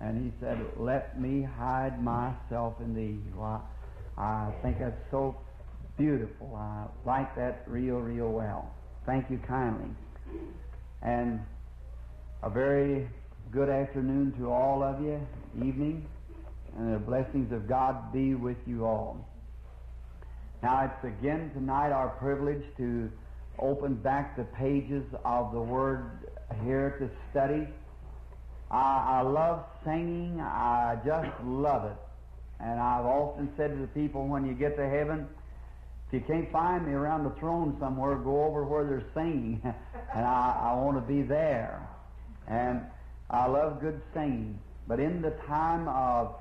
And he said, "Let me hide myself in thee." Well, I think that's so beautiful. I like that real, real well. Thank you kindly. And a very good afternoon to all of you, evening, and the blessings of God be with you all. Now, it's again tonight our privilege to open back the pages of the Word here to study. I love singing. I just love it. And I've often said to the people, when you get to heaven, if you can't find me around the throne somewhere, go over where they're singing. And I want to be there. And I love good singing. But in the time of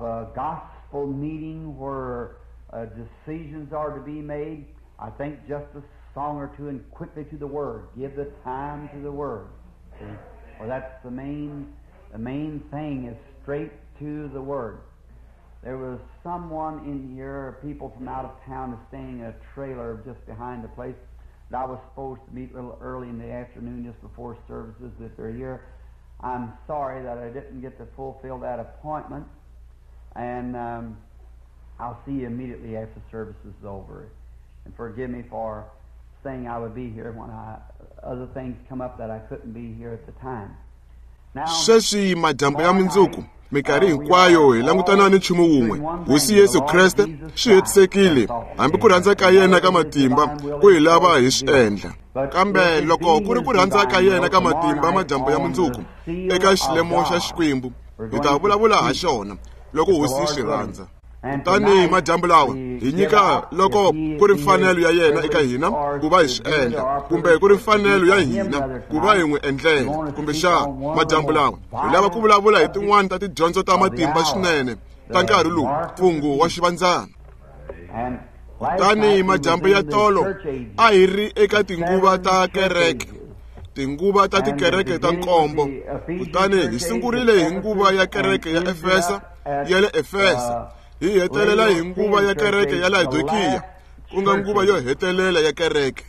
a gospel meeting where decisions are to be made, I think just a song or two and quickly to the Word. Give the time to the Word. See? Well, that's the main thing is straight to the Word. There was someone in here, people from out of town, is staying in a trailer just behind the place that I was supposed to meet a little early in the afternoon just before services if they're here. I'm sorry that I didn't get to fulfill that appointment, and I'll see you immediately after service is over. And forgive me for saying I would be here when other things come up that I couldn't be here at the time. Sweswi madyambu ya mundzuku minkarhi hinkwayo hi langutana ni nchumu wun'we, Hosi Yesu Kreste swi hetisekile, hambi ku rhandza ka yena ka matimba ku hi lava hi swi endla. Kambe loko ku ri ku rhandza ka yena ka matimba madyambu ya mundzuku eka xilemo xa Xikwembu, hi ta vulavula ha xona loko Hosi yi swi rhandza. Kutani madyambu lawa hi nyika loko ku ri mfanelo ya yena eka hina ku va hi swi endla, kumbe ku ri mfanelo ya hina ku va hi n'wi endlela. Kumbe xa madyambu lawa hi lava ku vulavula hi tin'wani ta tidyondzo ta matimba swinene ta nkarhi lowu, mfungho wa xivandzana. Kutani madyambu ya tolo a hi ri eka tinguva ta kereke, tinguva ta tikereke ta nkombo. Kutani hi sungurile hi nguva ya kereke ya Efesa, ya le Efesa, hi hetelela hi nguva ya kereke ya Laodikiya, ku nga nguva yo hetelela ya kereke.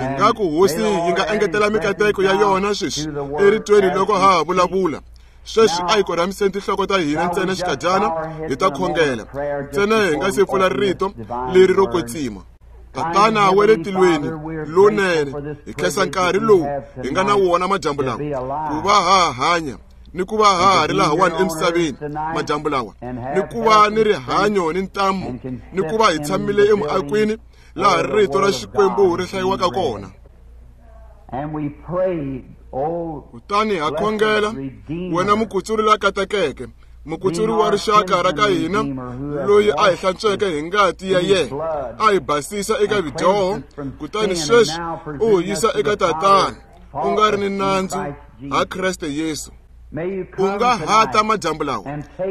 Ingaku Hosi yi nga engetela mikateko ya yona sweswi eritweni loko ha ha vulavula. Sweswi a hi korhamiseni tinhloko ta hina ntsena xikadyana, hi ta khongela ntsena hi nga se pfula rito leri ro kwetsima. Tatana wa le tilweni lonene, hi khensa nkarhi lowu hi nga na wona madyambu lawa, ku va ha hanya ni ku va ha ri lahawani emisaveni madyambu lawa, ni ku va ni rihanyo ni ntamu, ni ku va hi tshamile emuakweni laha rito ra Xikwembu ri hlayiwaka kona. Kutani ha khongela, wena mukutsuri la katekeke, mukutsuri wa rixaka ra ka hina, loyi a hi hlantsweke hi ngati ya yena, a hi basisa eka vidyoho, kutani sweswi u hi yisa eka Tatana, u nga ri ni nandzu ha Kreste Yesu. U nga hata madyambu lawa,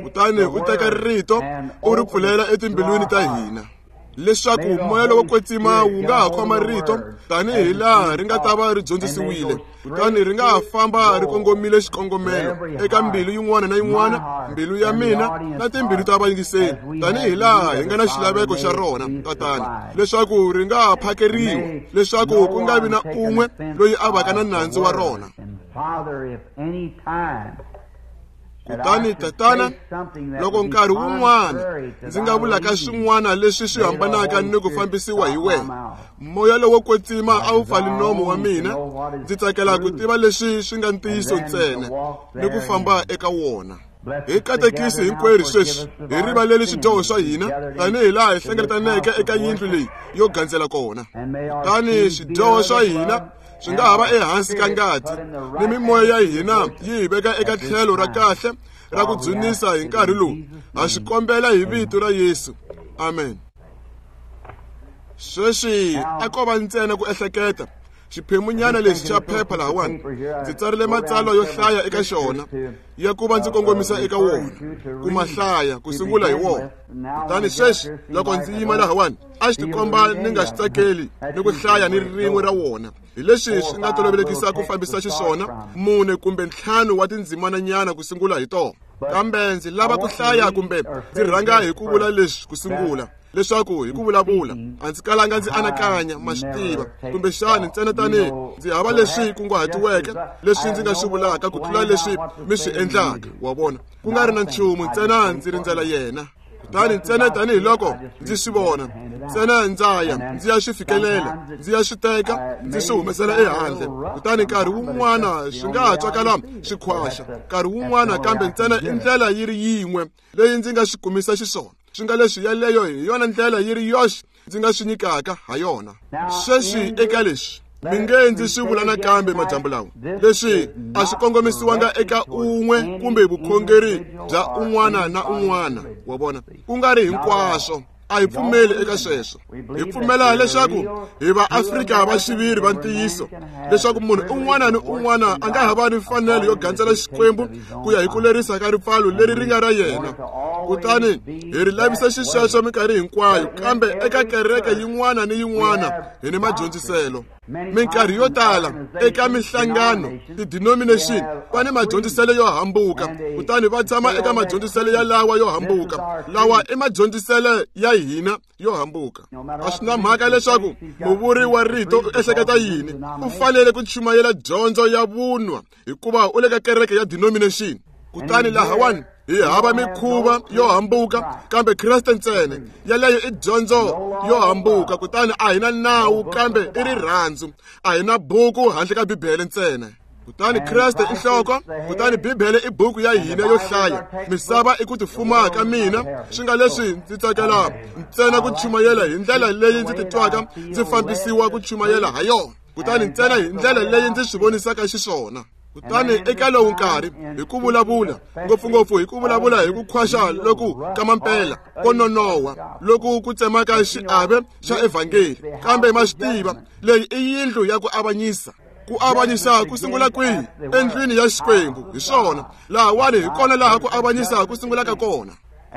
kutani u teka rito u ri pfulela etimbilwini ta hina, leswaku moya lowo kwetsima wu nga ha khoma rito tanihi laha ri nga ta va ri dyondzisiwile, kutani ri nga ha famba ri kongomile xikongomelo eka mbilu yin'wana na yin'wana, mbilu ya mina na timbilu ta vayingiseri, tanihi laha hi nga na xilaveko xa rona, Tatana, leswaku ri nga ha phakeriwa, leswaku ku nga vi na un'we loyi a vaka na nandzu wa rona. Kutani Tatana, loko nkarhi wun'wana ndzi nga vulaka swin'wana leswi swi hambanaka ni ku fambisiwa hi wena, moya lowo kwetsima a wu pfali nomo wa mina. Ndzi tsakela ku tiva leswi swi nga ntiyiso ntsena ni ku famba eka wona. Hi katekisi hinkwerhu sweswi, hi rivaleli swidyoho swa hina tanihi laha hi hlengeletaneke eka yindlu leyi yo gandzela kona. Kutani swidyoho swa hina swi nga ha va ehansi ka ngati, ni mimoya ya hina yi hi veka eka tlhelo ra kahle ra ku dzunisa hi nkarhi lowu. Ha swi kombela hi vito ra Yesu. Amen. Sweswi a ko va ntsena ku ehleketa xiphemunyana lexi xa phepha lahawani, ndzi tsarile matsalwa yo hlaya eka xona ya ku va ndzi kongomisa eka wona, ku ma hlaya ku sungula hi wona. Kutani sweswi loko ndzi yima lahawani, a xi tikomba ni nga xi tsakeli ni ku hlaya ni rin'we ra wona. Hi leswi swi nga tolovelekisa ku fambisa xiswona 4 kumbe 5 wa tindzimananyana ku sungula hi tona. Kambe ndzi lava ku hlaya kumbe ndzi rhanga hi ku vula leswi ku sungula. leswaku hi ku vulavula a ndzi kalanga ndzi anakanya ma swi tiva kumbexani ntsena tanihi ndzi hava leswi kunguhatiweke leswi ndzi nga swi vulaka ku tlula leswi mi swi endlaka wa vona ku nga ri na nchumu ntsena ndzi rindzela yena kutani ntsena tanihiloko ndzi swi vona ntsena ndza ya ndzi ya swi fikelela ndzi ya swi teka ndzi swi humesela ehandle kutani nkarhi wun'wana swi nga ha twakala swi khwaxa nkarhi wun'wana kambe ntsena i ndlela yi ri yin'we leyi ndzi nga swi kumisa xiswona swi nga leswi yeleyo hi yona ndlela yi ri yoxe ndzi nga swi nyikaka ha yona sweswi eka leswi mi nge ndzi swi vula nakambe madyambu lawa leswi a swi kongomisiwanga eka un'we kumbe vukhongeri bya un'wana na un'wana wa vona ku nga ri hinkwaswo a hi pfumeli eka sweswo hi pfumela leswaku hi vaafrika va xiviri va ntiyiso leswaku munhu un'wana ni un'wana a nga ha va ni mfanelo yo gandzela xikwembu ku ya hi ku lerisa ka ripfalo leri ri nga ra yena kutani hi ri lavisa xisweswo minkarhi hinkwayo kambe eka kereke yin'wana ni yin'wana hi ni madyondziselo minkarhi yo tala eka mihlangano ti-denomination va ni madyondziselo yo hambuka kutani va tshama eka madyondziselo yalawa yo hambuka lawa i madyondziselo ya hina yo hambuka a swi na mhaka leswaku muvuri wa rito u ehleketa yini u fanele ku chumayela dyondzo ya vunwa hikuva u le ka kereke ya denomination kutani lahawani hi hava mikhuva yo hambuka kambe Kreste ntsena yaleyo i dyondzo yo hambuka kutani a hi na nawu kambe i rirhandzu a hi na buku handle ka Bibele ntsena kutani Kreste i nhloko kutani Bibele i buku ya hina yo hlaya misava i ku tifuma ka mina swi nga leswi ndzi tsakela ntsena ku chumayela hi ndlela leyi ndzi titwaka ndzi fambisiwa ku chumayela ha yona kutani ntsena hi ndlela leyi ndzi swi vonisaka xiswona kutani eka lowu nkarhi hi ku vulavula ngopfungopfu hi ku vulavula hi ku khwaxa loku ka mampela ko nonoha loku ku tsemaka xiave xa evhangeli kambe ma swi tiva leyi i yindlu ya ku avanyisa ku avanyisa ku sungula kwihi endlwini ya Xikwembu hi swona lahawani hi kona laha ku avanyisa ku sungulaka kona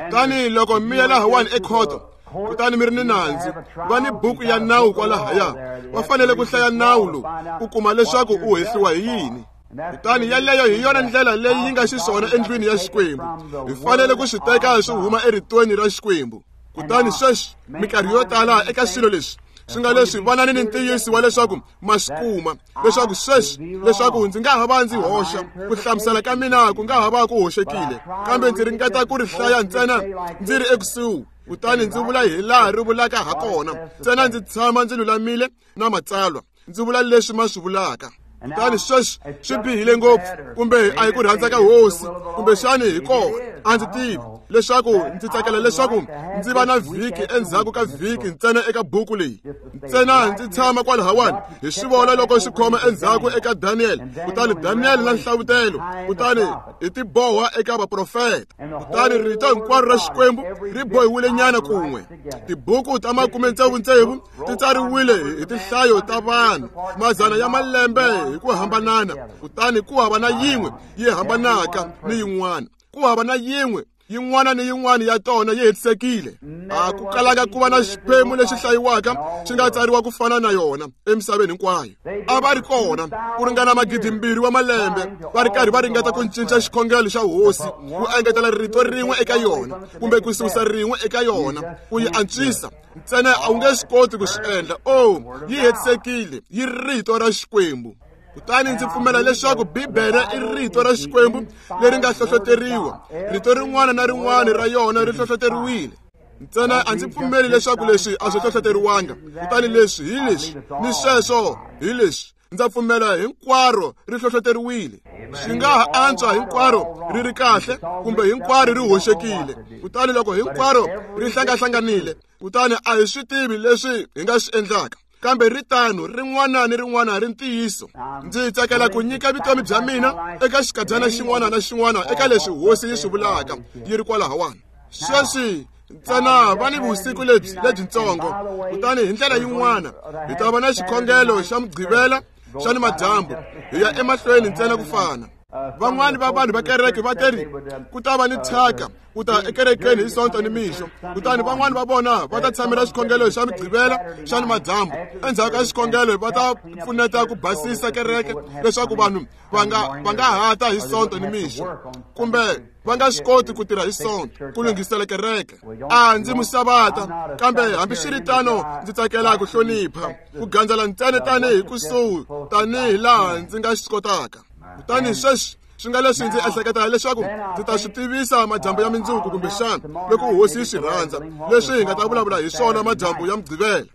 kutani loko mi ya lahawani ekhoto kutani mi ri ni nandzu va ni buku ya nawu kwalahaya va fanele ku hlaya nawu lowu ku kuma leswaku u hehliwa hi yini kutani yaleyo hi yona ndlela leyi yi nga xiswona endlwini ya Xikwembu hi fanele ku swi teka swi huma eritweni ra Xikwembu kutani sweswi minkarhi yo tala eka swilo leswi swi nga leswi vanani ni ntiyiso wa leswaku ma swi kuma leswaku sweswi leswaku ndzi nga ha va ndzi hoxa ku hlamusela ka mina ku nga ha va ku hoxekile kambe ndzi ringeta ku ri hlaya ntsena ndzi ri ekusuhi kutani ndzi vula hi laha ri vulaka ha kona ntsena ndzi tshama ndzi lulamile na matsalwa ndzi vula leswi ma swi vulaka kutani sweswi swi bihile ngopfu kumbe a hi ku rhandza ka hosi kumbexani hi kona a ndzi tivi leswaku ndzi tsakela leswaku ndzi va na vhiki endzhaku ka vhiki ntsena eka buku leyi ntsena ndzi tshama kwalahawani hi swi vona loko swi khoma endzhaku eka Daniel kutani Daniel na nhlavutelo kutani hi tiboha eka vaprofeta kutani rito hinkwaro ra Xikwembu ri bohiwile nyana kun'we tibuku ta 66 ti tsariwile hi tinhlayo ta vanhu mazana ya malembe hi ku hambanana kutani ku hava na yin'we yi hambanaka ni yin'wana ku hava na yin'we yin'wana ni yin'wana ya tona yi hetisekile a ku kalaka ku va na xiphemu lexi hlayiwaka xi nga tsariwa ku fana na yona emisaveni hinkwayo a va ri kona ku ringana 2,000 wa malembe va ri karhi va ringeta ku cinca xikhongelo xa hosi ku engetela rito rin'we eka yona kumbe ku susa rin'we eka yona ku yi antswisa ntsena a wu nge swi koti ku swi endla o yi hetisekile yi rito ra Xikwembu kutani ndzi pfumela leswaku Bibele i rito ra Xikwembu leri nga hlohloteriwa rito rin'wana na rin'wana ra yona ri hlohloteriwile ntsena a ndzi pfumeli leswaku leswi a swi hlohloteriwanga kutani leswi hi leswi ni sweswo hi leswi ndza pfumela hinkwaro ri hlohloteriwile swi nga ha antswa hinkwaro ri ri kahle kumbe hinkwaro ri hoxekile kutani loko hinkwaro ri hlangahlanganile kutani a hi swi tivi leswi hi nga swi endlaka kambe ri tano rin'wana ni rin'wana ri ntiyiso ndzi tsakela ku nyika vutomi bya mina eka xikadyana xin'wana na xin'wana eka leswi hosi yi swi vulaka yi ri kwalahawani sweswi ntsena va ni vusiku lebyi lebyintsongo kutani hi ndlela yin'wana hi ta va na xikhongelo xa mugqivela xa ni madyambu hi ya emahlweni ntsena ku fana. Van'wani va vanhu va kereke va teri ku ta va ni thyaka ku ta ekerekeni hi Sonto ni mixo, kutani van'wani va vona va ta tshamela xikhongelo xa Mugqivela xa ni madyambu. Endzhaku ka xikhongelo va ta pfuneta ku basisa kereke leswaku vanhu va nga hata hi Sonto ni mixo, kumbe va nga swi koti ku tirha hi Sonto ku lunghisela kereke. A ndzi musavata, kambe hambiswiritano ndzi tsakela ku hlonipha ku gandzela ntsena tanihi kusuhi tanihi laha ndzi nga swi kotaka. Kutani sweswi swi nga leswi ndzi ehleketa leswaku ndzi ta swi tivisa madyambu ya mindzuku, kumbexana loko hosi yi swi rhandza, leswi hi nga ta vulavula hi swona madyambu ya Mugqivela.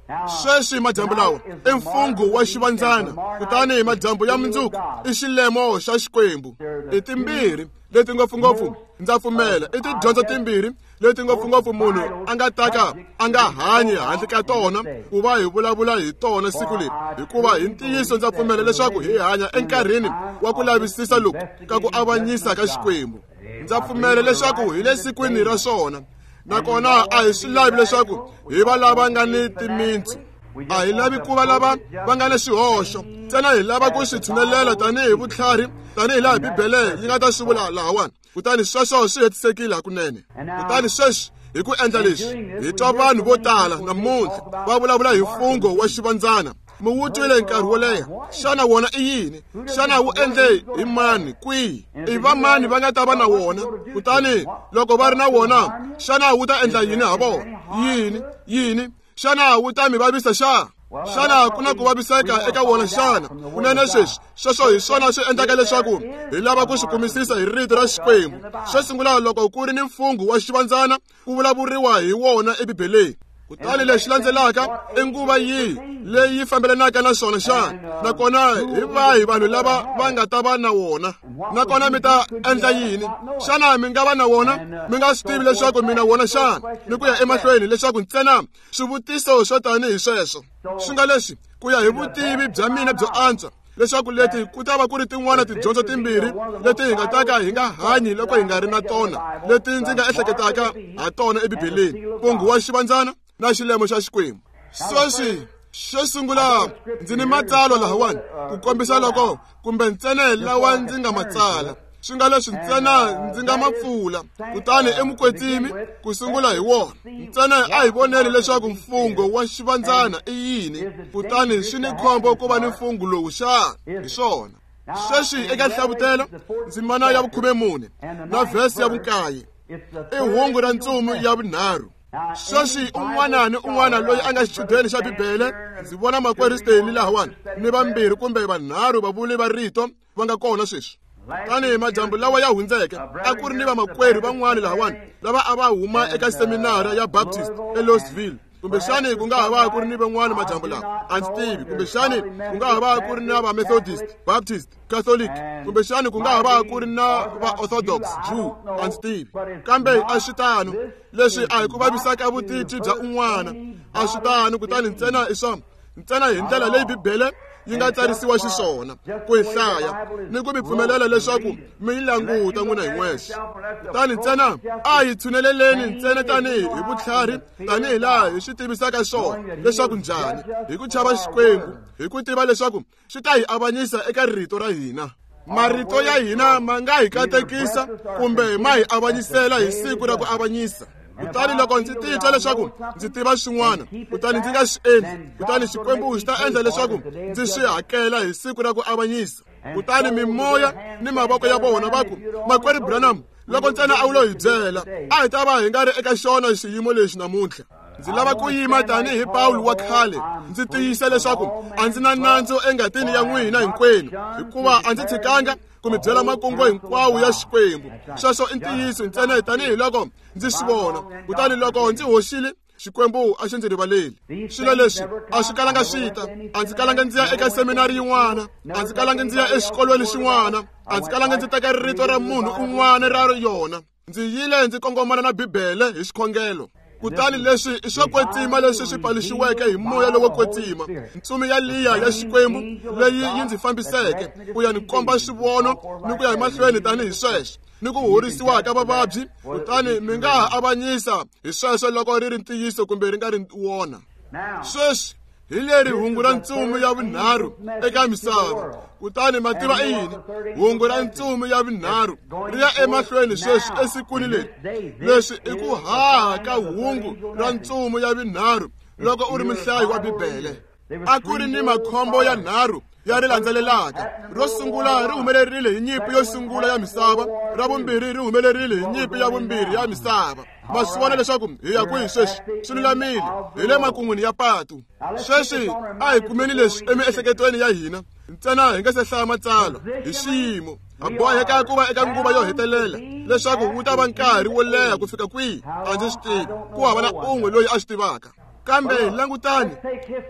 Sweswi madyambu lawa i mfungho wa xivandzana, kutani madyambu ya mindzuku i xilemo xa Xikwembu. I timbirhi leti ngopfungopfu ndza pfumela i tidyondzo timbirhi leti ngopfungopfu munhu a nga taka a nga hanyi handle ka tona ku va hi vulavula hi tona siku leri, hikuva hi ntiyiso ndza pfumela leswaku hi hanya enkarhini wa ku lavisisa loku ka ku avanyisa ka Xikwembu. Ndza pfumela leswaku hi le sikwini ra swona, nakona a hi swi lavi leswaku hi va lava nga ni timintsu. A hi lavi ku va lava va nga ni swihoxo, ntsena hi lava ku swi tshunelela tanihi vutlhari, tanihi laha Bibele yi nga ta swi vula lahawani. Kutani sweswo swi hetisekile hakunene. Kutani sweswi hi ku endla leswi, hi twa vanhu vo tala namuntlha va vulavula hi mfungho wa xivandzana. Mi wu twile nkarhi wo leha. Xana wona i yini? Xana wu endle hi mani? Kwihi? I va mani va nga ta va na wona? Kutani loko va ri na wona, xana wu ta endla yini ha vona? Yini? Yini? Xana wu ta mi vavisa xa? Xana ku na ku vaviseka eka wona xana? Kunene sweswi sweswo hi swona swi endlaka leswaku hi lava ku swi kumisisa hi rito ra Xikwembu. Xo sungula, loko ku ri ni mfungho wa xivandzana, ku vulavuriwa hi wona eBibeleni. Kutani lexi landzelaka i nguva yihi leyi yi fambelanaka na swona xana? Nakona hi vahi vanhu lava va nga ta va na wona? Nakona mi ta endla yini? Xana mi nga va na wona mi nga swi tivi leswaku mi na wona xana? Ni ku ya emahlweni leswaku ntsena swivutiso swo tanihi sweswo swi nga leswi, ku ya hi vutivi bya mina byo antswa, leswaku leti ku ta va ku ri tin'wana tidyondzo timbirhi leti hi nga taka hi nga hanyi loko hi nga ri na tona, leti ndzi nga ehleketaka ha tona eBibeleni: mfungho wa xivandzana na xilemo xa Xikwembu. Sweswi xo sungula ndzi ni matsalwa lahawani ku kombisa loko kumbe ntsena lawa ndzi nga matsala, swi nga leswi ntsena ndzi nga ma pfula. Kutani emukwetsimi ku sungula hi wona ntsena a hi voneli leswaku mfungho wa xivandzana i yini, kutani swi ni khombo ku va ni mfungho lowu xana? Hi swona. Sweswi eka Nhlavutelo ndzimana ya 14 na vhesi ya 9 i hungu ra ntsumi ya vunharhu. Sweswi un'wana ni un'wana loyi a nga xichudeni xa Bibele, ndzi vona makwerhu Stanley lahawani ni vambirhi kumbe vanharhu vavuli va rito va nga kona sweswi. Tanihi madyambu lawa ya hundzeke, a ku ri ni vamakwerhu van'wani lahawani lava a va huma eka seminara ya Baptist eLouisville. Kumbexani ku nga ha va ku ri ni van'wani madyambu lawa, a ndzi tivi. Kumbexani ku nga ha va ku ri na va Methodist, Baptist, Catholic, kumbexani ku nga ha va ku ri na va Orthodox Jew, a ndzi tivi. Kambe a swi tano. Leswi a hi ku vavisaka vutitwi bya un'wana, a swi tano. Kutani ntsena i swa ntsena hi ndlela leyi Bibele yi nga tsarisiwa xiswona ku yi hlaya ni ku mi pfumelela leswaku mi yi languta n'wina hi n'wexe. Kutani ntsena a hi tshuneleleni ntsena tanihi hi vutlhari, tanihi laha hi swi tivisaka swona leswaku njhani, hi ku chava Xikwembu, hi ku tiva leswaku swi ta hi avanyisa eka rito ra hina. Marito ya hina ma nga hi katekisa kumbe ma hi avanyisela hi siku ra ku avanyisa. Kutani loko ndzi titwa leswaku ndzi tiva swin'wana, kutani ndzi nga swi endli, kutani Xikwembu xi ta endla leswaku ndzi swi hakela hi siku ra ku avanyisa. Kutani mimoya ni mavoko ya vona va ku, Makwerhu Branham, loko ntsena a wu lo hi byela, a hi ta va hi nga ri eka xona xiyimo lexi namuntlha. Ndzi lava ku yima tanihi Pawulo wa khale, ndzi tiyisa leswaku a ndzi na nandzu engatini ya n'wina hinkwenu, hikuva a ndzi tshikanga ku mi byela makungu hinkwawo ya Xikwembu. Sweswo i ntiyiso ntsena tanihi loko ndzi swi vona. Kutani loko ndzi hoxile, Xikwembu a xi ndzi rivaleli. Swilo leswi a swi kalanga swi ta. A ndzi kalanga ndzi ya eka seminari yin'wana, a ndzi kalanga ndzi ya exikolweni xin'wana, a ndzi kalanga ndzi teka rito ra munhu un'wana ra yona. Ndzi yile ndzi kongomana na Bibele hi xikhongelo. Kutani leswi i swo kwetsima leswi swi paluxiweke hi moya lowo kwetsima, ntsumi ya liya ya Xikwembu leyi yi ndzi fambiseke ku ya ni komba swivono ni ku ya emahlweni tanihi sweswo, ni ku horisiwa ka vavabyi. Kutani mi nga ha avanyisa hi sweswo loko ri ri ntiyiso kumbe ri nga ri wona. Sweswi Hi leri hungu ra ntsumi ya vunharhu eka misava. Kutani mativa i yini? Hungu ra ntsumi ya vunharhu ri ya emahlweni sweswi esikwini leri. Leswi i ku haha ka hungu ra ntsumi ya vunharhu loko u ri muhlayi wa Bibele. A ku ri ni makhombo ya nharhu ya ri landzelelaka. Ro sungula ri humelerile hi nyimpi yo sungula ya misava, ra vumbirhi ri humelerile hi nyimpi ya vumbirhi ya misava. Ma swi vona leswaku hi ya kwihi sweswi? Swi lulamile, hi le makun'wini ya patu. Sweswi a hi kumeni leswi emiehleketweni ya hina ntsena hi nga se hlaya matsalwa hi xiyimo. Ha boheka ku va eka nguva yo hetelela leswaku wu ta va nkarhi wo leha ku fika kwihi a ndzi swi tivi, ku hava na un'we loyi a swi tivaka. Kambe langutani,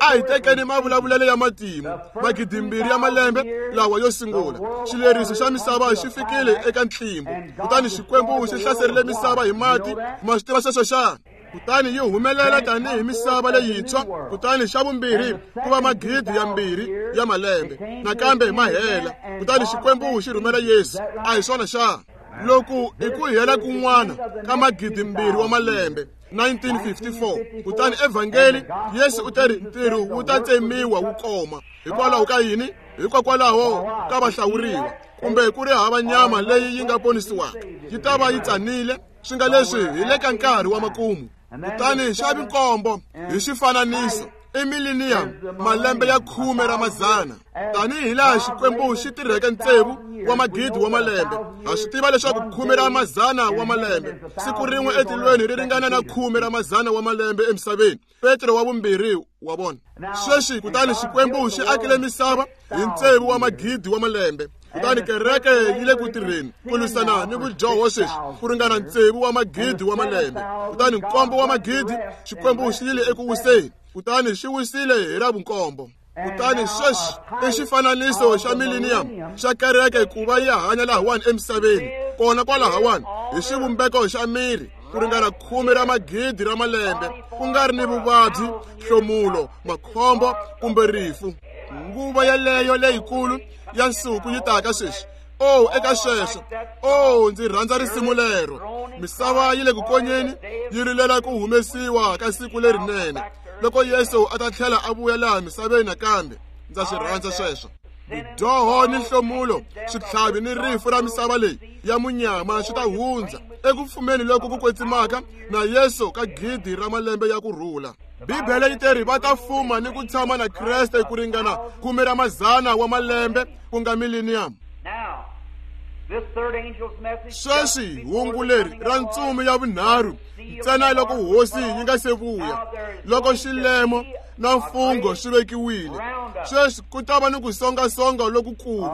a hi tekeni mavulavulelo ya matimu 2000 ya malembe lawa yo sungula. Xileriso xa misava xi fikile eka ntlimbo, kutani Xikwembu xi hlaserile misava hi mati. Ma swi tiva sweswo xana? Kutani yi humelela tanihi misava leyintshwa. Kutani xa vumbirhi ku va 2000 ya malembe nakambe ma hela. Kutani Xikwembu xi rhumela Yesu. A hi swona xana? Loku i ku hela kun'wana ka 2000 wa malembe, 1954. Kutani evhangeli Yesu u teri ntirho wu ta tsemiwa wu koma. Hikwalaho ka yini? Hikokwalaho ka vahlawuriwa, kumbe ku ri hava nyama leyi yi nga ponisiwaka, yi ta va yi tsanile. Swi nga leswi hi le ka nkarhi wa makumu. Kutani xa vinkombo hi xifananiso i millennium, malembe ya 10 ra mazana. Tanihi laha Xikwembu xi tirheke tsevu wa magidi wa malembe, ha swi tiva leswaku 10 ra mazana wa malembe siku rin'we etilweni ri ringana na 10 ra mazana wa malembe emisaveni. Petro wa vumbirhi wa vona. Sweswi kutani Xikwembu xi akile misava hi tsevu wa magidi wa malembe. Kutani kereke yi le ku tirheni ku lwisana ni vudyoho sweswi ku ringana tsevu wa magidi wa malembe. Kutani nkombo wa magidi Xikwembu xi yile eku wiseni. Kutani xi wisile hi ra vunkombo. Kutani sweswi i xifananiso xa millennium xa kereke ku va yi hanya lahawani emisaveni, kona kwalahawani hi xivumbeko xa miri ku ringana 10 ra magidi ra malembe, ku nga ri ni vuvabyi, hlomulo, makhombo kumbe rifu. Nguva yeleyo leyikulu ya nsuku yi taka sweswi. Oh, eka sweswo. Oh, ndzi rhandza risimu lero. Misava yi le ku konyeni, yi rilela ku humesiwa ka siku lerinene loko Yesu a ta tlhela a vuya laha misaveni nakambe. Ndza swi rhandza sweswo. Vudyoho ni nhlomulo, switlhavi ni rifu ra misava leyi ya munyama swi ta hundza eku pfumeni loko ku kwetsimaka na Yesu ka 1000 ra malembe ya ku rhula. Bibele yi teri va ta fuma ni ku tshama na Kreste ku ringana 10 ra mazana wa malembe, ku nga millennium. Sweswi hungu leri ra ntsumi ya vunharhu ntsena loko hosi yi nga se vuya, loko xilemo na mfungho swi vekiwile, sweswi ku ta va ni ku songasonga lokukulu,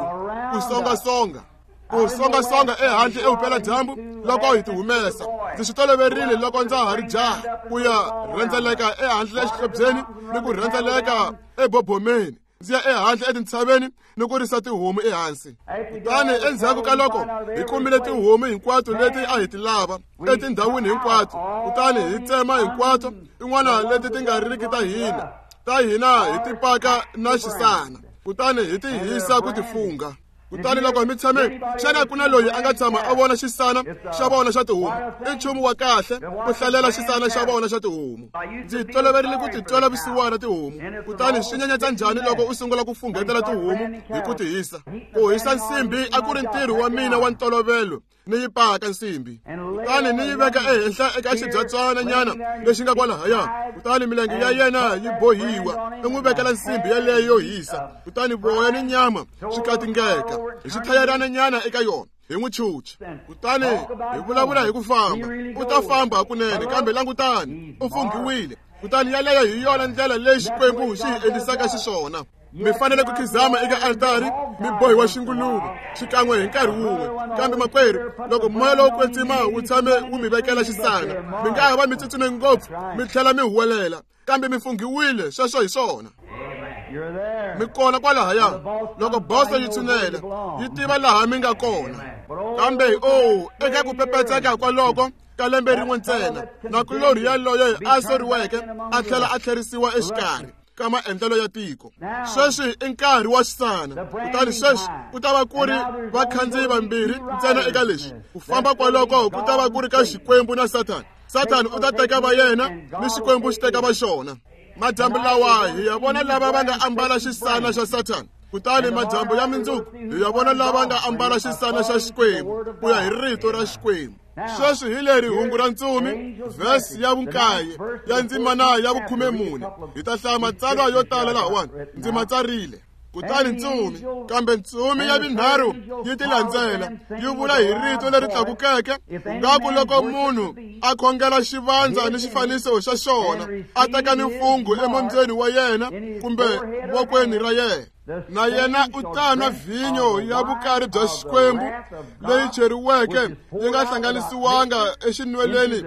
ku songasonga, ku songasonga ehandle evupeladyambu loko hi ti humesa. Ndzi swi toloverile loko ndza ha ri jaha ku ya rhendzeleka ehandle exihlobyeni ni ku rhendzeleka ebobomeni, ndzi ya ehandle etintshaveni ni ku risa tihomu ehansi. Kutani endzhaku ka loko hi kumile tihomu hinkwato leti a hi ti lava etindhawini hinkwato, kutani hi tsema hinkwato tin'wana leti ti nga riki ta hina hi ti paka na xisana, kutani hi ti hisa ku ti fungha. Kutani loko mi tshame, xana ku na loyi a nga tshama a vona xisana xa vona xa tihomu? I nchumu wa kahle ku hlalela xisana xa vona xa tihomu. Ndzi toloverile ku ti twela vusiwana tihomu. Kutani swi nyenyetsa njhani loko u sungula ku funghetela tihomu hi ku ti hisa? Ku hisa nsimbi a ku ri ntirho wa mina wa ntolovelo. Ni yi paka nsimbi, kutani ni yi veka ehenhla eka xibyatswana nyana lexi nga kwalahaya. Kutani milenge ya yena yi bohiwa, i n'wi vekela nsimbi yeleyo yo hisa. Kutani voya ni nyama swi katingeka hi xithayerana nyana eka yona, hi n'wi chucha. Kutani hi vulavula hi ku famba, u ta famba hakunene, kambe langutani, u funghiwile. Kutani yaleyo hi yona ndlela leyi Xikwembu xi hi endlisaka xiswona. Mi fanele ku khizama eka altari mi bohiwa xinguluve xikan'we hi nkarhi wun'we. Kambe makwerhu, loko moya lowo kwetsima wu tshame wu mi vekela xisana, mi nga ha va mi tsutsume ngopfu mi tlhela mi huwelela, kambe mi funghiwile. Sweswo hi swona. Mi kona kwalahaya. Loko boso yi tshunela, yi tiva laha mi nga kona. Kambe oh, eka ku pepetseka kwaloko ka lembe rin'we ntsena, nakulorhi yaloye a soriweke a tlhela a tlherisiwa exikarhi ka maendlelo ya tiko. Sweswi i nkarhi wa xisana. Kutani sweswi ku ta va ku ri vakhandziyi vambirhi ntsena eka leswi. Ku famba kwaloko ku ta va ku ri ka Xikwembu na Sathana. Sathana u ta teka va yena ni Xikwembu xi teka va xona. Madyambu lawa hi ya vona lava va nga ambala xisana xa Sathana, kutani madyambu ya mindzuku hi ya vona lava nga ambala xisana xa Xikwembu ku ya hi rito ra Xikwembu. Sweswi hi leri hungu ra ntsumi, vhesi ya vunkaye ya ndzimana ya 14. Hi ta hlaya matsalwa yo tala lahawani, ndzi ma tsarile. Kutani ntsumi, kambe ntsumi ya vunharhu yi ti landzela, yi vula hi rito leri tlakukeke, ngaku loko munhu a khongela xivandza ni xifaniso xa xona, a teka ni mfungho emombyeni wa yena kumbe vokweni ra yena, na yena u ta nwa vhinyo ya vukari bya Xikwembu leyi cheriweke yi nga hlanganisiwanga exinweleni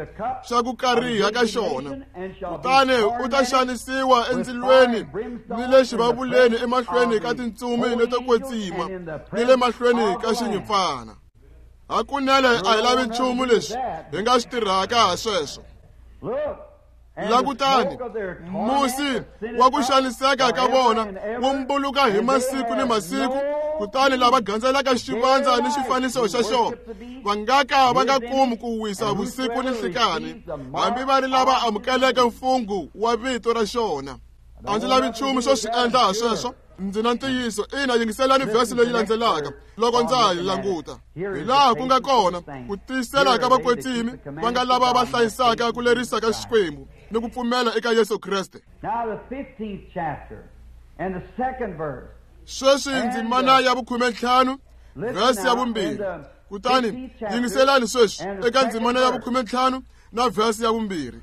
xa ku kariha ka xona, kutani u ta xanisiwa endzilweni ni le xivavuleni emahlweni ka tintsumi leto kwetsima ni le mahlweni ka xinyimpfana. Hakunene a hi lavi nchumu lexi hi nga xi tirhaka ha sweswo. Langutani, musi wa ku xaniseka ka vona wu mbuluka hi masiku ni masiku, kutani lava gandzelaka xivandza ni xifaniso xa xona va nga ka va nga kumi ku wisa vusiku ni nhlikani, hambi va ri lava amukeleke mfungho wa vito ra xona. A ndzi lavi nchumu xo swi endla ha sweswo. Ndzi na ntiyiso. Ina, yingiselani vhesi leyi landzelaka loko ndza ha yi languta. Hi laha ku nga kona ku tiyisela ka vakwetsimi va nga lava va hlayisaka ku lerisa ka Xikwembu ni ku pfumela eka Yesu Kreste. Sweswi ndzimana ya 15, vhesi ya 2. Kutani yingiselani sweswi eka ndzimana ya 15 na vhesi ya 2.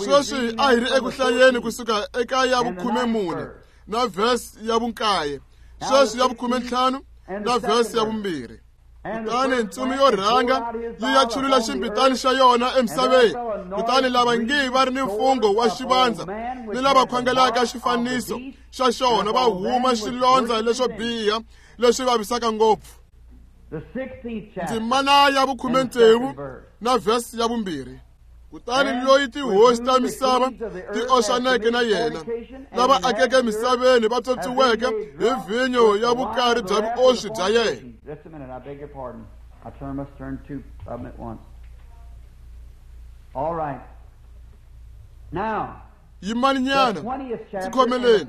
Sweswi a hi ri eku hlayeni kusuka eka ya 14 na vhesi ya 9. Sweswi ya 15 na vhesi ya 2. Kutani ntsumi yo rhanga yi ya chulula ximbitani xa yona emisaveni, kutani lava ngi va ri ni mfungho wa xivandza ni lava khongelaka xifaniso xa xona va huma xilondza leswo biha leswi vavisaka ngopfu. Ndzimana ya 16 na vhesi ya 2. Kutani loyi tihosi ta misava ti oxaneke na yena, lava akeke misaveni va tswotswiweke hi vhinyo ya vukari bya vuoswi bya yena. Yimani nyana, ndzi khomeleni,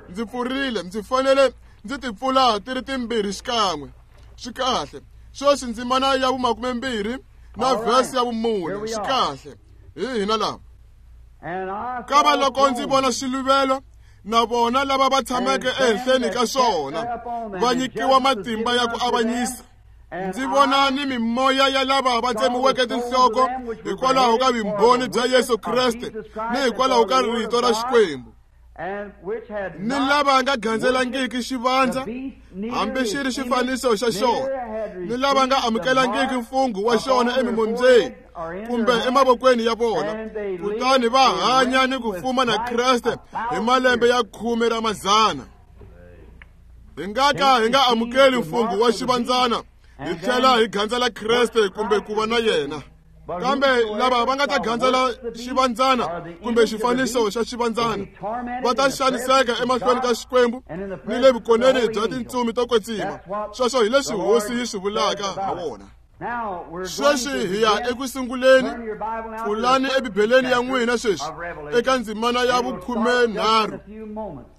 ndzi pfurile, ndzi fanele ndzi ti pfula ti ri timbirhi xikan'we. Swi kahle. Sweswi ndzimana ya 20 na vhesi ya 4. Swi kahle. Hi hina lava. Kava loko ndzi vona xiluvelo na vona lava va tshameke ehenhleni ka swona va nyikiwa matimba ya ku avanyisa. Ndzi vona ni mimoya ya lava va tsemiweke tinhloko hikwalaho ka vumbhoni bya Yesu Kreste ni hikwalaho ka rito ra Xikwembu, ni lava nga gandzelangiki xivandza hambi xi ri xifaniso xa xona, ni lava nga amukelangiki mfungho wa xona emimombyeni kumbe emavokweni ya vona, kutani va hanya ni ku fuma na Kreste hi malembe ya 10 ra mazana. Hi nga ka hi nga amukeli mfungho wa xivandzana hi tlhela hi gandzela Kreste kumbe ku va na yena. Kambe lava va nga ta gandzela xivandzana kumbe xifaniso xa xivandzana va ta xaniseka emahlweni ka Xikwembu ni le vukoneni bya tintsumi to kwetsima. Sweswo hi leswi Hosi yi swi vulaka ha wona. Sweswi hi ya eku sunguleni. Pfulani eBibeleni ya n'wina sweswi eka ndzimana ya 13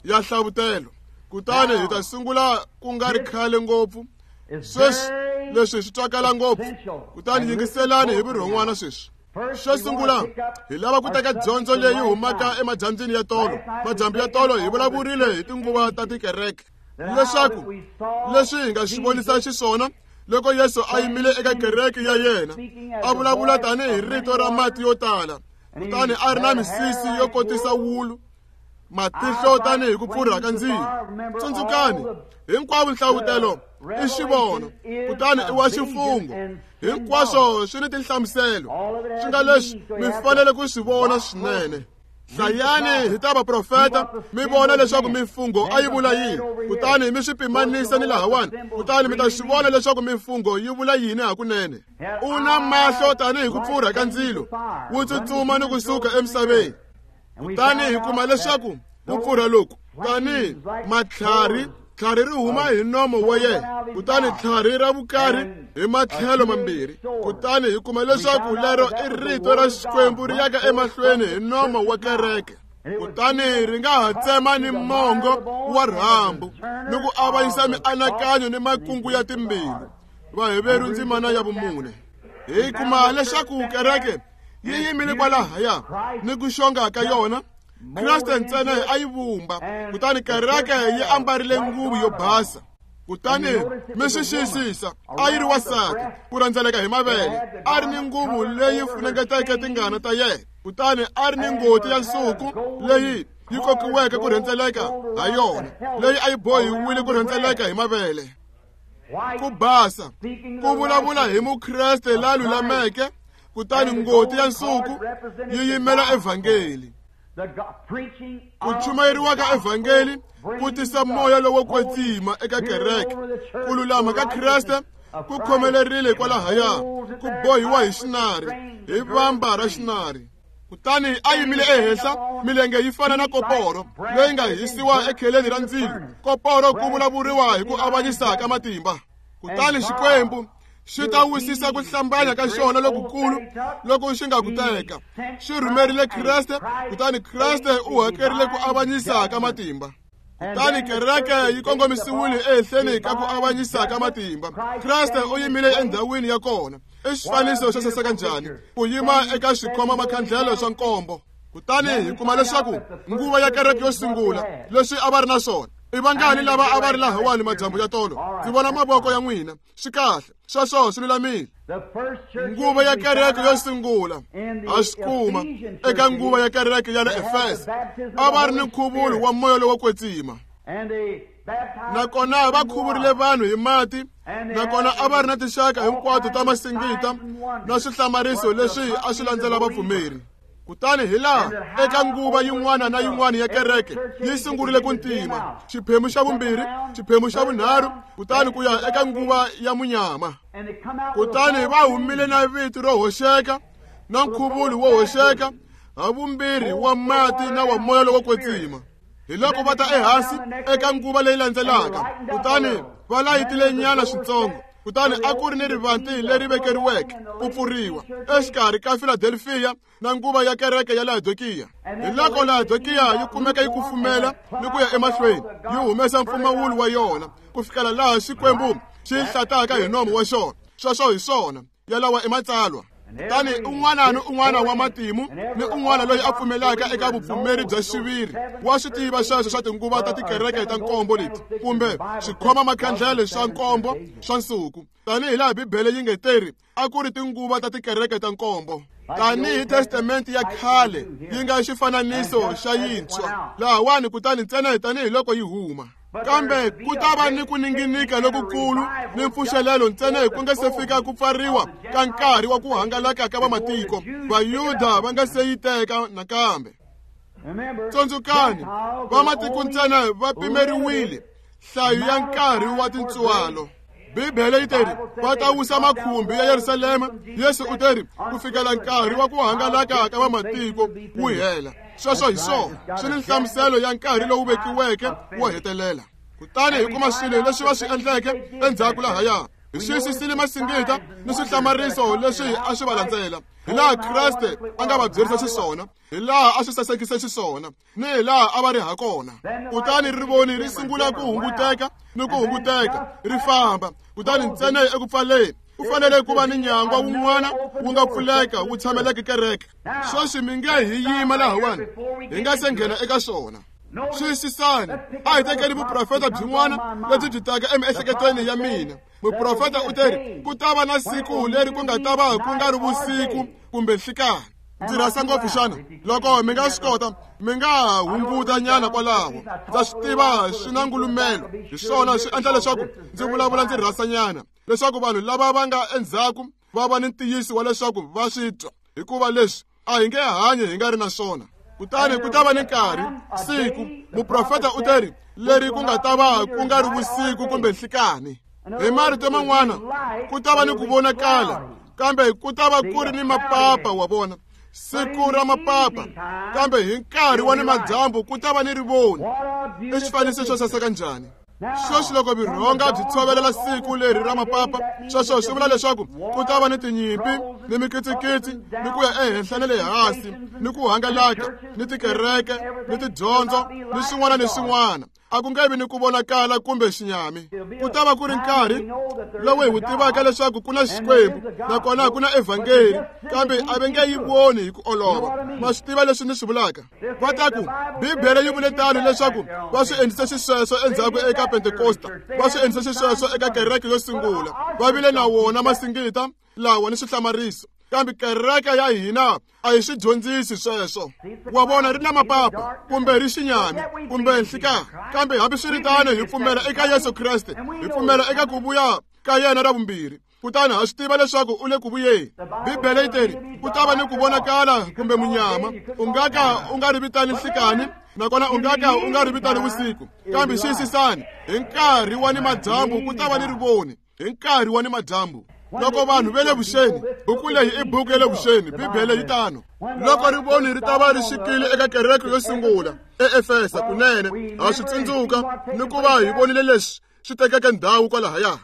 ya Hlavutelo, kutani hi ta sungula ku nga ri khale ngopfu. Sweswi leswi swi twakala ngopfu, kutani yingiselani hi vurhon'wana sweswi. Xo sungula, hi lava ku teka dyondzo leyi humaka emadyambyini ya tolo. Madyambu ya tolo hi vulavurile hi tinguva ta tikereke, leswaku leswi hi nga swi vonisa xiswona loko Yesu a yimile eka kereke ya yena, a vulavula tanihi rito ra mati yo tala, kutani a ri na misisi yo kotisa wulu, matihlo tanihi ku pfurha ka ndzilo. Tsundzukani, hinkwavo nhlavutelo i xivono, kutani i wa ximfungho. Hinkwaswo swi ni tinhlamuselo, swi nga leswi mi fanele ku swi vona swinene. Hlayani hi ta vaprofeta mi vona leswaku mifungho a yi vula yini, kutani mi swi pimanisa ni lahawani, kutani mi ta swi vona leswaku mifungho yi vula yini hakunene. U na mahlo tanihi ku pfurha ka ndzilo, wu tsutsuma ni kusuka emisaveni. Kutani hi kuma leswaku ku pfurha loku tanihi matlhari, tlhari ri huma hi nomo wa yena, kutani tlhari ra vukari hi matlhelo mambirhi. Kutani hi kuma leswaku lero i rito ra Xikwembu ri yaka emahlweni hi nomo wa kereke. Kutani ri nga ha tsema ni mongo wa rhambu ni ku avanyisa mianakanyo ni makungu ya timbilu. Vaheveru ndzimana ya 4. Hi kuma leswaku kereke yi yimile kwalahaya ni ku xonga ka yona. Kreste ntsena a yi vumba, kutani kereke yi ambarile nguvu yo basa. Kutani mi swi xiyisisa, a yi ri wansati ku rhendzeleka hi mavele, a ri ni nguvu leyi funengeteke tingana ta yena, kutani a ri ni ngoti ya nsuku leyi yi kokiweke ku rhendzeleka ha yona, leyi a yi bohiwile ku rhendzeleka hi mavele. Ku basa, ku vulavula hi Mukreste la lulameke, kutani ngoti ya nsuku yi yimela evhangeli. Ku chumayeriwa ka evhangeli ku tisa moya lowo kwetsima eka kereke. Ku lulama ka Kreste ku khomelerile kwalahaya, ku bohiwa hi xinari, hi vamba ra xinari. Kutani a yimile ehenhla, milenge yi fana na koporo leyi nga hisiwa ekheleni ra ndzilo. Koporo ku vulavuriwa hi ku avanyisa ka matimba. Kutani Xikwembu xi ta wisisa ku hlambanya ka xona lokukulu loko xi nga ku teka. Xi rhumerile Kreste, kutani Kreste u hakerile ku avanyisa ka matimba. Kutani kereke yi kongomisiwile ehenhleni ka ku avanyisa ka matimba. Kreste u yimile endhawini ya kona. I xifaniso xo saseka njhani ku yima eka xikhoma makhandlelo swa nkombo. Kutani hi kuma leswaku nguva ya kereke yo sungula leswi a va ri na swona. I vangani lava a va ri lahawani madyambu ya tolo? Ndzi vona mavoko ya n'wina. Swi kahle, sweswo swi lulamile. Nguva ya kereke yo sungula ha swi kuma eka nguva ya kereke ya le Efesa, a va ri ni nkhuvulo wa moya lowo kwetsima. Nakona va khuvurile vanhu hi mati, nakona a va ri na tinxaka hinkwato ta masingita na swihlamariso leswi a swi landzela vapfumeri. Kutani hi laha eka nguva yin'wana na yin'wana ya kereke yi sungurile ku ntima, xiphemu xa vumbirhi, xiphemu xa vunharhu, kutani ku ya eka nguva ya munyama. Kutani va humile na vito ro hoxeka na nkhuvulo wo hoxeka, ha vumbirhi wa mati na wa moya lowo kwetsima. Hi loko va ta ehansi eka nguva leyi landzelaka, kutani va layitile nyana switsongo. Kutani a ku ri ni rivanti leri vekeriweke ku pfuriwa exikarhi ka Philadelphia na nguva ya kereke ya Laodikiya. Hi loko Laodikiya yi kumeka yi kufumela ni ku ya emahlweni, yi humesa mpfumawulo wa yona ku fikela laha Xikwembu xi hlataka hi nomu wa xona. Sweswo hi swona yalawa i matsalwa. Kutani un'wana ni un'wana wa matimu ni un'wana loyi a pfumelaka eka vupfumeri bya xiviri wa swi tiva sweswo swa tinguva ta tikereke ta nkombo leti, kumbe swikhoma makhandlele swa nkombo swa nsuku, tanihi laha Bibele yi nge teri a ku ri tinguva ta tikereke ta nkombo. Tanihi Testamente ya khale yi nga xifananiso xa yintshwa lahawani, kutani ntsena tanihi loko yi huma. Kambe ku ta va ni ku ninginika lokukulu ni mpfuxelelo ntsena ku nga se fika ku pfariwa ka nkarhi wa ku hangalaka ka vamatiko, Vayuda va nga se yi teka nakambe. Tsundzukani, vamatiko ntsena va pimeriwile nhlayo ya nkarhi wa tintswalo. Bibele yi teri va ta wisa makhumbi ya Yerusalema. Yesu u teri ku fikela nkarhi wa ku hangalaka ka vamatiko wu hela. Sweswo hi swona swi ni nhlamuselo ya nkarhi lowu vekiweke wo hetelela. Kutani hi kuma swilo leswi va swi endleke endzhaku lahaya. Hi xiyisisile masingita ni swihlamariso leswi a swi va landzela, hi laha Kreste a nga va byerisa xiswona, hi laha a swi sasekise xiswona, ni hi laha a va ri ha kona. Kutani rivoni ri sungula ku hunguteka ni ku hunguteka, ri famba. Kutani ntsena eku pfaleni ku fanele ku va ni nyangwa wun'wana wu nga pfuleka wu tshameleke kereke. Sweswi mi nge hi yima lahawani hi nga se nghena eka swona. Xiyisisani, a hi tekeni vuprofeta byin'wana lebyi byi taka emiehleketweni ya mina. Muprofeta u teri ku ta va na siku leri ku nga ta va ku nga ri vusiku kumbe nhlikani. Ndzi rhasa ngopfu xana? Loko mi nga swi kota, mi nga hunguta nyana kwalaho. Ndza swi tiva swi na ngulumelo, hi swona swi endla leswaku ndzi vulavula ndzi rhasa nyana, leswaku vanhu lava va nga endzhaku va va ni ntiyiso wa leswaku va swi twa, hikuva leswi a hi nge hanyi hi nga ri na swona. Kutani ku ta va ni nkarhi, siku, muprofeta u teri leri ku nga ta va ku nga ri vusiku kumbe nhlikani. Hi marito man'wana, ku ta va ni ku vonakala, kambe ku ta va ku ri ni mapapa, wa vona, siku ra mapapa, kambe hi nkarhi wa ni madyambu ku ta va ni rivoni. I xifaniso xo saseka njhani? Sweswi loko vurhonga byi tshovelela siku leri ra mapapa, sweswo swi vula leswaku ku ta va ni tinyimpi ni mikitsikitsi ni ku ya ehenhla na le hansi ni ku hangalaka ni tikereke ni tidyondzo ni swin'wana ni swin'wana. A ku nge vi ni ku vonakala kumbe xinyami. Ku ta va ku ri nkarhi lowu hi wu tivaka leswaku ku na Xikwembu nakona ku na evhangeli, kambe a va nge yi voni hi ku olova. Ma swi tiva leswi ni swi vulaka? Va ta ku Bibele yi vule tano leswaku va swi endlise xisweswo endzhaku eka Pentekosta, va swi endlise xisweswo eka kereke yo sungula, va vile na wona masingita lawa ni swihlamariso, kambe kereke ya hina a hi swi dyondzisi sweswo. Wa vona, ri na mapapa kumbe ri xinyami kumbe nhlika, kambe hambiswiritano hi pfumela eka Yesu Kreste, hi pfumela eka ku vuya ka yena ra vumbirhi. Kutani ha swi tiva leswaku u le ku vuyeni. Bibele yi teri ku ta va ni ku vonakala kumbe munyama, u nga ka u nga ri vitani nhlikani nakona u nga ka u nga ri vitani vusiku, kambe xiyisisani, hi nkarhi wa ni madyambu ku ta va ni rivoni. Hi nkarhi wa ni madyambu loko vanhu va le vuxeni, buku leyi i buku ya le vuxeni, Bibele yi tano. Loko rivoni ri ta va ri xikile eka kereke yo sungula eEfesa, kunene ha swi tsundzuka ni ku va hi vonile leswi swi tekeke ndhawu kwalahaya.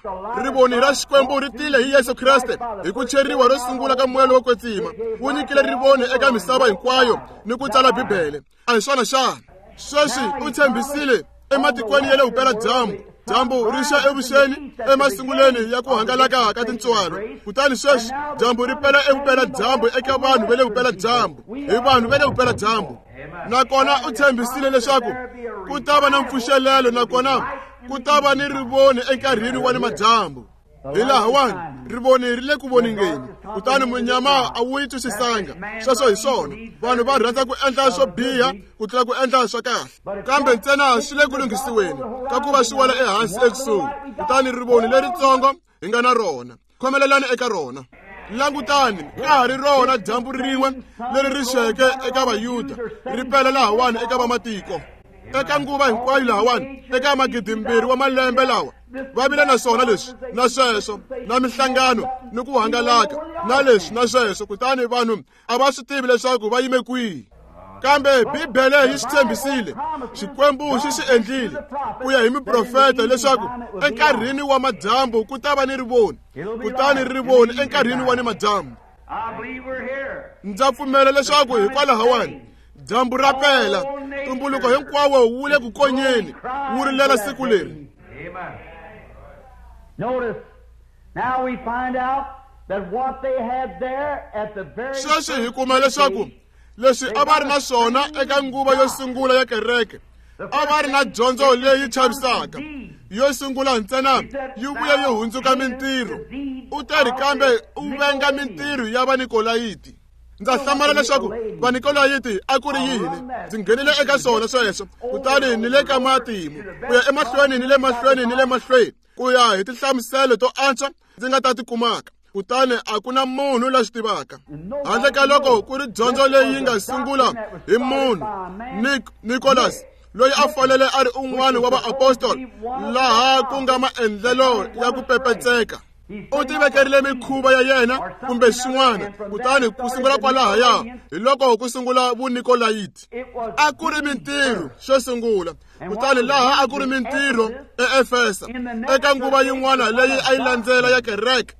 Rivoni ra Xikwembu ri tile hi Yesu Kreste hi ku cheriwa ro sungula ka moya lowo kwetsima, wu nyikile rivoni eka misava hinkwayo ni ku tsala Bibele. A hi swona xana? Sweswi u tshembisile ematikweni ya le vupeladyambu, dyambu ri xa evuxeni emasungulweni ya ku hangalaka ka tintswalo, kutani sweswi dyambu ri pela evupeladyambu eka vanhu va le vupeladyambu, hi vanhu va le vupeladyambu. Nakona u tshembisile leswaku ku ta va na mpfuxelelo, nakona ku ta va ni rivoni enkarhini wa ni madyambu. Hi lahawani rivoni ri le ku voningeni, kutani munyama a wu yi twisisanga. Sweswo hi swona, vanhu va rhandza ku endla swo biha ku tlula ku endla swa kahle, kambe ntsena swi le ku lunghisiweni ka ku va swi wela ehansi ekusuhi. Kutani rivoni leritsongo hi nga na rona, khomelelani eka rona. Langutani, ka ha ri rona dyambu rin'we leri ri xeke eka Vayuda ri pela lahawani eka vamatiko. Eka nguva hinkwayo lahawani, eka 2000 wa malembe lawa, va vile na swona leswi na sweswo, na mihlangano ni ku hangalaka na leswi na sweswo, kutani vanhu a va swi tivi leswaku va yime kwihi. Kambe Bibele yi swi tshembisile, Xikwembu xi swi endlile ku ya hi miprofeta leswaku enkarhini wa madyambu ku ta va ni rivoni, kutani rivoni enkarhini wa ni madyambu. Ndza pfumela leswaku hikwalahawani dyambu ra pela, ntumbuluko hinkwawo wu le ku konyeni, wu rilela siku leri. Sweswi hi kuma leswaku leswi a va ri na swona eka nguva yo sungula ya kereke, a va ri na dyondzo leyi chavisaka yo sungula ntsena yi vuya yi hundzuka mintirho. U teri kambe u venga mintirho ya Vanikolayiti. Ndza hlamala leswaku Vanikolayiti a ku ri yini. Ndzi nghenile eka swona sweswo, kutani ni le ka matimu ku ya emahlweni ni le mahlweni ni le mahlweni ku ya hi tinhlamuselo to antswa ndzi nga ta ti kumaka, kutani a ku na munhu la swi tivaka handle ka loko ku ri dyondzo leyi nga sungula hi munhu Nicholas, loyi a fanele a ri un'wana wa vaapostoli, laha ku nga maendlelo ya ku pepetseka. U tivekerile mikhuva ya yena kumbe swin'wana, kutani ku sungula kwalahaya hi loko ku sungula Vunikolayiti. A ku ri mintirho xo sungula, kutani laha a ku ri mintirho eEfesa. Eka nguva yin'wana leyi a yi landzela ya kereke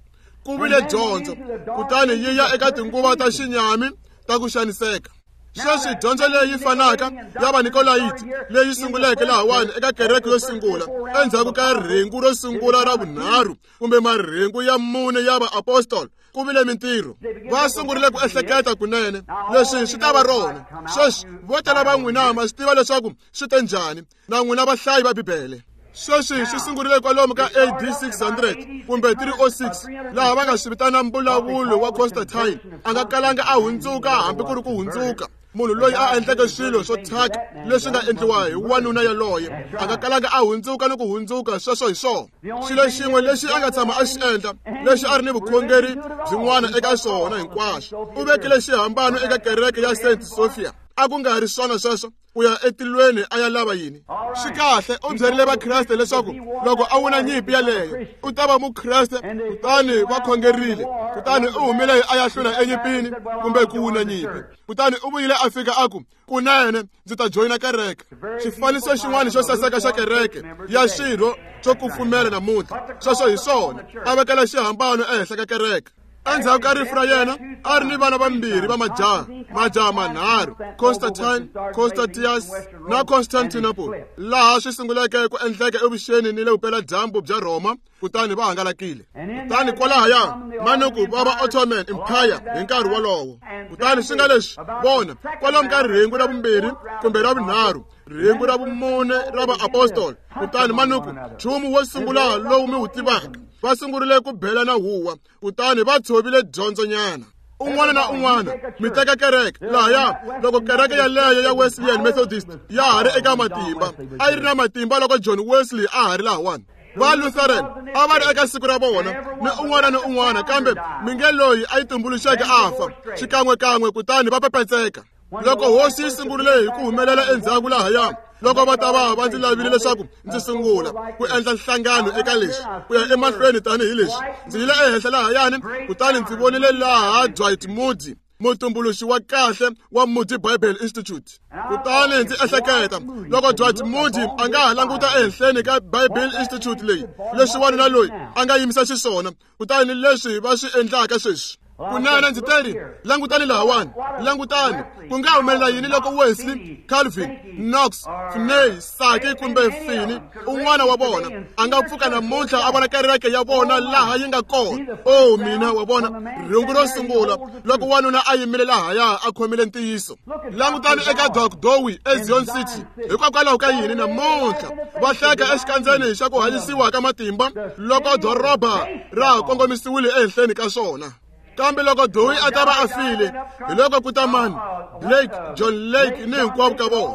ku vile dyondzo, kutani yi ya eka tinguva ta xinyami ta ku xaniseka. Sweswi dyondzo leyi fanaka ya Vanikolayiti leyi sunguleke lahawani eka kereke yo sungula endzhaku ka rhengu ro sungula ra vunharhu kumbe marhengu ya mune ya vaapostoli, ku vile mintirho. Va sungurile ku ehleketa kunene leswi swi ta va rona. Sweswi vo tala va n'wina ma swi tiva leswaku swi te njhani, na n'wina vahlayi va Bibele. Sweswi swi sungurile kwalomu ka AD 600 kumbe 306, laha va nga swi vitana mbulavulo wa Constantine. A nga kalanga a hundzuka hambi ku ri ku hundzuka. Munhu loyi a endleke swilo swo thyaka leswi nga endliwa hi wanuna yaloye, a nga kalanga a hundzuka ni ku hundzuka. Sweswo hi swona xilo xin'we lexi a nga tshama a xi endla, lexi a ri ni vukhongeri byin'wana eka swona hinkwaswo. U vekile xihambano eka kereke ya Saint Sophia. A ku nga ri swona sweswo? U ya etilweni a ya lava yini? Swi kahle, u byerile vakreste leswaku loko a wina nyimpi yaleyo u ta va mukreste. Kutani va khongerile, kutani u humile a ya hlula enyimpini kumbe ku wina nyimpi. Kutani u vuyile a fika a ku, kunene ndzi ta joyina kereke. Xifaniso xin'wana xo saseka xa kereke ya xirho xo kufumela namuntlha. Sweswo hi swona, a vekela xihambano ehenhla ka kereke. Endzhaku ka rifu ra yena a ri ni vana vambirhi va majaha, majaha manharhu, Constantine, Constantius na Constantinople, laha swi sunguleke ku endleka evuxeni ni le vupeladyambu bya Rhoma, kutani va hangalakile. Kutani kwalahaya manuku va va Ottoman Empire hi nkarhi wolowo. Kutani swi nga leswi vona kwalomu ka rhengu ra vumbirhi kumbe ra vunharhu, rhengu ra vumune ra vaapostoli. Kutani manuku nchumu wo sungula lowu mi wu tivaka, va sungurile ku bela na huwa, kutani va tshovile dyondzonyana. Un'wana na un'wana mi teka kereke lahaya. Loko kereke yaleyo ya Wesleyan Methodist ya ha ri eka matimba, a yi ri na matimba loko John Wesley a ha ri lahawani. Va Lutheran a va ri eka siku ra vona ni un'wana ni un'wana, kambe mi nge loyi a yi tumbuluxeke a fa xikan'wekan'we, kutani va pepetseka. Loko hosi yi sungurile hi ku humelela endzhaku lahaya, loko va ta va va ndzi lavile leswaku ndzi sungula ku endla nhlangano eka leswi, ku ya emahlweni tanihileswi, ndzi yile ehenhla lahayani, kutani ndzi vonile laha Dwight Moody, mutumbuluxi wa kahle wa Moody Bible Institute. Kutani ndzi ehleketa, loko Dwight Moody a nga ha languta ehenhleni ka Bible Institute leyi, leswi wanuna loyi a nga yimisa xiswona, kutani leswi va swi endlaka sweswi. Kunene ndzi teri, langutani lahawani, langutani, ku nga humelela yini loko Wesley, Calvin, Knox, Finney, Saki kumbe Finney, un'wana wa vona a nga pfuka namuntlha a vona kereke ya vona laha yi nga kona. O mina, wa vona rhengu ro sungula loko wanuna a yimile lahaya a khomile ntiyiso. Langutani eka Doc Dowie eZion City. Hikokwalaho ka yini namuntlha va hleka exikandzeni xa ku hanyisiwa ka matimba loko doroba ra ha kongomisiwile ehenhleni ka swona? Kambe loko Dowie a ta va a file, hi loko ku ta mani? Blake, John Lake ni hinkwavo ka vona.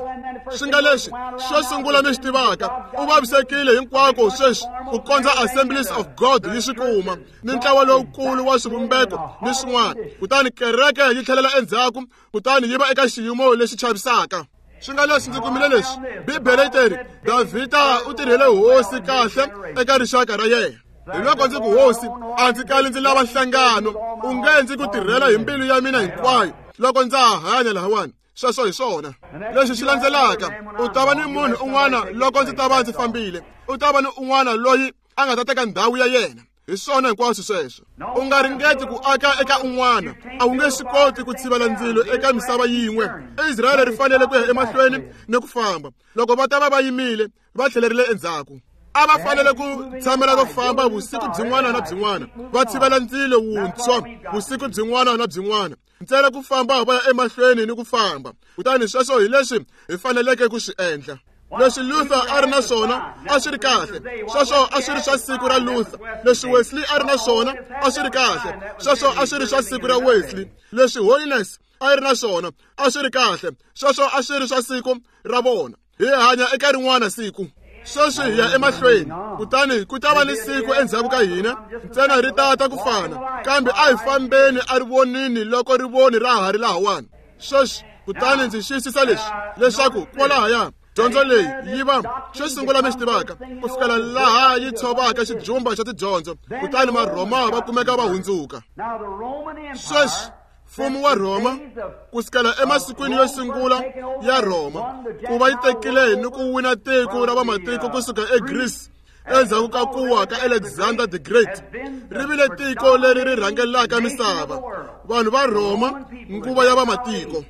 Swi nga leswi xo sungula mi swi tivaka, u vavisekile hinkwako sweswi ku kondza Assemblies of God yi swi kuma, ni ntlawa lowukulu wa swivumbeko ni swin'wana. Kutani kereke yi tlhelela endzhaku, kutani yi va eka xiyimo lexi chavisaka. Swi nga leswi ndzi kumile leswi, Bibele yi teri Davhida u tirhele hosi kahle eka rixaka ra yena. Hi loko ndzi ku, hosi, a ndzi kali ndzi lava nhlangano, u nge ndzi ku tirhela hi mbilu ya mina hinkwayo loko ndza ha hanya lahawani. Sweswo hi swona. Leswi swi landzelaka, u ta va ni munhu un'wana loko ndzi ta va ndzi fambile, u ta va ni un'wana loyi a nga ta teka ndhawu ya yena. Hi swona hinkwaswo sweswo. U nga ringeti ku aka eka un'wana, a wu nge swi koti ku tshivela ndzilo eka misava yin'we. Israyele ri fanele ku ya emahlweni ni ku famba. Loko va ta va va yimile, va tlhelerile endzhaku. A va fanele ku tshamela ro famba vusiku byin'wana na byin'wana, va tshivela ndzilo wuntshwa vusiku byin'wana na byin'wana, ntsena ku famba va ya emahlweni ni ku famba. Kutani sweswo hi leswi hi faneleke ku swi endla. Leswi Luther a ri na swona a swi ri kahle, sweswo a swi ri swa siku ra Luther. Leswi Wesley a ri na swona a swi ri kahle, sweswo a swi ri swa siku ra Wesley. Leswi Holiness a ri na swona a swi ri kahle, sweswo a swi ri swa siku ra vona. Hi hanya eka rin'wana siku. Sweswi hi ya emahlweni, kutani ku ta va ni siku endzhaku ka hina, ntsena ri tata ku fana, kambe a hi fambeni a ri vonini loko rivoni ra ha ri lahawani. Sweswi kutani ndzi xiyisisa leswi, leswaku kwalahaya dyondzo leyi yi va xo sungula mi xi tivaka, ku fikela laha yi tshovaka xijumba xa tidyondzo, kutani Marhoma va kumeka va hundzuka. Sweswi mfumo wa Rhoma ku sukela emasikwini yo sungula ya Rhoma, ku va yi tekile ni ku wina tiko ra vamatiko kusuka eGreece endzhaku ka ku wa ka Alexander the Great, ri vile tiko leri ri rhangelaka misava. Vanhu va Rhoma, nguva ya vamatiko.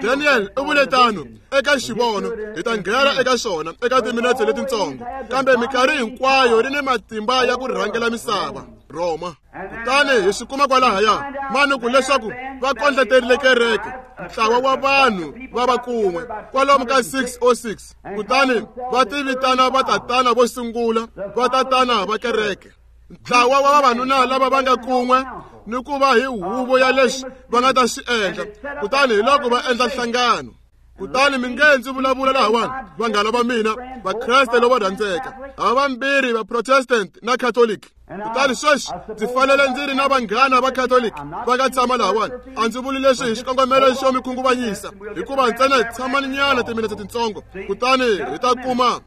Daniel u vule tano eka xivono, hi ta nghena eka xona eka timinetse letintsongo, kambe minkarhi hinkwayo ri ni matimba ya ku rhangela misava, Rhoma. Kutani hi swi kuma kwalahaya manuku leswaku va kondleterile kereke, ntlawa wa vanhu va va kun'we kwalomu ka 606, kutani va tivitana vatatana vo sungula, vatatana va kereke, ntlawa wa vavanuna lava va nga kun'we ni ku va hi huvo ya leswi va nga ta swi endla. Kutani hi loko va endla nhlangano. Kutani mi nge ndzi vulavula lahawani, vanghana va mina, Vakreste lavo rhandzeka, havambirhi va Protestant na Catholic. Kutani sweswi ndzi fanele ndzi ri na vanghana va Catholic va nga tshama lahawani. A ndzi vuli leswi hi xikongomelo xo mi khunguvanyisa, hikuva ntsena tshamani nyana timinetse tintsongo, kutani hi ta kuma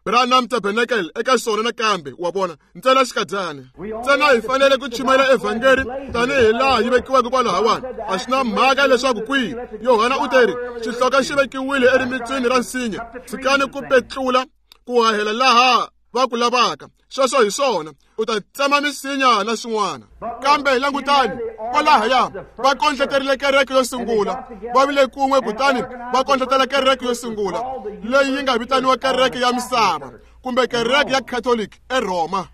Branham Tabernacle eka xona nakambe, wa vona, ntsena xikadyana. Ntsena hi fanele ku chumayela evhangeli tanihi laha yi vekiweke kwalahawani. A swi na mhaka leswaku kwihi. Yohana u teri xihloka xi vekiwile erimitswini ra nsinya, tshikani ku petlula ku hahela laha va ku lavaka. Sweswo hi swona, u ta tsema misinya na swin'wana. Kambe langutani kwalahaya, va kondleterile kereke yo sungula, va vile kun'we, kutani va kondletela kereke yo sungula leyi yi nga vitaniwa kereke ya misava kumbe kereke ya Catholic eRhoma.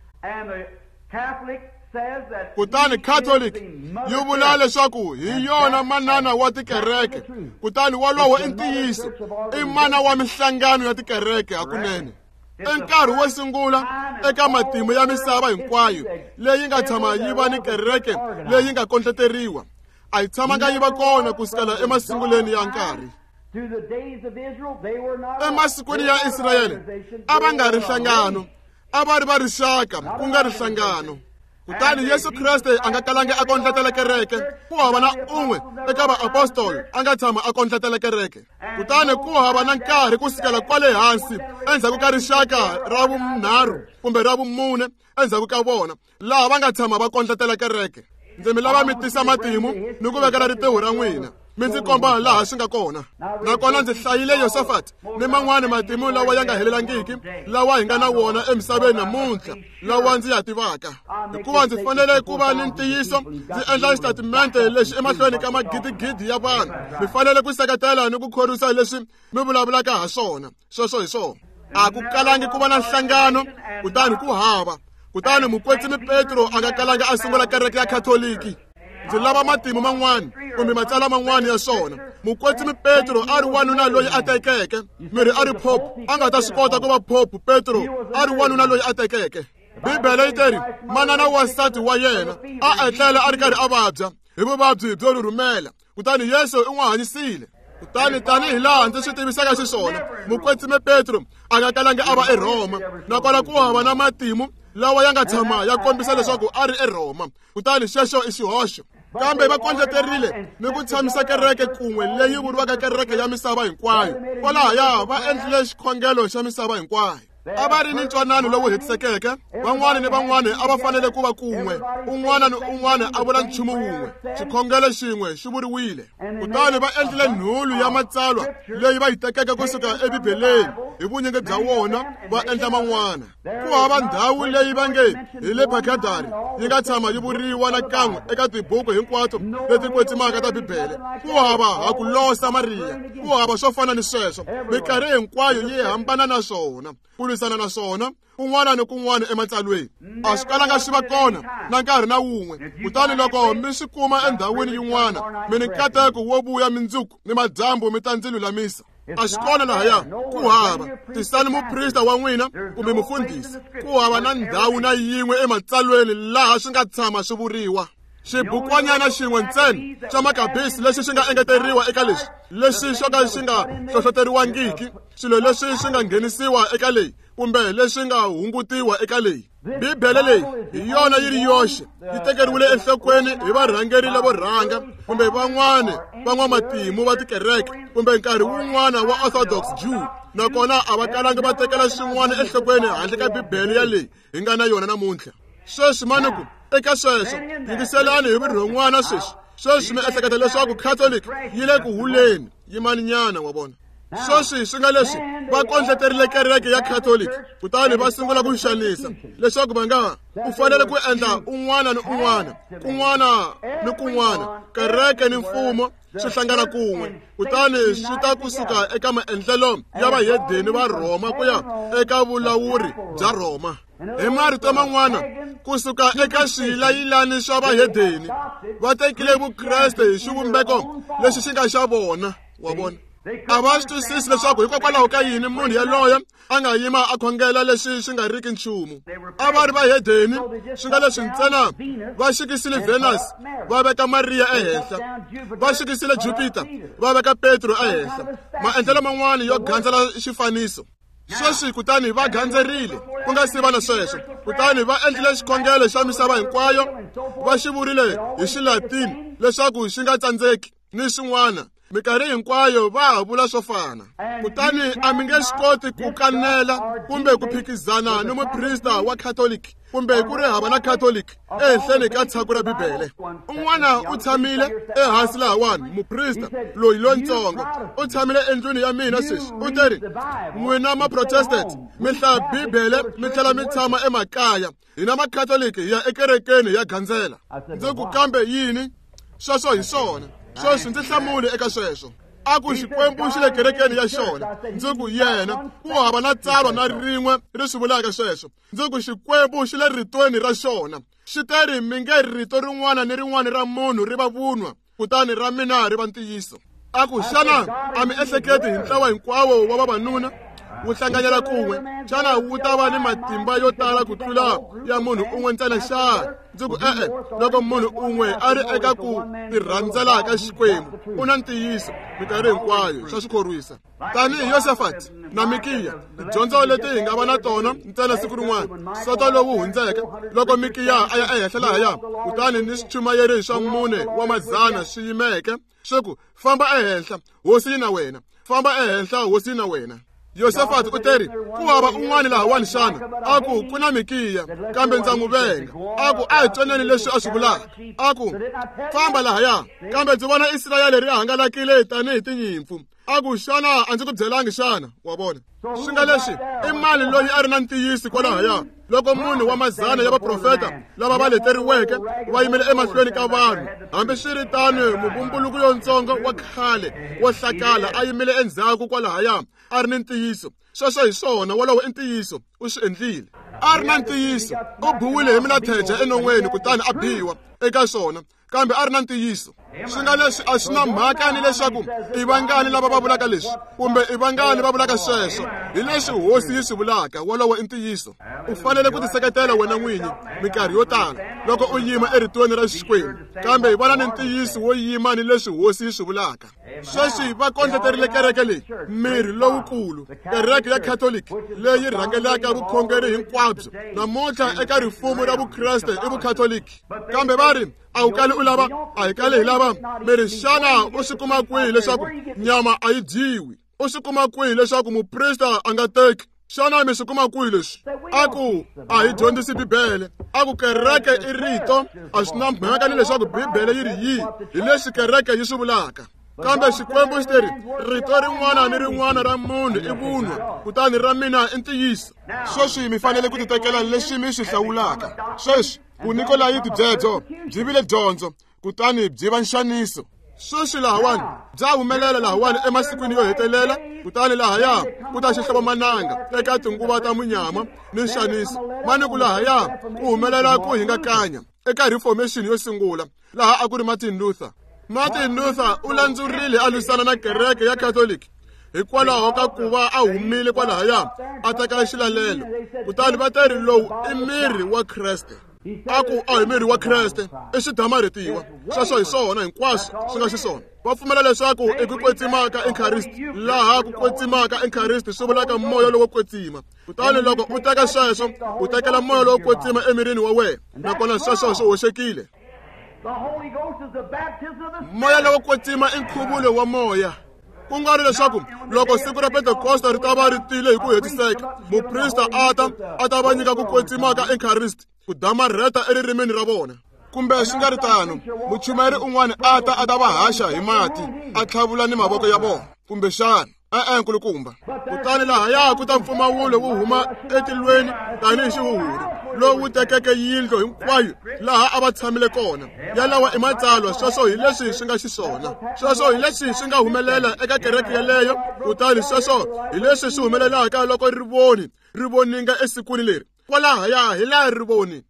Kutani Catholic yi vula leswaku hi yona manana wa tikereke, kutani wolowo i ntiyiso, i mana wa minhlangano ya tikereke hakunene. I nkarhi wo sungula eka matimu ya misava hinkwayo leyi nga tshama yi va ni kereke leyi nga kondleteriwa. A yi tshamanga yi va kona ku sukela emasunguleni ya nkarhi. Emasikwini ya Israyele a va nga ri nhlangano, a va ri va rixaka, ku nga ri nhlangano. Kutani Yesu Kreste a nga kalanga a kondletela kereke. Ku hava na un'we eka vaapostoli a nga tshama a kondletela kereke. Kutani ku hava na nkarhi ku sukela kwale hansi endzhaku ka rixaka ra vunharhu kumbe ra vumune endzhaku ka vona, laha va nga tshama va kondletela kereke. Ndzi mi lava mi tisa matimu ni ku vekela ritiho ra n'wina, mi ndzi komba laha swi nga kona. Nakona ndzi hlayile Yosafat ni man'wani matimu lawa ya nga helelangiki lawa hi nga na wona emisaveni namuntlha, lawa ndzi ya tivaka, hikuva ndzi fanele ku va ni ntiyiso. Ndzi endla xitatimente lexi emahlweni ka magidigidi ya vanhu. Mi fanele ku seketela ni ku khorwisa leswi mi vulavulaka ha swona. Sweswo hi swona. A ku kalangi ku va na nhlangano, kutani ku hava. Kutani mukwetsimi Petro a nga kalanga a sungula kereke ya Khatoliki. Ndzi lava matimu man'wana kumbe matsalwa man'wana ya swona. Mukwetsimi Petro a ri wanuna loyi a tekeke, miri a ri pope, a nga ta swi kota ku va pope. Petro a ri wanuna loyi a tekeke. Bibele yi teri manana wa nsati wa yena a etlela a ri karhi a vabya hi vuvabyi byo rhurhumela, kutani Yesu u n'wi hanyisile. Kutani tanihi laha ndzi swi tivisaka xiswona, mukwetsimi Petro a nga kalangi a va eRhoma, nakona ku hava na matimu lawa ya nga tshama ya kombisa leswaku a ri eRhoma. Kutani xexo i xihoxo. Kambe va kondleterile ni ku tshamisa kereke kun'we leyi vuriwaka kereke ya misava hinkwayo. Kwalahaya va endlile xikhongelo xa misava hinkwayo. A va ri ni ntwanano lowu hetisekeke, van'wana ni van'wana a va fanele ku va kun'we, un'wana ni un'wana a vula nchumu wun'we, xikhongelo xin'we xi vuriwile. Kutani va endlile nhulu ya matsalwa leyi va yi tekeke kusuka eBibeleni hi vunyingi bya wona va endla man'wana. Ku hava ndhawu leyi va nge hi le Baghdad yi nga tshama yi vuriwa nakan'we eka tibuku hinkwato leti kwetsimaka ta Bibele. Ku hava ha ku losa Mariya, ku hava swo fana ni sweswo. Minkarhi hinkwayo yi hambana na swona, ku lwisana na swona kun'wana ni kun'wana ematsalweni. A swi kalanga swi va kona na nkarhi na wun'we. Kutani loko mi swi kuma endhawini yin'wana, mi ni nkateko wo vuya mindzuku ni madyambu mi ta ndzi lulamisa. A swi kona lahaya, ku hava. Tisani muprista wa n'wina kumbe mufundhisi. Ku hava na ndhawu na yin'we ematsalweni laha swi nga tshama swi vuriwa. Xibukwanyana xin'we ntsena xa makabisi lexi xi nga engeteriwa eka leswi, lexi xo ka xi nga hlohloteriwangiki, swilo leswi swi nga nghenisiwa eka leyi kumbe leswi nga hungutiwa eka leyi. Bibele leyi hi yona yi ri yoxe yi tekeriwile enhlokweni hi varhangeri lavo rhanga kumbe van'wana van'wamatimu va tikereke kumbe nkarhi wun'wana wa Orthodox Jew, nakona a va kalangi va tekela swin'wana enhlokweni handle ka Bibele ya leyi hi nga na yona namuntlha. Sweswi mani ku eka sweswo, yingiselani hi vurhon'wana sweswi. Sweswi mi ehleketa leswaku Catholic yi le ku huleni, yimaninyana, wa vona. Sweswi swi nga leswi va kondleterile kereke ya Catholic, kutani va sungula ku xanisa leswaku va nga u fanele ku endla un'wana ni un'wana, kun'wana ni kun'wana, kereke ni mfumo swi hlangana kun'we, kutani swi ta kusuka eka maendlelo ya vahedeni va Rhoma ku ya eka vulawuri bya Rhoma. Hi marito man'wana, kusuka eka swiyilayilani swa vahedeni, va tekile Vukreste hi xivumbeko lexi xi nga xa vona, wa vona. A va swi twisisi leswaku hikokwalaho ka yini munhu yaloye a nga yima a khongela leswi swi nga riki nchumu. A va ri vahedeni, swi nga leswi ntsena va xikisile Venus va veka Mariya ehenhla, va xikisile Jupiter va veka Petro ehenhla, maendlelo man'wana yo gandzela xifaniso. Sweswi kutani va gandzerile ku nga si va na sweswo, kutani va endlile xikhongelo xa misava hinkwayo, va xi vurile hi Xilatini leswaku xi nga tsandzeki ni swin'wana. Minkarhi hinkwayo va ha vula swo fana. Kutani a mi nge swi koti ku kanela kumbe ku phikizana ni muprista wa Catholic kumbe ku ri hava na Catholic ehenhleni ka tshaku ra Bibele. Un'wana u tshamile ehansi lahawani, muprista loyi lontsongo u tshamile endlwini ya mina sweswi, u teri, n'wina ma-Protestant mi hlaya Bibele mi tlhela mi tshama emakaya, hina ma-Catholic hi ya ekerekeni hi ya gandzela. Ndzi ku kambe yini? Sweswo hi swona. Sweswi ndzi hlamule eka sweswo. A ku Xikwembu xi le kerekeni ya xona. Ndzi ku yena ku hava na tsalwa na rin'we ri swi vulaka sweswo. Ndzi ku Xikwembu xi le ritweni ra xona. Xi teri mi nge rito rin'wana ni rin'wana ra munhu ri va vunwa, kutani ra mina ri va ntiyiso. A ku xana a mi ehleketi hi ntlawa hinkwawo wa vavanuna wu hlanganyela kun'we, xana wu ta va ni matimba yo tala ku tlula ya munhu un'we ntsena xana? Ndzi ku e-e, loko munhu un'we a ri eka ku tirhandzela ka Xikwembu u na ntiyiso minkarhi hinkwayo, swa swi khorwisa. Tanihi Yosafati na Mikiya, tidyondzo leti hi nga va na tona ntsena siku rin'wana, soto lowu hundzeke loko Mikiya a ya ehenhla lahaya, kutani ni swichumayeri swa 4 wa madzana swi yimeke swi ku, famba ehenhla, hosi yi na wena, famba ehenhla, hosi yi na wena. Yosafati u teri, ku hava un'wana lahawani xana? A ku ku na Mikiya, kambe ndza n'wi venga. A ku a hi twaneni leswi a swi vulaka. A ku famba lahaya, kambe ndzi vona Israyele ri hangalakile tanihi tinyimpfu. A ku xana a ndzi ku byelangi xana? Wa vona, swi nga leswi i mani loyi a ri na ntiyiso kwalahaya loko munhu wa mazana ya vaprofeta lava va leteriweke va yimele emahlweni ka vanhu? Hambiswiritano, muvumbuluko yontsongo wa khale wo hlakala a yimile endzhaku kwalahaya a ri ni ntiyiso. Sweswo hi swona, wolowo i ntiyiso, u swi endlile. A ri na ntiyiso, u buwile hi milatheja enon'weni kutani a biwa eka swona, kambe a ri na ntiyiso. Swi nga leswi a swi na mhaka ni leswaku i vangani lava va vulaka leswi kumbe i vangani va vulaka sweswo, hi leswi hosi yi swi vulaka, wolowo i ntiyiso. U fanele ku tiseketela wena n'winyi minkarhi yo tala loko u yima eritweni ra Xikwembu, kambe hi vona ni ntiyiso wo yima ni leswi hosi yi swi vulaka. Sweswi va kondleterile kereke leyi miri lowukulu, kereke ya Catholic leyi rhangelaka vukhongeri hinkwabyo namuntlha eka rifumo ra Vukreste i Vukatholiki. Kambe va ri a wu kali u lava, a hi kali hi lava miri. Xana u swi kuma kwihi leswaku nyama a yi dyiwi? U swi kuma kwihi leswaku muprista a nga teki? Xana mi swi kuma kwihi leswi? A ku a hi dyondzisi Bibele. A ku kereke i rito, a swi na mhaka ni leswaku Bibele yi ri yihi, hi leswi kereke yi swi vulaka. Kambe Xikwembu xi teri rito rin'wana ni rin'wana ra munhu i vunwa, kutani ra mina i ntiyiso. Sweswi mi fanele ku titekela leswi mi swi hlawulaka. Sweswi Vunikolayiti byebyo byi vile dyondzo, kutani byi va nxaniso. Sweswi lahawani bya humelela lahawani emasikwini yo hetelela, kutani lahaya ku ta xihlovomananga eka tinguva ta munyama ni nxaniso. Mani ku lahaya ku humelela ku hingakanya eka Reformation yo sungula, laha a ku ri Martin Luther. Martin Luther u landzurile a lwisana na kereke ya Catholic hikwalaho ka ku va a humile kwalahaya a teka xilalelo, kutani va teri lowu i miri wa Kreste. A ku a hi miri wa Kreste, i swidamarhetiwa. Sweswo hi swona hinkwaswo swi nga xiswona. Va pfumela leswaku i ku kwetsima ka Eucharist, laha ku kwetsima ka Eucharist swi vulaka moya lowo kwetsima. Kutani loko u teka sweswo, u tekela moya lowo kwetsima emirini wa wena, nakona sweswo swi hoxekile. Moya lowo kwetsima i nkhuvulo wa moya. Ku nga ri leswaku loko siku ra Pentekosta ri ta va ri tile hi ku hetiseka, muprista a ta va nyika ku kwetsima ka Eucharist ku damarheta eririmini ra vona. Kumbe swi nga ri tano, muchumayeri un'wana a ta va haxa hi mati, a tlhavula ni mavoko ya vona, kumbexana e-e nkulukumba. Kutani lahaya ku ta mpfumawulo wu huma etilweni tanihi xihuhuri lowu tekeke yindlu hinkwayo laha a va tshamile kona. Yalawa i matsalwa, sweswo hi leswi swi nga xiswona. Sweswo hi leswi swi nga humelela eka kereke yeleyo, kutani sweswo hi leswi swi humelelaka loko rivoni ri voninga esikwini leri. Kwalahaya hi laha rivoni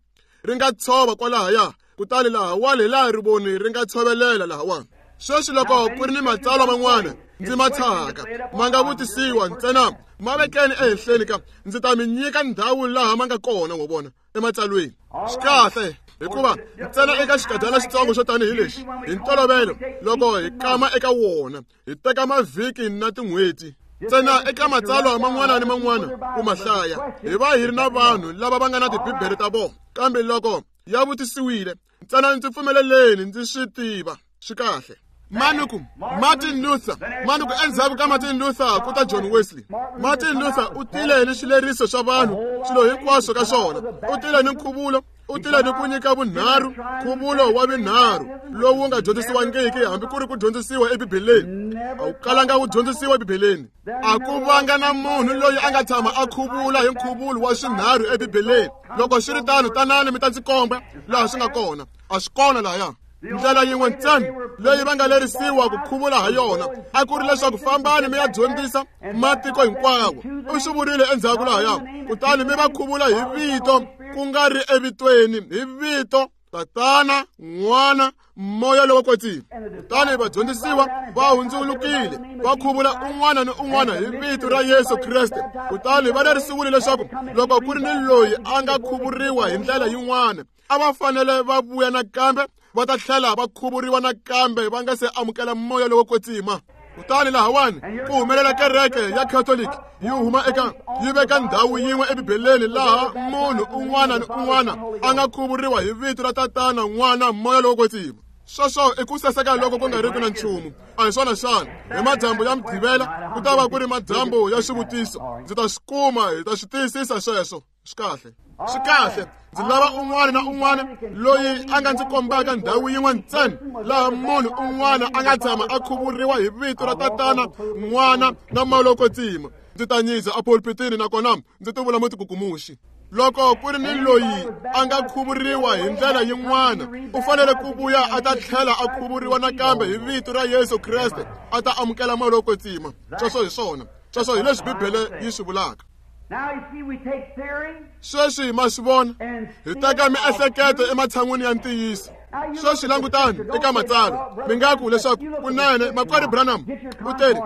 ri nga tshova kwalahaya, kutani lahawani hi laha rivoni ri nga tshovelela lahawani. Sweswi loko ku ri ni matsalwa man'wana ndzi ma tshahaka ma nga vutisiwa ntsena, ma vekeni ehenhleni ka ndzi ta mi nyika ndhawu laha ma nga kona, wa vona, ematsalweni. Swi kahle, hikuva ntsena eka xikadyana xitsongo xo tanihi lexi, hi ntolovelo loko hi kama eka wona hi teka mavhiki na tin'hweti. Ntsena eka matsalwa man'wana ni man'wana ku ma hlaya hi va hi ri na vanhu lava va nga na tibibele ta vona, kambe loko ya vutisiwile ntsena ndzi pfumeleleni ndzi swi tiva swi kahle. Manuku Martin Luther, manuku endzhaku ka Martin Luther ku ta John Wesley. Martin Luther u tile ni xileriso xa vanhu swilo hinkwaswo ka swona, u tile ni nkhuvulo, u tile ni ku nyika vunharhu, nkhuvulo wa vunharhu lowu nga dyondzisiwangiki hambi ku ri ku dyondzisiwa ebibeleni. A wu kalanga wu dyondzisiwa ebibeleni. A ku vanga na munhu loyi a nga tshama a khuvula hi nkhuvulo wa swinharhu ebibeleni. Loko swi ri tano, tanani mi ta ndzi komba laha swi nga kona. A swi kona lahaya. Ndlela yin'we ntsena leyi va nga lerisiwa ku khuvula ha yona a ku ri leswaku fambani mi ya dyondzisa matiko hinkwawo. U swi vurile endzhaku lahaya, kutani mi va khuvula hi vito, ku nga ri evitweni, hi vito Tatana, N'wana, Moya lowo Kwetsima. Kutani vadyondzisiwa va hundzulukile va khuvula un'wana ni un'wana hi vito ra Yesu Kreste. Kutani va lerisiwile leswaku loko ku ri ni loyi a nga khuvuriwa hi ndlela yin'wana, a va fanele va vuya nakambe va ta tlhela va khuvuriwa nakambe va nga se amukela moya lowo kwetsima. Kutani lahawani ku humelela kereke ya Catholic yi huma eka yi veka ndhawu yin'we ebibeleni laha munhu un'wana ni un'wana a nga khuvuriwa hi vito ra Tatana, N'wana, Moya lowo Kwetsima. Sweswo i ku saseka loko ku nga riki na nchumu, a hi swona xana? Hi madyambu ya Mugqivela ku ta va ku ri madyambu ya xivutiso. Ndzi ta swi kuma, hi ta swi tiyisisa sweswo. Swi kahle, swi kahle. Ndzi lava un'wana na un'wana loyi a nga ndzi kombaka ndhawu yin'we ntsena laha munhu un'wana a nga tshama a khuvuriwa hi vito ra Tatana, N'wana na Moya lowo Kwetsima. Ndzi ta nyiza epulpitini nakona ndzi ti vula mutikukumuxi. Loko ku ri ni loyi a nga khuvuriwa hi ndlela yin'wana, u fanele ku vuya a ta tlhela a khuvuriwa nakambe hi vito ra Yesu Kreste, a ta amukela Moya lowo Kwetsima. Sweswo hi swona. Sweswo hi leswi Bibele yi swi vulaka. Sweswi ma swi vona, hi teka miehleketo ematshan'wini ya ntiyiso. Sweswi langutani eka matsalwa, mi nga ku leswaku kunene makwerhu Branham u teri,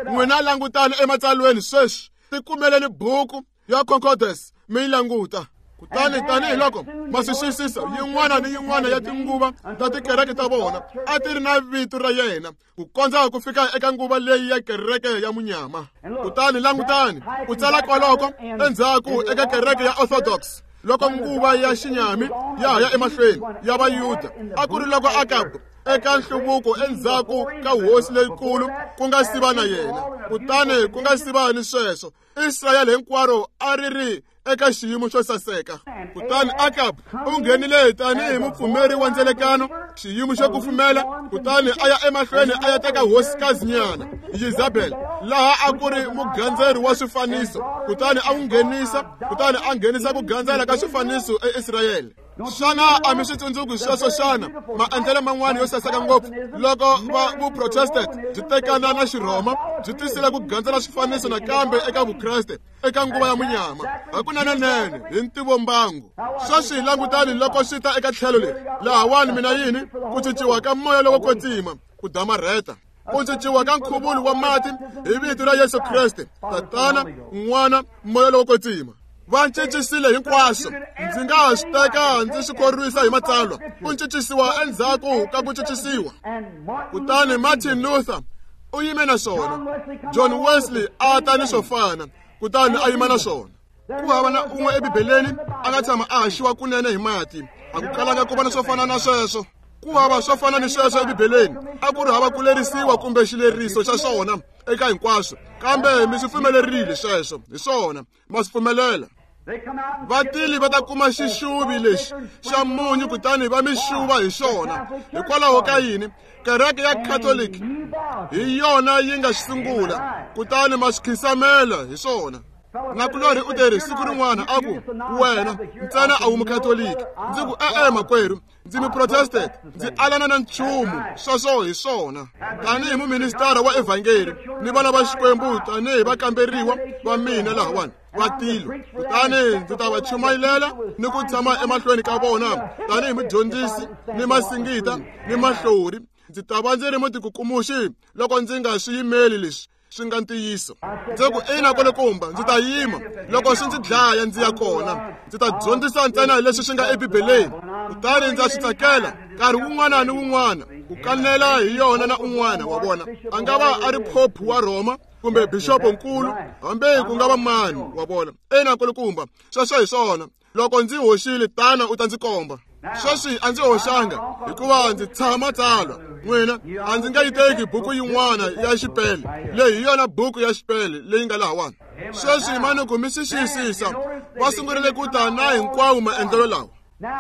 n'wina langutani ematsalweni sweswi, tikumeleni buku ya Concordance mi yi languta. Kutani tanihiloko ma swi xiyisisa, yin'wana ni yin'wana ya tinguva ta tikereke ta vona a ti ri na vito ra yena ku kondza ku fika eka nguva leyi ya kereke ya munyama. Kutani langutani ku tsala kwaloko endzhaku eka kereke ya Orthodox, loko nguva ya xinyami ya ha ya emahlweni ya Vayuda, a ku ri loko Akabu eka nhluvuko endzhaku ka hosi leyikulu ku nga siva na yena. Kutani ku nga siva ni sweswo, Israyele hinkwaro a ri ri eka xiyimo xo saseka. Kutani Akab u nghenile tanihi mupfumeri wa ndzelekano, xiyimo xo kufumela, kutani a ya emahlweni a ya teka hosikazinyana Yezabel, laha a ku ri mugandzeri wa swifaniso, kutani a n'wi nghenisa, kutani a nghenisa ku gandzela ka swifaniso eIsrayele. Xana a mi swi tsundzuki sweswo xana? Maendlelo man'wana yo saseka ngopfu loko va Vuprotestant byi tekana na Xirhoma byi tisile ku gandzela swifaniso nakambe eka Vukreste eka nguva ya munyama. Hakunenenene hi ntivombangu. Sweswi langutani loko swi ta eka tlhelo leri lahawani, mina yini? Ku cinciwa ka moya lowo kwetsima, ku damarheta, ku cinciwa ka nkhuvulo wa mati hi vito ra Yesu Kreste, Tatana, N'wana, Moya lowo Kwetsima. Va cincisile hinkwaswo. Ndzi nga ha swi teka ndzi swi khorwisa hi matsalwa. Ku cincisiwa endzhaku ka ku cincisiwa. Kutani Martin Luther u yime na swona, John Wesley a ta ni swo fana, kutani a yima na swona. Ku hava na un'we ebibeleni a nga tshama a haxiwa kunene hi mati. A ku kalanga ku va na swo fana na sweswo. Ku hava swo fana ni sweswo ebibeleni. A ku ri hava ku lerisiwa kumbe xileriso xa swona eka hinkwaswo, kambe mi swi pfumelerile sweswo. Hi swona, ma swi pfumelela. Vatili va ta kuma xixuvi lexi xa munyu kutani va mi xuva hi xona. Hikwalaho ka yini? Kereke ya Catholic hi yona yi nga xi sungula, kutani ma swi khisamela hi swona. Nakulorhi u teri siku rin'wana a ku, wena ntsena a wu mukatoliki. Ndzi ku, e-e makwerhu, ndzi muprotestant, ndzi alana na nchumu. Sweswo hi swona. Tanihi muministara wa evhangeli ni vana va Xikwembu, tanihi vakamberiwa va mina lahawani va tilo, kutani ndzi ta va chumayilela ni ku tshama emahlweni ka vona tanihi mudyondzisi ni masingita ni mahlori. Ndzi ta va ndzi ri mutikukumuxi loko ndzi nga swi yimeli leswi swi nga ntiyiso. Ndzi ku, ina kulukumba, ndzi ta yima loko swi ndzi dlaya ndzi ya kona. Ndzi ta dyondzisa ntsena leswi swi nga ebibeleni, kutani ndza swi tsakela nkarhi wun'wana ni wun'wana ku kanela hi yona na un'wana wa vona. A nga va a ri phophu wa Rhoma kumbe bixopo nkulu, hambi ku nga va mani, wa vona. Ina nkulukumba, sweswo hi swona. Loko ndzi hoxile, tana u ta ndzi komba. Sweswi a ndzi hoxanga hikuva ndzi tshama tsalwa. N'wina a ndzi nga yi teki buku yin'wana ya xipele. Leyi hi yona buku ya xipele leyi nga lahawani. Sweswi manuku mi swi xiyisisa, va sungurile ku ta na hinkwawo maendlelo lawa.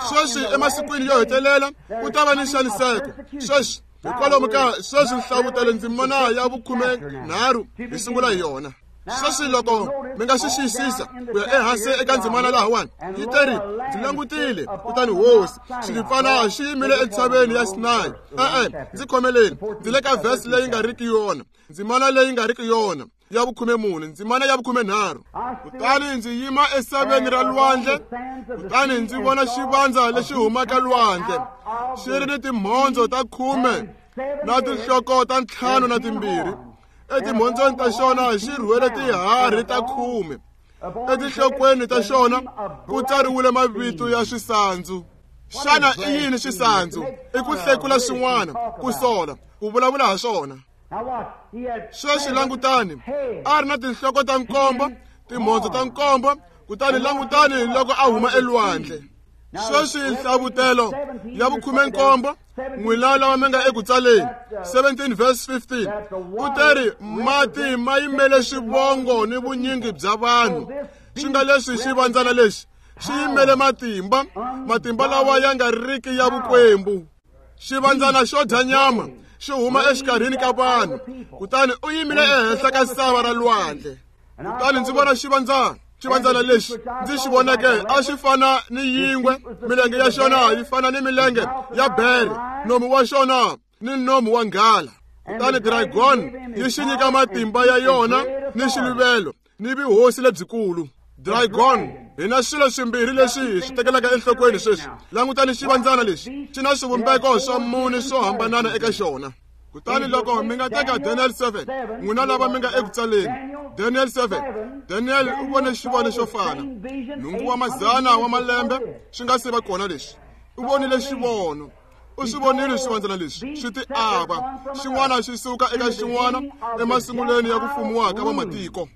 Sweswi emasikwini yo hetelela ku ta va ni nxaniseko. Sweswi hikwalomu ka sweswi nhlavutelo ndzimana ya 13 hi sungula hi yona. Sweswi loko mi nga swi xiyisisa ku ya ehansi eka ndzimana lahawani, yi teri ndzi langutile, kutani hosi xilipfana xi yimile entshaveni ya Sinayi. E-e, ndzi khomeleni, ndzi le ka vhesi leyi nga riki yona, ndzimana leyi nga riki yona ya 14, ndzimana ya 13. Kutani ndzi yima esaveni ra lwandle, kutani ndzi vona xivandza lexi humaka lwandle, xi ri ni timhondzo ta 10 na tinhloko ta 52. Etimhondzweni ta xona xi rhwele tiharhi ta 10. Etinhlokweni ta xona ku tsariwile mavito ya swisandzu. Xana i yini swisandzu? I ku hlekula swin'wana, ku sola, ku vulavula ha swona. Sweswi langutani, a ri na tinhloko ta 7, timhondzo ta 7, kutani langutani loko a huma elwandle. Sweswi nhlavutelo ya 17, n'wina lava mi nga eku tsaleni, 17 verse 15, u teri mati ma yimele swivongo ni vunyingi bya vanhu. Swi nga leswi xivandzana lexi xi yimele matimba, matimba lawa ya nga riki ya vukwembu. Xivandzana xo dya nyama xi huma exikarhini ka vanhu, kutani u yimile ehenhla ka sava ra lwandle. Kutani ndzi vona xivandzana. Xivandzana lexi ndzi xi voneke a xi fana ni yingwe, milenge ya xona yi fana ni milenge ya bere, nomu wa xona ni nomu wa nghala. Kutani dragon yi xi nyika matimba ya yona ni xiluvelo ni vuhosi lebyikulu. Dragon, hi na swilo swimbirhi leswi hi swi tekelaka enhlokweni sweswi. Langutani xivandzana lexi, xi na swivumbeko swa mune swo hambanana eka xona. Kutani loko mi nga teka Daniel 7, n'wina lava mi nga eku tsaleni, Daniel 7, Daniel u vone xivono xo fana. 8 wa mazana wa malembe swi nga se va kona lexi. U vonile xivono. U swi vonile swivandzana leswi swi ti ava, xin'wana xi suka eka xin'wana emasungulweni ya ku fumiwa ka vamatiko.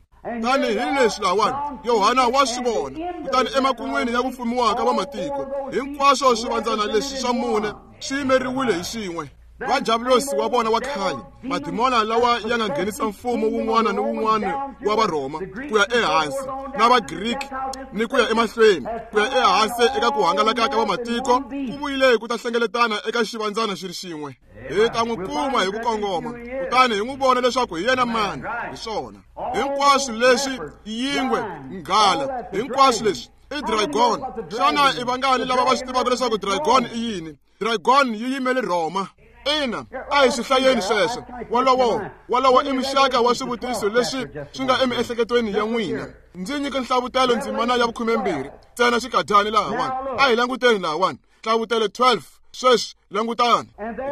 Tani hi leswi lahawani, Yohana wa swi vona. Kutani emakun'wini ya ku fumiwa ka vamatiko, hinkwaswo swivandzana leswi swa mune swi yimeriwile hi xin'we. Va Diablosi wa vona wa khale, madimona lawa ya nga nghenisa mfumo wun'wana ni wun'wana wa Varhoma ku ya ehansi, na Vagriki ni ku ya emahlweni, ku ya ehansi eka ku hangalaka ka vamatiko, ku vuyile ku ta hlengeletana eka xivandzana xi ri xin'we. Hi ta n'wi kuma hi ku kongoma, kutani hi n'wi vona leswaku hi yena mani. Hi swona hinkwaswo leswi, yingwe, nghala, hinkwaswo leswi i dragon. Xana i vangani lava va swi tivaka leswaku dragon i yini? Dragon yi yimele Rhoma. Ina, a hi swi hlayeni sweswo. Wolowo i muxaka wa swivutiso leswi swi nga emiehleketweni ya n'wina. Ndzi nyike nhlavutelo ndzimana ya 12 ntsena xikadyani lahawani. A hi languteni lahawani. Nhlavutelo 12, sweswi langutani.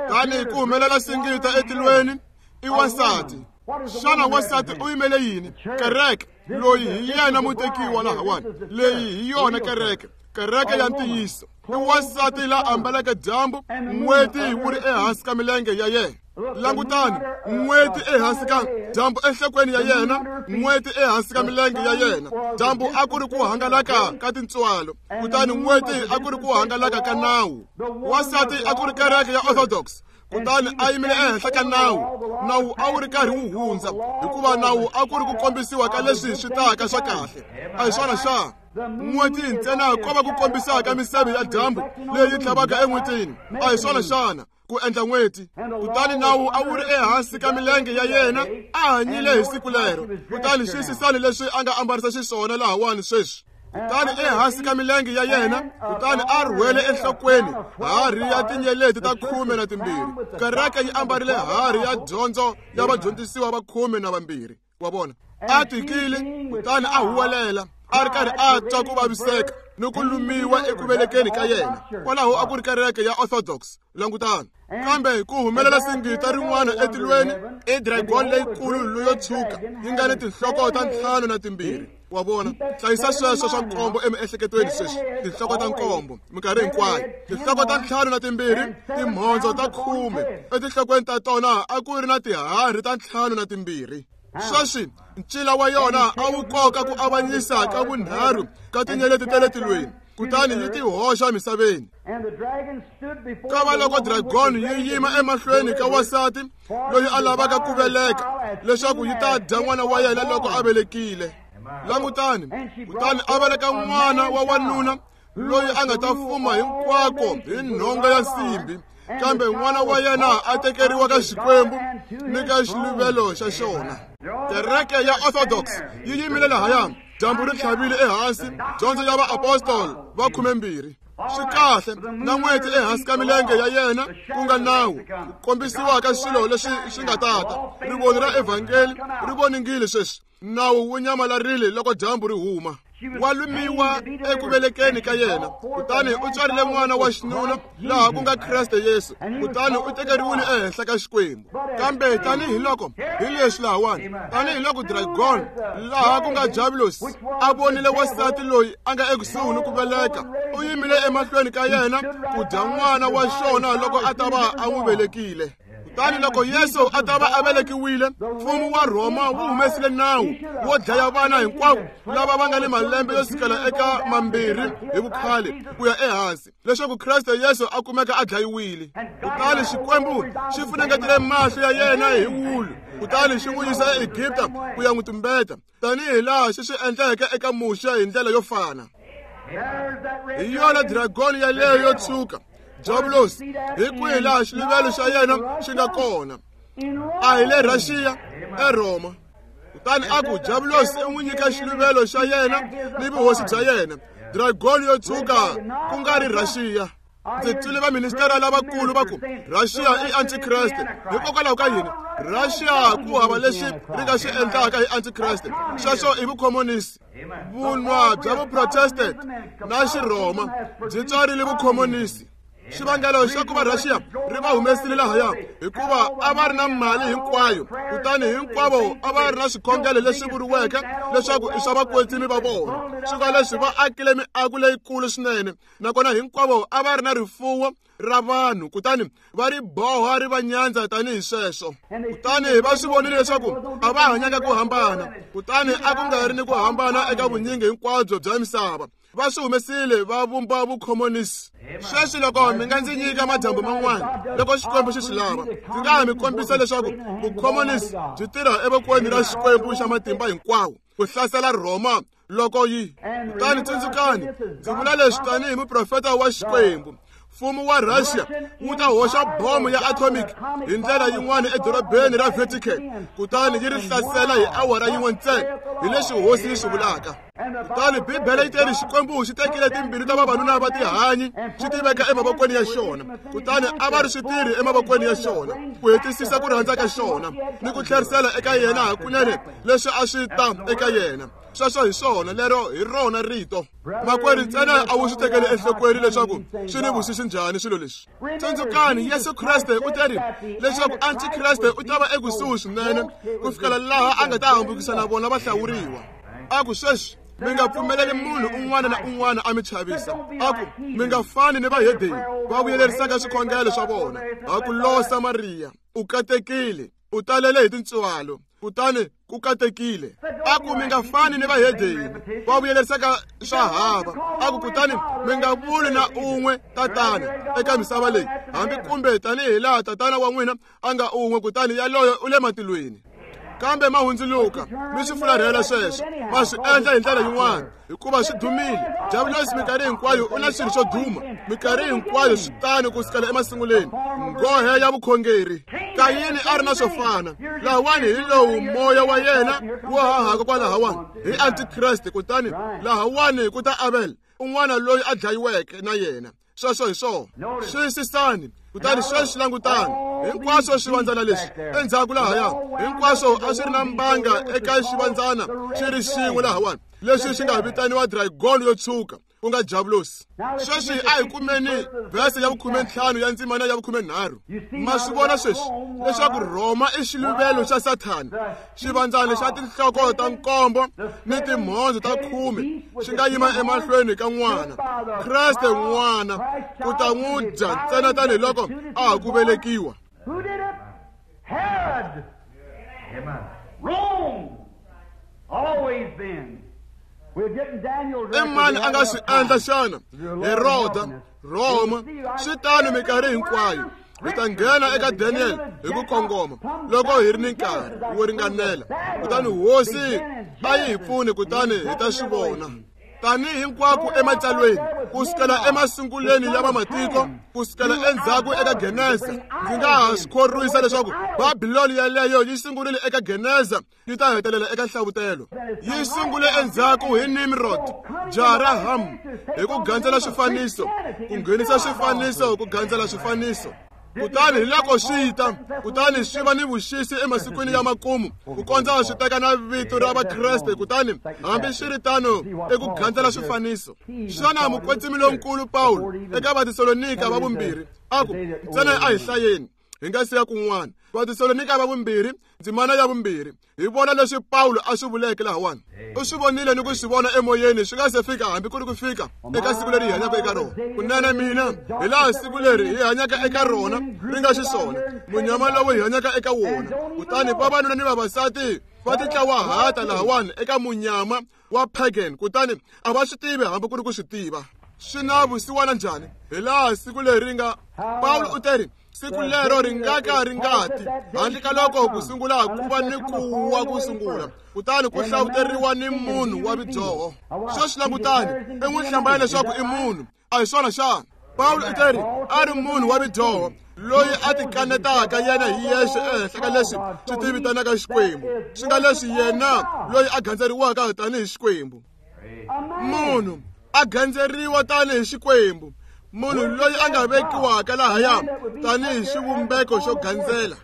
Kutani ku humelela singita etilweni i wansati. Xana wansati u yimele yini? Kereke. Loyi hi yena mutekiwa lahawani. Leyi hi yona kereke, kereke ya ntiyiso. I wansati la ambaleke dyambu, n'weti wu ri ehansi ka milenge ya yena. Langutani, n'weti ehansi ka dyambu enhlokweni ya yena, n'weti ehansi ka milenge ya yena. Dyambu a ku ri ku hangalaka ka tintswalo, kutani n'weti a ku ri ku hangalaka ka nawu. Wansati a ku ri kereke ya Orthodox, kutani a yimile ehenhla ka nawu. Nawu a wu ri karhi wu hundza, hikuva nawu a ku ri ku kombisiwa ka leswi swi taka swa kahle. A hi swona xa? N'weti ntsena ko va ku kombisaka miseve ya dyambu leyi tlhavaka en'wetini. A hi swona xana? Ku endla n'weti. Kutani nawu a wu ri ehansi ka milenge ya yena, a hanyile hi siku lero. Kutani xiyisisani leswi a nga ambarisa xiswona lahawani sweswi. Kutani ehansi ka milenge ya yena, kutani a rhwele enhlokweni harhi ya tinyeleti ta 12. Kereke yi ambarile harhi ya dyondzo ya vadyondzisiwa va 12. Wa vona, a tikile, kutani a huwelela, a ri karhi a twa ku vaviseka ni ku lumiwa eku velekeni ka yena. Kwalaho a ku ri kereke ya Orthodox. Langutani. Kambe ku humelela singita rin'wana etilweni, i dragon leyikulu leyo tshuka, yi nga ni tinhloko ta 52. Wa vona, hlayisa sweswo swa nkombo emiehleketweni sweswi. Tinhloko ta nkombo minkarhi hinkwayo, tinhloko ta 52, timhondzo ta 10. Etinhlokweni ta tona a ku ri na tiharhi ta 52. Sweswi ncila wa yona a wu koka ku avanyisa ka vunharhu ka tinyeleti ta le tilweni, kutani yi ti hoxa misaveni. Kava loko dragon yi yima emahlweni ka wansati loyi a lavaka ku veleka leswaku yi ta dya n'wana wa yena loko a velekile. Langutani, kutani a veleka n'wana wa wanuna loyi a nga ta fuma hinkwako hi nhonga ya nsimbi, kambe n'wana wa yena a tekeriwa ka Xikwembu ni ka xiluvelo xa xona. Kereke ya Orthodox yi yimile lahaya, dyambu ri tlhavile ehansi, dyondzo ya vaapostoli va 12. Swi kahle na n'weti ehansi ka milenge ya yena, ku nga nawu ku kombisiwa ka swilo leswi swi nga tata. Rivoni ra evhangeli ri voningile sweswi, nawu wu nyamalarile loko dyambu ri huma. Wa lumiwa eku velekeni ka yena, kutani u tswarile n'wana wa xinuna laha ku nga Kreste Yesu, kutani u tekeriwile ehenhla ka Xikwembu. Kambe tanihiloko hi leswi lahawani, tanihiloko dragon laha ku nga Diabolos a vonile wansati loyi a nga ekusuhi ni ku veleka, u yimile emahlweni ka yena ku dya n'wana wa xona loko a ta va a n'wi velekile. Kutani loko Yesu a ta va a velekiwile, mfumo wa Rhoma wu humesile nawu wo dlaya vana hinkwavo lava va nga ni malembe yo sukela eka 2 hi vukhale ku ya ehansi, leswaku Kreste Yesu a kumeka a dlayiwile. Kutani Xikwembu xi funengetile mahlo ya yena hi wulu, kutani xi n'wi yisa eEgipta ku ya n'wi tumbeta, tanihi laha xi swi endleke eka Muxe hi ndlela yo fana. Hi yona dragoni yaleyo yo tshuka, Diabolos, hi kwihi laha xiluvelo xa yena xi nga kona? A hi le Russia, eRhoma. Kutani a ku Diabolos i n'wi nyika xiluvelo xa yena ni vuhosi bya yena, dragoni yo tshuka ku nga ri Russia. Ndzi twile vaministera lavakulu va ku Russia i antikreste. Hikokwalaho ka yini? Russia ku hava lexi ri nga xi endlaka hi antikreste. Sweswo i vukhomonisi. Vunwa bya vuprotestant na xirhoma byi tswarile vukhomonisi. Xivangelo xa ku va Russia ri va humesile lahaya hikuva a va ri na mali hinkwayo, kutani hinkwavo a va ri na swikhongelo leswi vuriweke leswaku i swa vakwetsimi va vona. Swi nga leswi va akile miako leyikulu swinene, nakona hinkwavo a va ri na rifuwo ra vanhu, kutani va ri boha ri va nyandza tanihi sweswo. Kutani va swi vonile leswaku a va hanyanga ku hambana, kutani a ku nga ri ni ku hambana eka vunyingi hinkwabyo bya misava. Va swi humesile va vumba vukhomonisi. Sweswi loko mi nga ndzi nyika madyambu man'wana, loko Xikwembu xi swi lava, ndzi nga ha mi kombisa leswaku vukhomonisi byi tirha evokweni ra Xikwembu xa matimba hinkwawo ku hlasela Rhoma loko yi. Kutani tsundzukani, ndzi vula leswi tanihi muprofeta wa Xikwembu. Mfumo wa Russia wu ta hoxa bomo ya atomic hi ndlela yin'wana edorobeni ra Vatican, kutani yi ri hlasela hi awara yin'we ntsena, hi leswi hosi yi swi vulaka. Kutani Bibele yi teri Xikwembu xi tekile timbilu ta vavanuna va tihanyi xi ti veka emavokweni ya xona, kutani a va ri switirhi emavokweni ya xona ku hetisisa ku rhandza ka xona ni ku tlherisela eka yena hakunene leswi a swi ta eka yena. Sweswo hi swona, lero hi rona rito. Makwerhu ntsena a wu swi tekeli enhlokweni leswaku swi ni vusisi njhani swilo leswi. Tsundzukani, Yesu Kreste u teri leswaku antikreste u ta va ekusuhi swinene ku fikela laha a nga ta hambukisa na vona vahlawuriwa. A ku sweswi mi nga pfumeleli munhu un'wana na un'wana a mi chavisa. A ku mi nga fani ni vahedeni va vuyelerisaka swikhongelo swa vona. A ku losa Mariya, u katekile, u talele hi tintswalo, kutani ku katekile. A ku mi nga fani ni vahedeni va vuyelerisaka swa hava. A ku kutani mi nga vuli na un'we tatana eka misava leyi, hambi kumbe tanihi laha tatana wa n'wina a nga un'we, kutani yaloyo u le matilweni. Kambe ma hundzuluka mi swi fularhela sweswo, ma swi endla hi ndlela yin'wana hikuva swi dumile. Diabolos minkarhi hinkwayo u na swilo swo duma, minkarhi hinkwayo swi tano ku sukela emasunguleni. Nghohe ya vukhongeri. Kayini a ri na swo fana. Lahawani hi lowu moya wa yena wu hahaka kwalahawani hi antikreste, kutani lahawani ku ta Abel, un'wana loyi a dlayiweke na yena. Sweswo hi swona. Xiyisisani, kutani sweswi langutani. Hinkwaswo swivandzana leswi endzhaku lahaya, hinkwaswo a swi ri na mbanga eka xivandzana xi ri xin'we lahawani, leswi swi nga vitaniwa dragon yo tshuka, ku nga Diabolos. Sweswi a hi kumeni vhese ya 15 ya ndzimana ya 13. Ma swi vona sweswi leswaku Rhoma i xiluvelo xa Sathana, xivandzana xa tinhloko ta 7 ni timhondzo ta 10 xi nga yima emahlweni ka n'wana, Kreste n'wana, ku ta n'wi dya ntsena tanihiloko a ha ku velekiwa. I mani a nga swi endla xana? Heroda, Roma, swi tano minkarhi hinkwayo. Hi ta nghena eka Daniel hi ku kongoma loko hi ri ni nkarhi wo ringanela. Kutani hosi a yi hi pfuni, kutani hi ta swi vona. Tanihi hinkwako ematsalweni, ku sukela emasungulweni ya vamatiko, ku sukela endzhaku eka Genesa, ndzi nga ha swi khorwisa leswaku Babiloni yaleyo yi sungurile eka Genesa yi ta hetelela eka Nhlavutelo. Yi sungule endzhaku hi Nimrod, jaha ra Ham, hi ku gandzela swifaniso, ku nghenisa swifaniso, ku gandzela swifaniso. Kutani hi loko swi ta, kutani swi va ni vuxisi emasikwini ya makumu, ku kondza swi teka na vito ra Vakreste, kutani hambi swi ri tano i ku gandzela swifaniso. Xana mukwetsimi lonkulu Pawulo eka Vatesalonika va vumbirhi a ku, ntsena a hi hlayeni hi nga siya kun'wana. Vatesalonika va vumbirhi, ndzimana ya vumbirhi, hi vona leswi Pawulo a swi vuleke lahawani. U swi vonile ni ku swi vona emoyeni swi nga se fika hambi ku ri ku fika eka siku leri hi hanyaka eka rona. Kunene mina, hi laha siku leri hi hanyaka eka rona ri nga xiswona, munyama lowu hi hanyaka eka wona. Kutani vavanuna ni vavasati va titlawahata lahawani eka munyama wa pagan, kutani a va swi tivi hambi ku ri ku swi tiva. Swi na vusiwana njhani? Hi laha siku leri nga Pawulo u teri, siku lero ri nga ka ri nga ti handle ka loko ku sungula ku va ni ku wa ku sungula, kutani ku hlawuteriwa ni munhu wa vudyoho. Sweswi langutani, i n'wi hlambanya leswaku i munhu, a hi swona xana? Pawulo u teri a ri munhu wa vudyoho loyi a tikanetaka yena hi yexe ehenhla ka leswi swi tivitanaka Xikwembu, swi nga leswi yena loyi a gandzeriwaka tanihi Xikwembu. Munhu a gandzeriwa tanihi Xikwembu, munhu loyi a nga vekiwaka lahaya tanihi xivumbeko xo gandzela.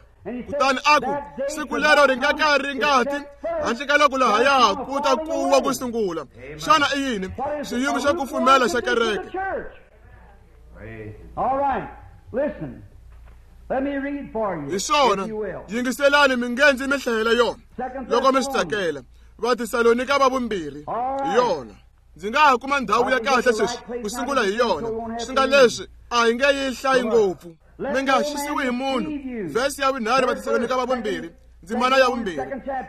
Kutani a ku, siku lero ri nga ka ri nga ti handle ka loko lahaya ku ta kuwa ku sungula. Xana i yini? Xiyimo xa kufumela xa kereke. Hi swona, yingiselani mi nge ndzi mi hlayela yona loko mi swi tsakela. Vatesalonika va vumbirhi hi yona. Ndzi nga ha kuma ndhawu ya kahle sweswi ku sungula hi yona, swi nga leswi a hi nge yi hlayi ngopfu. Mi nga xisiwi hi munhu. Vhesi ya vunharhu Vatesalonika va vumbirhi, ndzimana ya vumbirhi.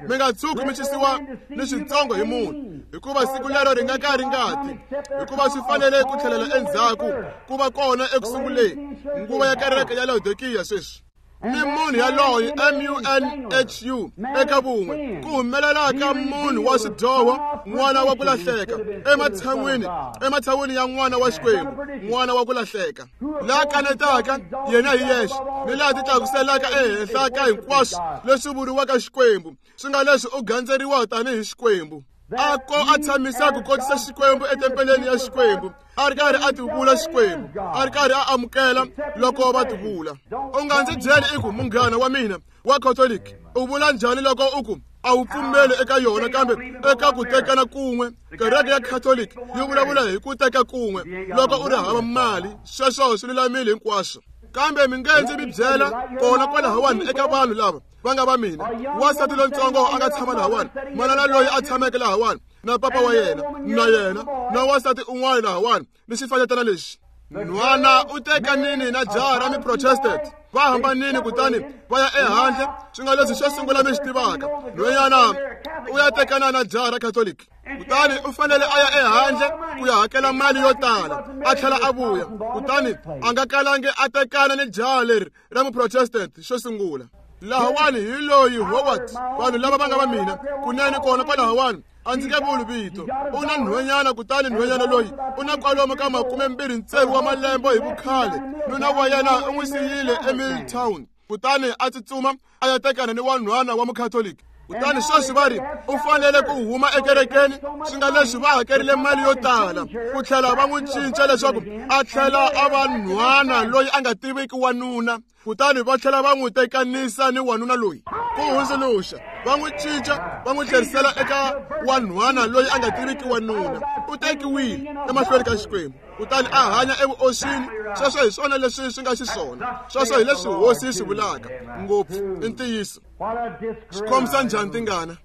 Mi nga tshuki mi xisiwa ni switsongo hi munhu, hikuva siku lero ri nga ka ri nga ti, hikuva swi fanele ku tlhelela endzhaku ku va kona eku sunguleni nguva ya kereke ya Laodikiya sweswi. Ni munhu yaloye M-U-N-H-U eka vun'we, ku humelela ka munhu wa swidyoho, n'wana wa ku lahleka, ematshan'wini ya n'wana wa Xikwembu, n'wana wa ku lahleka, la kanetaka yena hi yexe, ni laha titlakuselaka ehenhla ka hinkwaswo leswi vuriwaka Xikwembu, swi nga leswi u gandzeriwa tanihi Xikwembu. A ko a tshamisa ku kotisa Xikwembu etempeleni ya Xikwembu, a ri karhi a tivula Xikwembu, a ri karhi a amukela loko va tivula. U nga ndzi byeli i ku munghana wa mina wa Catholic u vula njhani loko u ku a wu pfumeli eka yona, kambe eka ku tekana kun'we. Kereke ya Catholic yi vulavula hi ku teka kun'we loko u ri hava mali, sweswo swi lulamile hinkwaswo. Kambe mi nge ndzi mi byela kona kwalahawani eka vanhu lava va nga va mina, wansati lontsongo a nga tshama lahawani, manana loyi a tshameke lahawani na papa wa yena na yena na wansati un'wana lahawani ni xifanyetana lexi. Nhwana u teka nini na jaha ra mi-Protestant, va hambanini kutani va ya ehandle, swi nga leswi xo sungula mi swi tivaka, nhwenyana u ya tekana na jaha ra Catholic. Kutani u fanele a ya ehandle ku ya hakela mali yo tala, a tlhela a vuya, kutani a nga kalangi a tekana ni jaha leri ra mu-Protestant xo sungula. Lahawani hi loyi Howard, vanhu lava va nga va mina kunene kona kwalahawani, a ndzi nge vuli vito. U na nhwenyana, kutani nhwenyana loyi u na kwalomu ka 26 wa malembe hi vukhale. Nuna wa yena u n'wi siyile eMilltown, kutani a tsutsuma a ya tekana ni wanhwana wa Mukhatoliki. Kutani sweswi va ri u fanele ku huma ekerekeni, swi nga leswi va hakerile mali yo tala ku tlhela va n'wi cinca leswaku a tlhela a va nhwana loyi a nga tiviki wanuna, kutani va tlhela va n'wi tekanisa ni wanuna loyi. Ku hundzuluxa, va n'wi cinca va n'wi tlherisela eka wanhwana loyi a nga tiviki wanuna. U tekiwile emahlweni ka Xikwembu, kutani a hanya evuoswini. Sweswo hi swona leswi swi nga xiswona, sweswo hi leswi hosi yi swi vulaka ngopfu i ntiyiso. Swi khomisa njhani tingana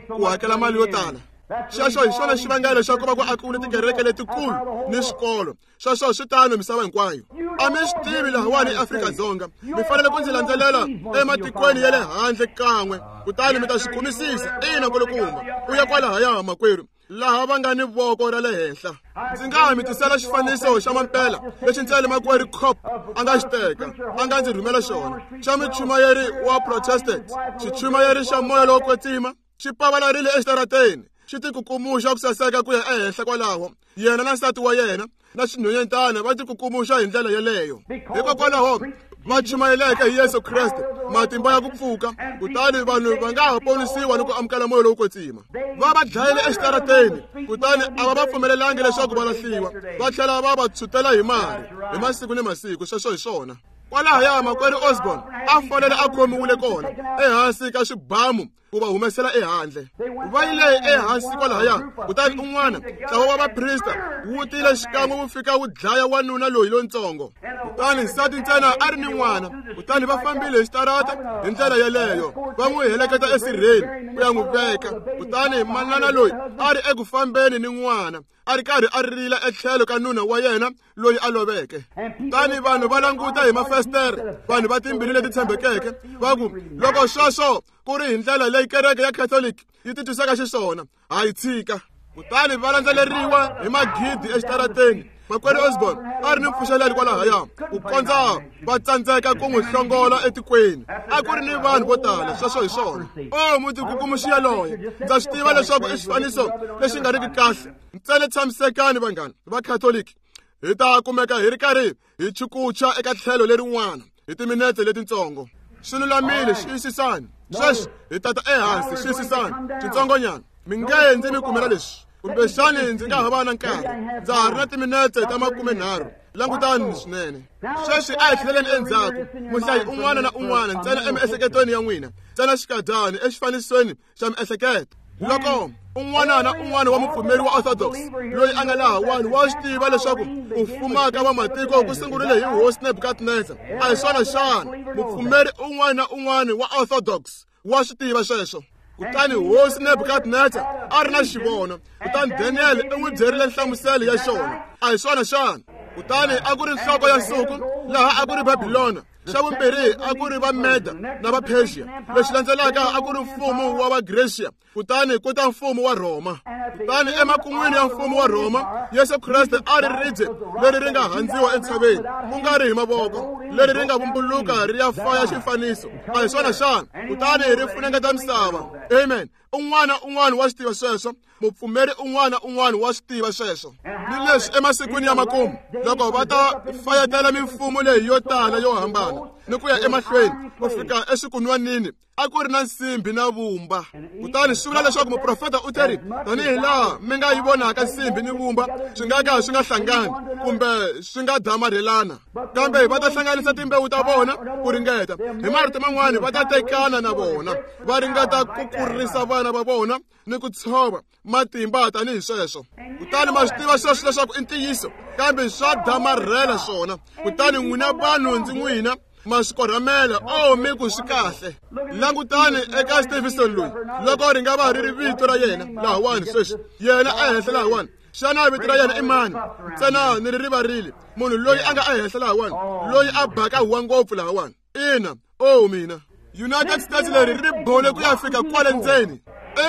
ku hakela mali yo tala? Xexo hi xona xivangelo xa ku va ku akiwile tikereke letikulu ni swikolo. Sweswo swi tano misava hinkwayo. A mi swi tivi lahawani eAfrika-Dzonga, mi fanele ku ndzi landzelela ematikweni ya le handle kan'we, kutani mi ta swi kumisisa. Ina, kulukumba, u ya kwalahaya makwerhu, laha va nga ni voko ra le henhla. Ndzi nga ha mi tisela xifaniso xa mampela lexi ntsena makwerhu Cop a nga xi teka, a nga ndzi rhumela xona, xa muchumayeri wa Protestant, xichumayeri xa moya lowo kwetsima, xi pavalarile exitarateni, xi tikukumuxa ku saseka ku ya ehenhla kwalaho. Yena na nsati wa yena na xinhwanyetana va tikukumuxa hi ndlela yeleyo. Hikokwalaho va chumayeleke hi Yesu Kreste, matimba ya ku pfuka, kutani vanhu va nga ha ponisiwa ni ku amukela moya lowo kwetsima. Va va dlayile exitarateni, kutani a va va pfumelelangi leswaku va lahliwa, va tlhela va va tshutela hi mari hi masiku ni masiku. Sweswo hi swona. Kwalahaya makwerhu Osborne a fanele a khomiwile kona ehansi ka xibamu ku va humesela ehandle. Va yile ehansi kwalahaya, kutani un'wana ntlawa wa vaprista wu tile xikan'we wu fika wu dlaya wanuna loyi lontsongo. Kutani nsati ntsena a ri ni n'wana, kutani va fambile hi xitarata hi ndlela yeleyo, va n'wi heleketa esirheni ku ya n'wi veka. Kutani manana loyi a ri eku fambeni ni n'wana, a ri karhi a rila etlhelo ka nuna wa yena loyi a loveke. Kutani vanhu va languta hi mafestere, vanhu va timbilu leti tshembekeke, va ku, loko sweswo ku ri hi ndlela leyi kereke ya Catholic yi titwisaka xiswona, ha yi tshika. Kutani va landzeleriwa hi magidi exitarateni. Makwerhu Osborne a ri ni mpfuxelelo kwalahaya, ku kondza va tsandzeka ku n'wi hlongola etikweni. A ku ri ni vanhu vo tala. Sweswo hi swona. O mutikukumuxi yaloye, ndza swi tiva leswaku i xifaniso lexi nga riki kahle. Ntsena tshamisekani vanghana va Catholic, hi ta kumeka hi ri karhi hi chukucha eka tlhelo lerin'wana hi timinete letintsongo. Swi lulamile, xiyisisani. Sweswi hi tata ehansi, xiyisisani xitsongonyana. Mi nge ndzi mi kumela leswi, kumbexani ndzi nga ha va na nkarhi. Ndza ha ri na timinete ta 30. Langutani swinene. Sweswi a hi tlheleleni endzhaku. Muhlayi un'wana na un'wana ntsena emiehleketweni ya n'wina, ntsena xikadyani exifanisweni xa miehleketo. Loko un'wana na un'wana wa mupfumeri wa Orthodox loyi a nga lahawani wa swi tiva leswaku ku fuma ka vamatiko ku sungurile hi hosi Nebukadnezar, a hi swona xana? Mupfumeri un'wana na un'wana wa Orthodox wa swi tiva sweswo. Kutani hosi Nebukadnezar a ri na xivono, kutani Daniel u n'wi byerile nhlamuselo ya xona, a hi swona xana? Kutani a ku ri nhloko ya nsuku, laha a ku ri Babilona. Xa vumbirhi a ku ri va Meda na va Persia. Lexi landzelaka a ku ri mfumo wa va Grecia, kutani ku ta mfumo wa Rhoma. Kutani emakun'wini ya mfumo wa Rhoma, Yesu Kreste a ri ribye leri ri nga handziwa entshaveni, ku nga ri hi mavoko, leri ri nga vumbuluka ri ya faya xifaniso, a hi swona xana? Kutani ri funengeta misava. Amen. Un'wana un'wana wa swi tiva sweswo. Mupfumeri un'wana un'wana wa swi tiva sweswo. Ni leswi emasikwini ya makumu, loko va ta fayetela mimfumo leyi yo tala yo hambana ni ku ya emahlweni ku fika eswikunwanini, a ku ri na nsimbi na vumba. Kutani swi vula leswaku muprofeta u teri, tanihi laha mi nga yi vonaka nsimbi ni vumba swi nga ka swi nga hlangani kumbe swi nga damarhelana, kambe va ta hlanganisa timbewu ta vona ku ringeta. Hi marito man'wani, va ta tekana na vona, va ringeta ku kurisa vana va vona ni ku tshova matimba tanihi sweswo. Kutani ma swi tiva sweswo leswaku i ntiyiso, kambe swa damarhela swona. Kutani n'wina vanhu ndzi n'wina ma swi korhamela, o mi ku swi kahle. Langutani eka Stevenson loyi, loko ri nga va ri ri vito ra yena lahawani sweswi, yena ehenhla lahawani. Xana vito ra yena i mani? Ntsena ni ri rivarile. Munhu loyi a nga ehenhla lahawani, loyi a baka huwa ngopfu lahawani. Ina, o mina. United States leri ri bole ku ya fika kwale ndzeni.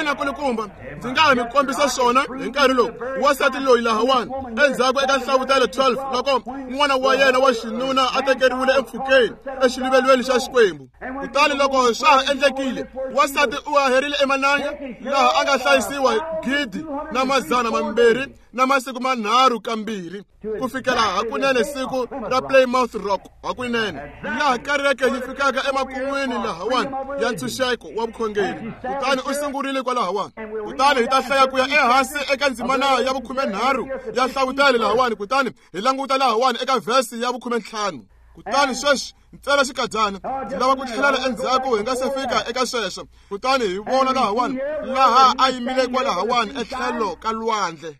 Ina kulukumba, ndzi nga ha mi kombisa swona hi nkarhi lowu. Wansati loyi lahawani endzhaku eka Nhlavutelo 12, loko n'wana wa yena wa xinuna a tekeriwile empfhukeni exiluvelweni xa Xikwembu. Kutani loko swa ha endlekile, wansati u haherile emananga laha a nga hlayisiwa 2,200 na masiku manharhu kambirhi, ku fikela hakunene siku ra Plymouth Rock, hakunene laha kereke yi fikaka emakun'wini lahawani ya ntshunxeko wa vukhongeri. Kutani u sungurile kwalahawani. Kutani hi ta hlaya ku ya ehansi eka ndzimana ya 13 ya Nhlavutelo lahawani, kutani hi languta lahawani eka vhesi ya 15. Kutani sweswi ntsena xikadyana, ndzi lava ku tlhelela endzhaku hi nga se fika eka sweswo. Kutani hi vona lahawani laha a yimile kwalahawani etlhelo ka lwandle.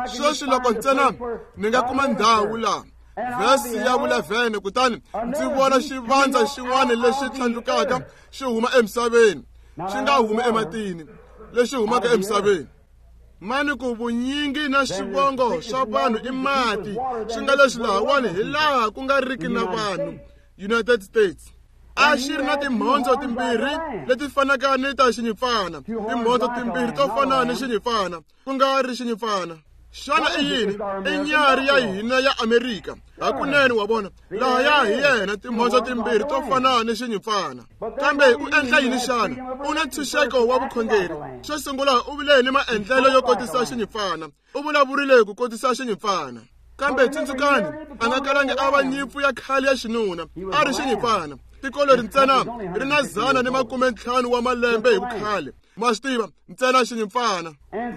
Sweswi loko ntsena ni nga kuma ndhawu laha, vhesi ya 11, kutani ndzi vona xivandza xin'wana lexi tlhandlukaka xi huma emisaveni, xi nga humi ematini, lexi humaka emisaveni. Mani ku vunyingi na swivongo swa vanhu i mati, swi nga leswi lahawani hi laha ku nga riki na vanhu. United States. A xi ri na timhondzo timbirhi leti fanaka ni ta xinyimpfana, timhondzo timbirhi to fana ni xinyimpfana, ku nga ri xinyimpfana. Xana i yini? I nyarhi ya hina ya Amerika. Hakunene wa vona, lahaya hi yena, timhondzo timbirhi to fana ni xinyimpfana. Kambe u endla yini xana? U na ntshunxeko wa vukhongeri. Xo sungula u vile ni maendlelo yo kotisa xinyimpfana. U vulavurile ku kotisa xinyimpfana. Kambe tsundzukani, a nga kalangi a va nyimpfu ya khale ya xinuna, a ri xinyimpfana. Tiko leri ntsena ri na 150 wa malembe hi vukhale. Ma swi tiva, ntsena xinyimpfana.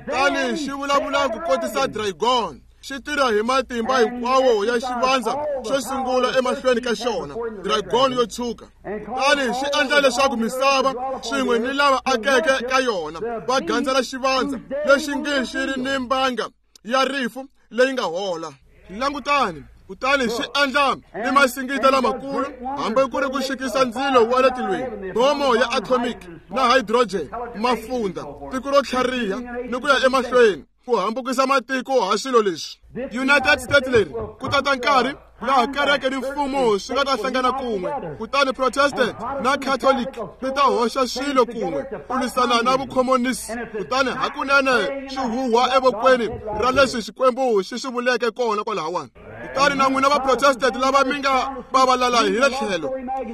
Kutani xi vulavula ku kotisa dragon. Xi tirha hi matimba hinkwawo ya xivandza xo sungula emahlweni ka xona, dragon yo tshuka. Kutani xi endla leswaku misava swin'we ni lava akeke ka yona va gandzela xivandza lexi nge xi ri ni mbanga ya rifu leyi nga hola. Langutani, kutani xi endla ni masingita lamakulu, hambi ku ri ku xikisa ndzilo wa le tilweni, bomo ya atomic na hydrogen, mafunda, tiko ro tlhariha ni ku ya emahlweni, ku hambukisa matiko ha swilo leswi. United States leri ku tata nkarhi laha kereke ni mfumo swi nga ta hlangana kun'we, kutani Protestant na Catholic ti ta hoxa swilo kun'we ku lwisana na vukhomonisi. Kutani hakunene swi huhwa evokweni ra leswi Xikwembu xi swi vuleke kona kwalahawani. Kutani na n'wina va Protestant lava mi nga vavalala hi le tlhelo,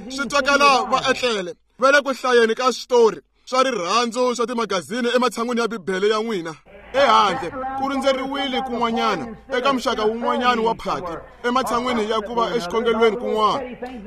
swi twakala va etlele va le ku hlayeni ka switori swa rirhandzu swa timagazini ematshan'wini ya Bibele ya n'wina. Ehandle ku rindzeriwile kun'wanyana eka muxaka wun'wanyana wa phati, ematshan'wini ya ku va exikhongelweni kun'wana,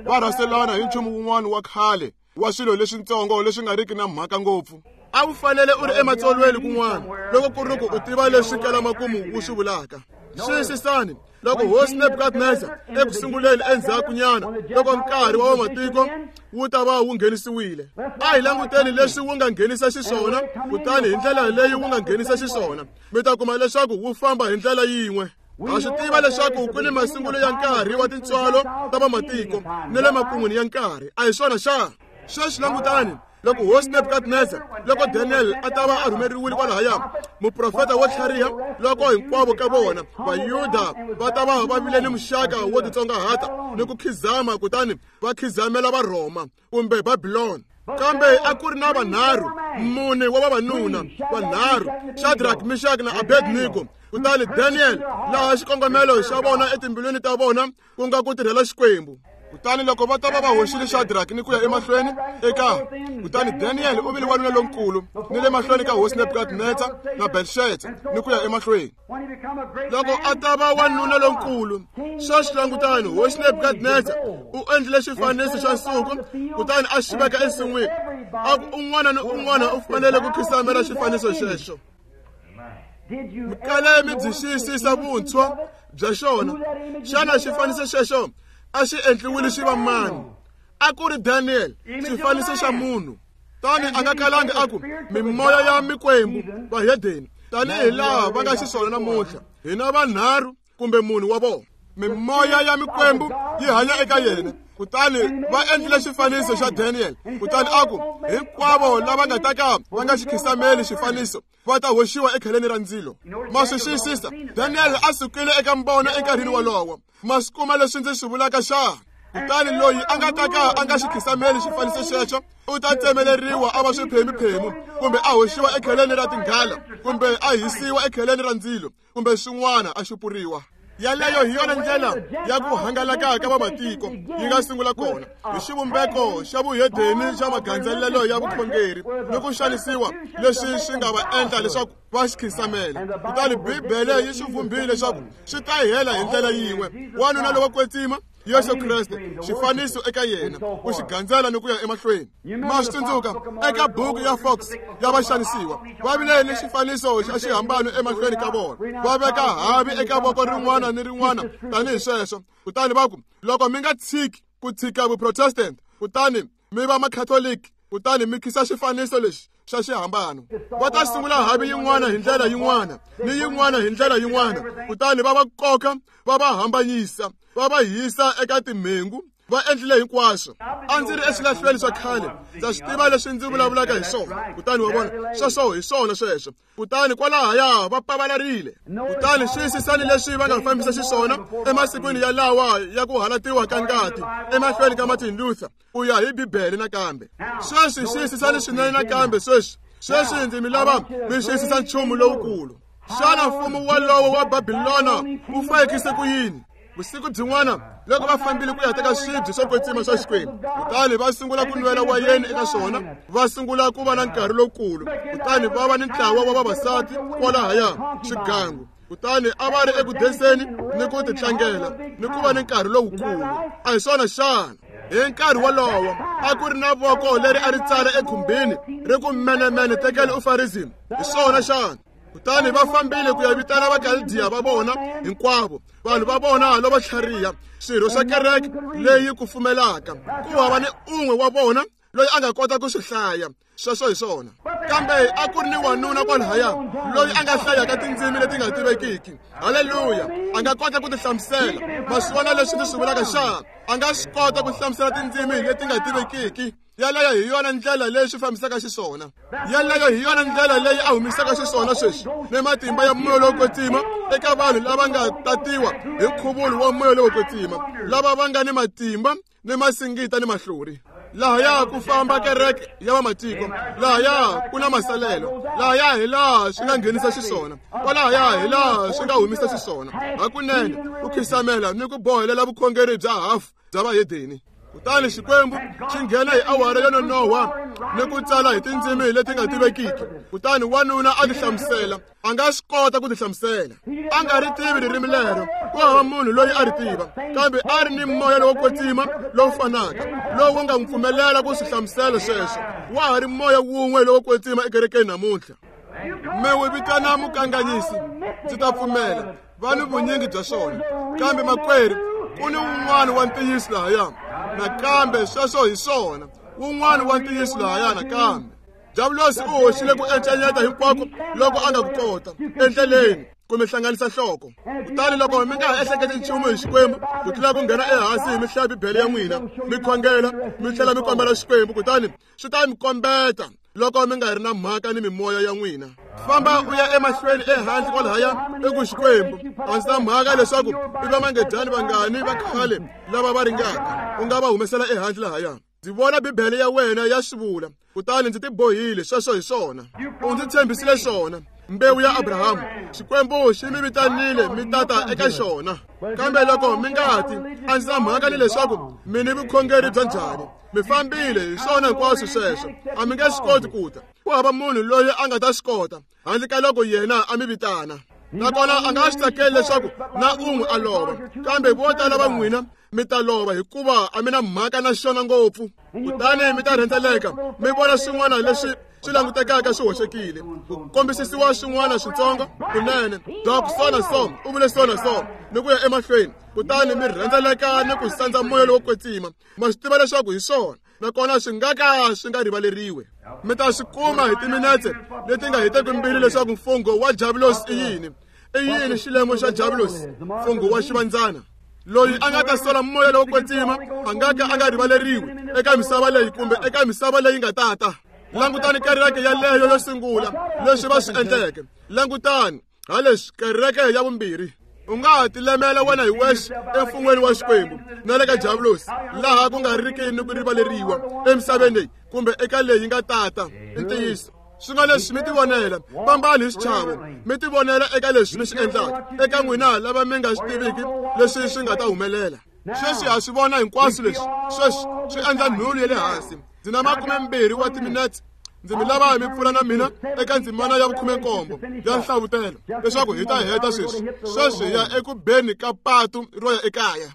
va rhaselana hi nchumu wun'wana wa khale wa swilo leswitsongo leswi nga riki na mhaka ngopfu. A wu fanele u ri ematsolweni kun'wana loko ku ri ku u tiva leswi kalamakumu wu swi vulaka. Xiyisisani, loko hosi Nebukadnezar eku sunguleni endzhakunyana loko nkarhi wa vamatiko wu ta va wu nghenisiwile, a hi languteni leswi wu nga nghenisa xiswona, kutani hi ndlela leyi wu nga nghenisa xiswona mi ta kuma leswaku wu famba hi ndlela yin'we. Ha swi tiva leswaku ku ni masungulo ya nkarhi wa tintswalo ta vamatiko ni le makun'wini ya nkarhi, a hi swona xana? Sweswi langutani, loko hosi Nebukadnezar, loko Daniel a ta va a rhumeriwile kwalahaya, muprofeta wo tlhariha, loko hinkwavo ka vona Vayuda va ta va va vile ni muxaka wo titsongahata ni ku khizama, kutani va khizamela Varhoma kumbe Babilona. Kambe a ku ri na vanharhu, mune wa vavanuna vanharhu, Shadrach, Meshach na Abednego. Kutani Daniel, laha xikongomelo xa vona etimbilwini ta vona ku nga ku tirhela Xikwembu. Kutani loko va ta va va hoxile Shadrach ni ku ya emahlweni eka, kutani Daniel u vile wanuna lonkulu ni le mahlweni ka hosi Nebukadnezar na Belshazzar ni ku ya emahlweni. Loko a ta va wanuna lonkulu, sweswi langutani, hosi Nebukadnezar u endlile xifaniso xa nsuku kutani a xi veka ensin'wini, a ku un'wana ni un'wana u fanele ku khisamela xifaniso xexo. Mikale mi byi xiyisisa vuntshwa bya xona. Xana xifaniso xexo a xi endliwile xi va mani? A ku ri Daniel, xifaniso xa munhu. Tani a nga kalangi a ku mimoya ya mikwembu vahedeni, tanihi laha va nga xiswona namuntlha, hina vanharhu kumbe munhu wa vona. Mimoya ya mikwembu yi hanya eka yena. Kutani va endlile xifaniso xa Daniel, kutani a ku hinkwavo lava nga ta ka va nga xi khisameli xifaniso va ta hoxiwa ekheleni ra ndzilo. Ma swi xiyisisa, Daniel a sukile eka mbono enkarhini wolowo. Ma swi kuma leswi ndzi swi vulaka xana? Kutani loyi a nga ta ka a nga xi khisameli xifaniso xexo u ta tsemeleriwa a va swiphemu-phemu, kumbe a hoxiwa ekheleni ra tinghala, kumbe a hisiwa ekheleni ra ndzilo, kumbe swin'wana a xupuriwa. Yaleyo hi yona ndlela ya ku hangalaka ka vamatiko yi nga sungula kona, hi xivumbeko xa vuhedeni xa magandzelelo ya vukhongeri ni ku xanisiwa leswi swi nga va endla leswaku va xi khisamela. Kutani Bibele yi swi vhumbile leswaku swi ta hela hi ndlela yin'we. Wanuna lowo kwetsima Yesu Kreste, xifaniso eka yena, ku xi gandzela ni ku ya emahlweni. Ma swi tsundzuka eka buku ya Fox ya vaxanisiwa, va vile ni xifaniso xa xihambano emahlweni ka vona, va veka havi eka voko rin'wana ni rin'wana tanihi sweswo. Kutani va ku, loko mi nga tshiki ku tshika vuprotestant, kutani mi va makhatoliki, kutani mi khisa xifaniso lexi xa xihambano, va ta sungula havi yin'wana hi ndlela yin'wana ni yin'wana hi ndlela yin'wana, kutani va va koka, va va hambanyisa, va va hisa eka timhengu, Va endlile hinkwaswo. A ndzi ri eswilahlweni swa khale, ndza swi tiva leswi ndzi vulavulaka hi swona. Kutani wa vona, sweswo hi swona sweswo. Kutani kwalahaya va pavalarile. Kutani xiyisisani leswi va nga fambisa xiswona emasikwini ya lawa ya ku halatiwa ka ngati emahlweni ka Martin Luther, ku ya hi Bibele nakambe. Sweswi xiyisisani swinene nakambe sweswi. Sweswi ndzi mi lava mi xiyisisa nchumu lowukulu. Xana mfumo walowo wa Babilona wu fayekise ku yini? Vusiku byin'wana loko va fambile ku ya teka swibye swo kwetsima swa Xikwembu, kutani va sungula ku nwela wayeni eka swona, va sungula ku va na nkarhi lowukulu, kutani va va ni ntlawa wa vavasati kwalahaya swigangu. Kutani a va ri eku denseni ni ku titlangela ni ku va ni nkarhi lowukulu. A hi swona xana? Hi nkarhi wolowo a ku ri na voko leri a ri tsala ekhumbini ri ku menemene tekele ufarism. Hi swona xana? Kutani va fambile ku ya vitana Vakaldiya va vona hinkwavo, vanhu va vona lavo tlhariha, swirho swa kereke leyi kufumelaka. Ku hava ni un'we wa vona loyi a nga kota ku swi hlaya. Sweswo hi swona. Kambe a ku ri ni wanuna kwalahaya loyi a nga hlayaka tindzimi leti nga tivekiki. Haleluya! A nga kota ku ti hlamusela. Ma swi vona leswi ndzi swi vulaka xana? A nga swi kota ku hlamusela tindzimi leti nga tivekiki. Yaleyo hi yona ndlela leyi swi fambisaka xiswona. Yaleyo hi yona ndlela leyi a humisaka xiswona sweswi ni matimba ya moya lowo kwetsima eka vanhu lava nga tatiwa hi nkhuvulo wa moya lowo kwetsima, lava va nga ni matimba ni masingita ni mahlori. Lahaya ku famba kereke ya vamatiko, lahaya ku na masalelo, lahaya hi laha swi nga nghenisa xiswona, kwalahaya hi laha swi nga humisa xiswona. Hakunene ku khisamela ni ku bohelela vukhongeri bya hafu bya vahedeni. Kutani Xikwembu xi nghena hi awara yo nonoha ni ku tsala hi tindzimi leti nga tivekiki. Kutani wanuna a ti hlamusela. A nga swi kota ku ti hlamusela. A nga ri tivi ririmi lero, ku hava munhu loyi a ri tiva, kambe a ri ni moya lowo kwetsima lowu fanaka lowu nga n'wi pfumelela ku swi hlamusela sweswo. Wa ha ri moya wun'we lowo kwetsima ekerekeni namuntlha. Mi wu vitana mukanganyisi, ndzi ta pfumela, va ni vunyingi bya swona. Kambe makwerhu, ku ni wun'wana wa ntiyiso lahaya nakambe. Sweswo hi swona, wun'wana wa ntiyiso lahaya nakambe. Diabulosi u hoxile ku encenyeta hinkwako loko a nga ku kota endleleni ku mi hlanganisa nhloko. Kutani loko mi nga ha ehleketi nchumu hi Xikwembu ku tlula ku nghena ehansi hi mi hlaya Bibele ya n'wina, mi khongela, mi tlhela mi kombela Xikwembu, kutani swi ta mi kombeta loko mi nga ri na mhaka ni mimoya ya n'wina. Famba u ya emahlweni ehandle kwalahaya eku Xikwembu, a ndzi na mhaka leswaku i vamangedyani vangani va khale lava va ringaka, u nga va humesela ehandle lahaya. Ndzi vona Bibele ya wena ya swi vula, kutani ndzi tibohile. Sweswo hi swona. U ndzi tshembisile swona, mbewu ya Abrahamu. Xikwembu xi mi vitanile mi tata eka xona. Kambe loko mi nga ti, a ndzi na mhaka ni leswaku mi ni vukhongeri bya njhani, mi fambile hi swona hinkwaswo sweswo, a mi nge swi koti ku ta. Ku hava munhu loyi a nga ta swi kota handle ka loko yena a mi vitana. Nakona a nga swi tsakeli leswaku na un'we a lova, kambe vo tala va n'wina mi ta lova hikuva a mi na mhaka na xona ngopfu. Kutani mi ta rhendzeleka mi vona swin'wana leswi swi langutekaka swi hoxekile, ku kombisisiwa swin'wana switsongo kunene, dok so na so u vule so na so, ni ku ya emahlweni. Kutani mi rhendzeleka ni ku sandza moya lowo kwetsima. Ma swi tiva leswaku hi swona, nakona swi nga ka swi nga rivaleriwi. Mi ta swi kuma hi timinetse leti nga heteki mbili leswaku mfungho wa Diabulosi i yini. I yini xilemo xa Diabulosi? Mfungho wa xivandzana. Loyi a nga ta sola moya lowo kwetsima a nga ka a nga rivaleriwi eka misava leyi kumbe eka misava leyi nga tata. Langutani kereke yaleyo yo sungula, leswi va swi endleke. Langutani haleswi kereke ya vumbirhi. U nga ha tilemela wena hi wexe emfun'weni wa Xikwembu na le ka Diabulosi, laha ku nga riki ni ku rivaleriwa emisaveni leyi kumbe eka leyi nga tata. I ntiyiso. Swi nga leswi mi tivonela, fambani hi xichavo, mi tivonela eka leswi mi swi endlaka. Eka n'wina lava mi nga swi tiviki leswi swi nga ta humelela. Sweswi ha swi vona hinkwaswo leswi. Sweswi swi endla nhulu ya le hansi. Ndzi na 20 wa timinetse. Ndzi mi lava mi pfula na mina eka ndzimana ya 17 ya Nhlavutelo leswaku hi ta heta sweswi. Sweswi hi ya eku beni ka patu ro ya ekaya.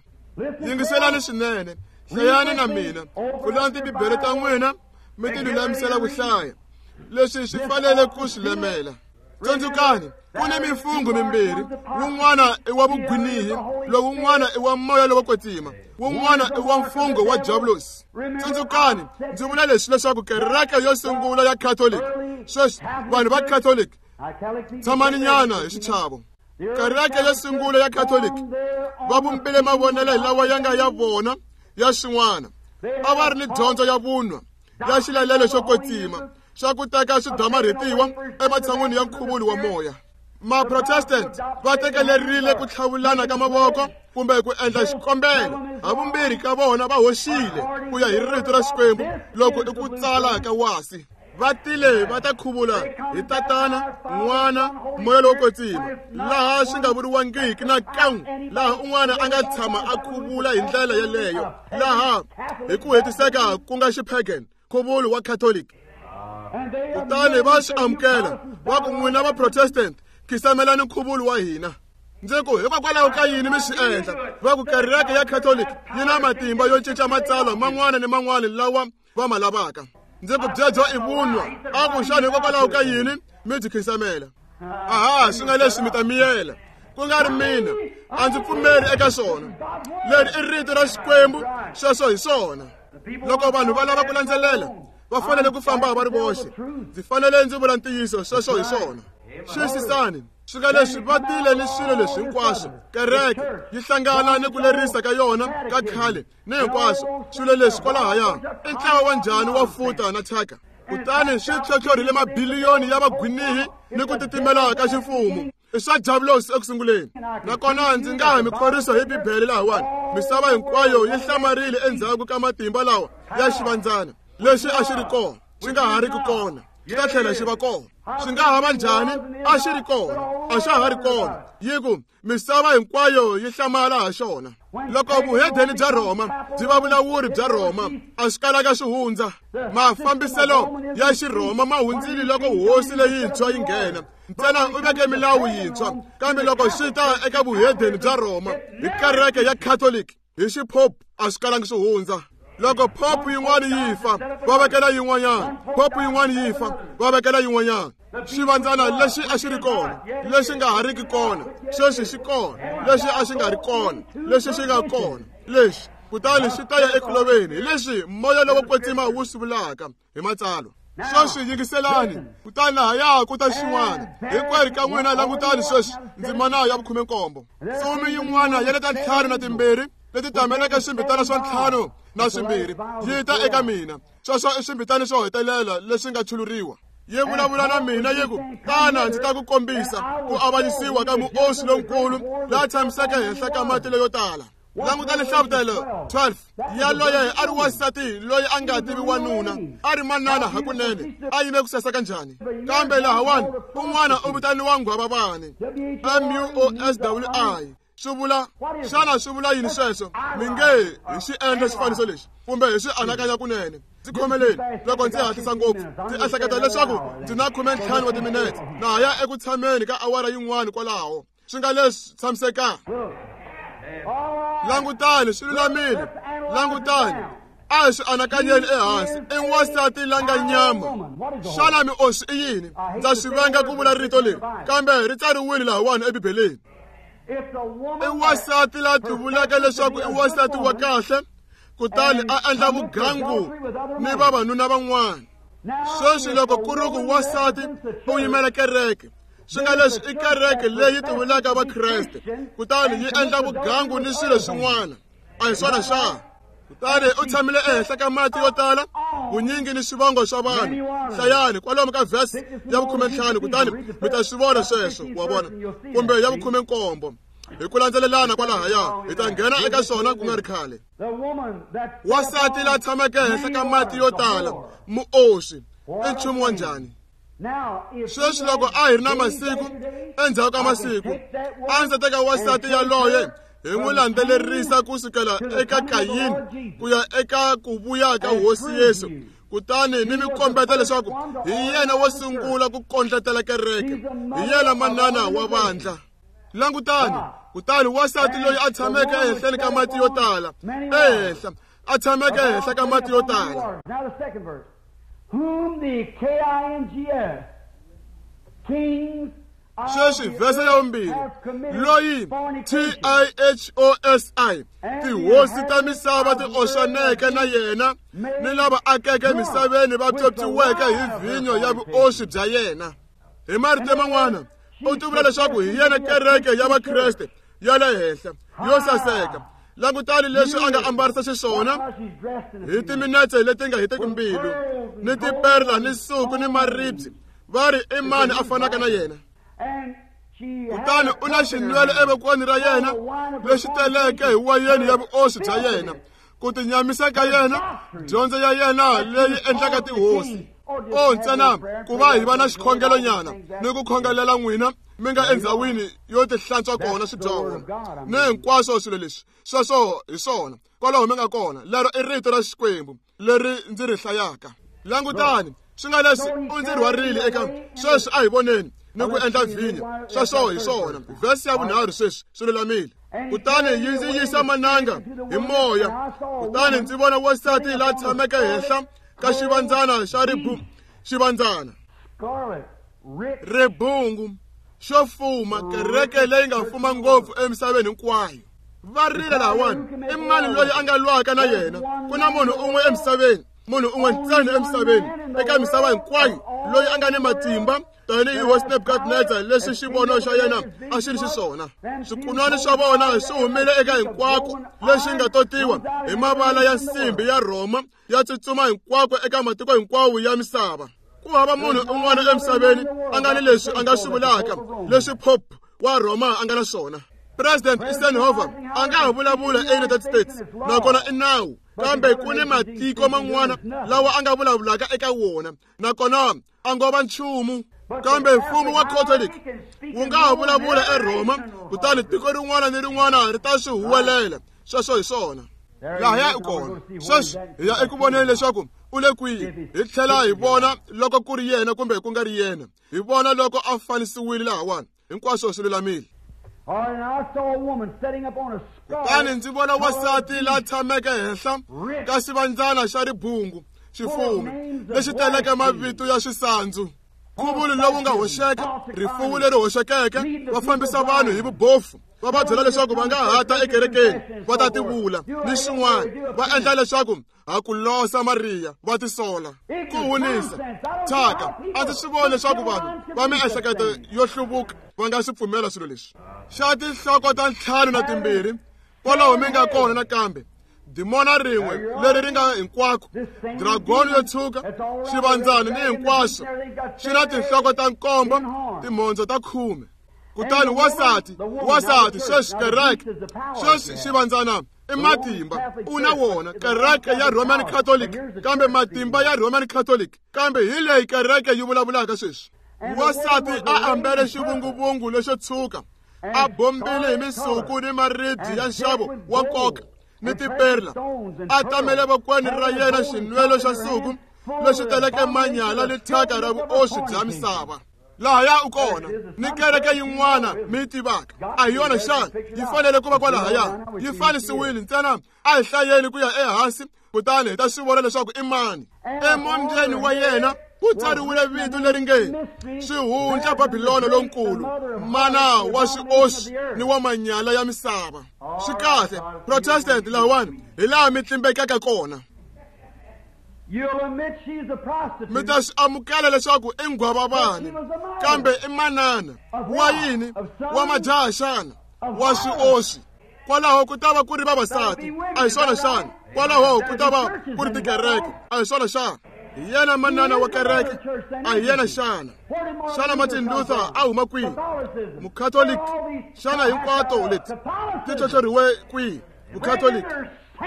Yingiselani swinene, hlayani na mina, pfulani tibibele ta n'wina mi ti lulamisela ku hlaya. Leswi swi fanele ku swi lemela. Tsundzukani, ku ni mifungho mimbirhi, wun'wana i wa vugwinihi, lowun'wana i wa moya lowo kwetsima, wun'wana i wa mfungho wa Diabulosi. Tsundzukani, ndzi vula leswi leswaku kereke yo sungula ya Catholic, sweswi vanhu va Catholic, tshamani nyana hi xichavo. Kereke yo sungula ya Catholic va vumbile mavonelo lawa ya nga ya vona ya swin'wana. A va ri ni dyondzo ya vunwa ya xilalelo xo kwetsima xa ku teka swidamarhetiwa ematshan'wini ya nkhuvulo wa moya. Maprotestant va tekelerile ku tlhavulana ka mavoko kumbe ku endla xikombelo. Havumbirhi ka vona va hoxile ku ya hi rito ra Xikwembu loko i ku tsala ka wasi. Va tile va ta khuvula hi Tatana, N'wana, Moya lowo Kwetsima, laha swi nga vuriwangiki na kan'we, laha un'wana a nga tshama a khuvula hi ndlela yeleyo, laha hi ku hetiseka ku nga xipagan, nkhuvulo wa Catholic. Kutani va swi amukela, va ku n'wina va Protestant, khisamelani nkhuvulo wa hina. Ndzi ku hikokwalaho ka yini mi swi endla? Va ku kereke ya Catholic yi na matimba yo cinca matsalwa man'wana ni man'wana lawa va ma lavaka. Ndzi ku byebyo i vunwa. A ku xana hikokwalaho ka yini mi byi khisamela? Aha, swi nga leswi mi ta miyela, ku nga ri mina. A ndzi pfumeri eka swona. Leri i rito ra Xikwembu, sweswo hi swona. Loko vanhu va lava ku landzelela, va fanele ku famba va ri voxe. Ndzi fanele ndzi vula ntiyiso, sweswo hi swona. Xiyisisani, swi nga leswi va tile ni swilo leswi hinkwaswo. Kereke yi hlangana ni ku lerisa ka yona ka khale ni hinkwaswo swilo leswi kwalahaya. I ntlawa wa njhani wa futa na thyaka? Kutani swi tlhotlhorhile mabiliyoni ya vagwinihi ni ku titimela ka ximfumo. I swa diabulosi eku sunguleni. Nakona ndzi nga ha mi khorwisa hi Bibele lahawani. Misava hinkwayo yi hlamarile endzhaku ka matimba lawa ya xivandzana lexi a xi ri kona, xi nga ha ri ku kona, xi ta tlhela xi va kona. Swi nga ha va njhani? A xi ri kona, a xa ha ri kona. Yi ku misava hinkwayo yi hlamala ha xona. Loko vuhedeni bya Rhoma byi va vulawuri bya Rhoma, a swi kalaka swi hundza. Mafambiselo ya Xirhoma ma hundzile loko hosi leyintshwa yi nghena. Ntsena u veke milawu yintshwa, kambe loko swi ta eka vuhedeni bya Rhoma hi kereke ya Catholic hi xipope, a swi kalangi swi hundza. Loko pope yin'wana yi fa, va vekela yin'wanyana. Pope yin'wana yi fa, va vekela yin'wanyana. Xivandzana lexi a xi ri kona, lexi nga ha riki kona, sweswi xi kona, lexi a xi nga ri kona, lexi xi nga kona, lexi kutani xi ta ya eku loveni. Hi leswi moya lowo kwetsima wu swi vulaka hi matsalwa. Sweswi yingiselani, kutani lahaya ku ta xin'wana. Hinkwerhu ka n'wina langutani sweswi ndzimana ya 17. Ntsumi yin'wana ya le ta 52 leti tameleke swimbitana swa 52 yi ta eka mina. Sweswo i swimbitana swo hetelela leswi nga chuluriwa. Yi vulavula na mina yi ku, tana ndzi ta ku kombisa ku avanyisiwa ka muoswi lonkulu la tshamiseke henhla ka mati leyo tala. Langutani hlavutelo 12. Yaloye a ri wansati loyi a nga tivi wanuna, a ri manana hakunene, a yime ku saseka njhani. Kambe lahawani un'wana u vitaniwa nghwavavani, MUOSWI. Swi vula, xana swi vula yini sweswo? Mi nge hi xi endla xifaniso lexi kumbe hi swi anakanya kunene. Ndzi khomeleni loko ndzi hatlisa ngopfu, ndzi ehleketa leswaku ndzi na 15 wa timinete na ha ya eku tshameni ka awara yin'wana kwalaho. Swi nga leswi tshamisekanga. Langutani, swi lulamile. Langutani, a hi swi anakanyeni ehansi. I wansati la nga nyama. Xana mioswi i yini? Ndza swi venga ku vula rito leri, kambe ri tsariwile lahawani eBibeleni. I wansati la tivulaka leswaku i wansati wa kahle, kutani a endla vugangu ni vavanuna van'wana. Sweswi loko ku ri ku wansati u yimela kereke, swi nga leswi i kereke leyi tivulaka Vakreste, kutani yi endla vugangu ni swilo swin'wana. A hi swona xana? Kutani u tshamile ehenhla ka mati yo tala, vunyingi ni swivongo swa vanhu. Hlayani kwalomu ka verse ya 15, kutani mi ta swi vona sweswo, wa vona, kumbe ya 17. Hi ku landzelelana kwalahaya, hi ta nghena eka swona ku nga ri khale. Wansati la tshameke henhla ka mati yo tala, muoswi, i nchumu wa njhani? Sweswi loko a hi ri na masiku endzhaku ka masiku, a ndzi teka wansati yaloye hi n'wi landzelerisa ku sukela eka Kayini ku ya eka ku vuya ka Hosi Yesu, kutani ni mi kombeta leswaku hi yena wo sungula ku kondletela kereke, hi yena manana wa vandla. Langutani, kutani wansati loyi a tshameke ehenhleni ka mati yo tala, ehenhla a tshameke ehenhla ka mati yo tala. Whom the KINGS, kings Sweswi vhese ya 2, loyi TIHOSI, tihosi ta misava ti oxaneke na yena, ni lava akeke misaveni va pyopyiweke hi vhinyo ya vuoswi bya yena. Hi marito man'wana, u tivula leswaku hi yena kereke ya Vakreste ya le henhla yo saseka, Langutani leswi a nga ambarisa xiswona hi timinetse leti nga heteki mbilu ni tiperla ni suku ni maribye, va ri i mani a fanaka na yena? Kutani u na xinwelo evokweni ra yena lexi teleke hi wayeni ya vuoswi bya yena, ku tinyamisa ka yena, dyondzo ya yena leyi endlaka tihosi. O ntsena ku va hi va na xikhongelonyana ni ku khongelela n'wina mi nga endhawini yo tihlantswa kona swidyoho ni hinkwaswo swilo leswi. Sweswo hi swona kwalaho mi nga kona. Lero i rito ra Xikwembu leri ndzi ri hlayaka. Langutani swi nga leswi u ndzi rhwarile eka sweswi, a hi voneni ni ku endla vhinyo. Sweswo hi swona. Vhesi ya vunharhu sweswi swi lulamile. Kutani yi ndzi yisa mananga hi moya, kutani ndzi vona wansati la tshameke henhla ka xivandzana xa xivandzana ribungu xo fuma, kereke leyi nga fuma ngopfu emisaveni hinkwayo. Va rile lahawani, i mani loyi a nga lwaka na yena? Ku na munhu un'we emisaveni, munhu un'we ntsena emisaveni, eka misava hinkwayo, loyi a nga ni matimba tanihi hosi Nebukadnezar, leswi xivono xa yena a xi ri xiswona. Swikunwani swa vona swi humile eka hinkwako leswi nga totiwa hi mavala ya nsimbi ya Rhoma, ya tsutsuma hinkwako eka matiko hinkwawo ya misava. Ku hava munhu un'wana emisaveni a nga ni leswi a nga swi vulaka leswi Pope wa Rhoma a nga na swona. President Eisenhower a nga ha vulavula eUnited States, nakona i nawu, kambe ku ni matiko man'wana lawa a nga vulavulaka eka wona, nakona a ngo va nchumu. Kambe mfumo wa Catholic wu nga ha vulavula eRhoma, kutani tiko rin'wana ni rin'wana ri ta swi huwelela. Sweswo hi swona. Lahaya u kona. Sweswi hi ya eku voneni leswaku u le kwihi, hi tlhela hi vona loko ku ri yena kumbe ku nga ri yena, hi vona loko a fanisiwile lahawani. Hinkwaswo swi lulamile. Kutani ndzi vona wansati la tshameke henhla ka xivandzana xa ribungu xifumi lexi teleke mavito ya swisandzu, nkhuvulo lowu nga hoxeka, rifuwo leri hoxekeke. Va fambisa vanhu hi vubofu, va va byela leswaku va nga ha ta ekerekeni va ta tivula ni swin'wana, va endla leswaku ha ku losa Mariya, va tisola ku hunisa thyaka. A ndzi swi voni leswaku vanhu va miehleketo yo hluvuka va nga swi pfumela swilo leswi. Xa tinhloko ta 5 na 2, kwalaho mi nga kona nakambe dimona rin'we leri ri nga hinkwako, dragoni yo tshuka, xivandzana ni hinkwaswo, xi na tinhloko ta 7, timhondzo ta 10. Kutani wansati sweswi kereke, sweswi xivandzana i matimba u na wona, kereke ya Roman Catholic, kambe matimba ya Roman Catholic, kambe hi leyi kereke yi vulavulaka sweswi. Wansati a ambele xivunguvungu lexo tshuka, a bombile hi misuku ni maribye ya nxavo wa nkoka ni tiperla, a tamele vokweni ra yena xinwelo xa nsuku lexi teleke manyala ni thyaka ra vuoswi bya misava. Lahaya u kona ni kereke yin'wana mi yi tivaka, a hi yona xana? Yi fanele ku va kwalahaya, yi fanisiwile ntsena. A hi hlayeni ku ya ehansi, kutani hi ta swi vona leswaku i mani. Emombyeni wa yena ku tsariwile vito leri nge Swihundla Babilona lonkulu, mana wa swioswi ni wa manyala ya misava. Swi kahle, Protestant lahawani hi laha mi tlimbekaka kona. Mi ta swi amukela leswaku i nghwavavani, kambe i manana wa yini? Wa majaha xana? Wa swioswi. Kwalaho ku ta va ku ri vavasati, a hi swona xana? Kwalaho ku ta va ku ri tikereke, a hi swona xana? Hi yena manana wa kereke, a hi yena xana? Xana Martin Luther a huma kwihi? Mukhatoliki. Xana hinkwato leti ti tlhotlhoriwe kwihi? Mukhatoliki.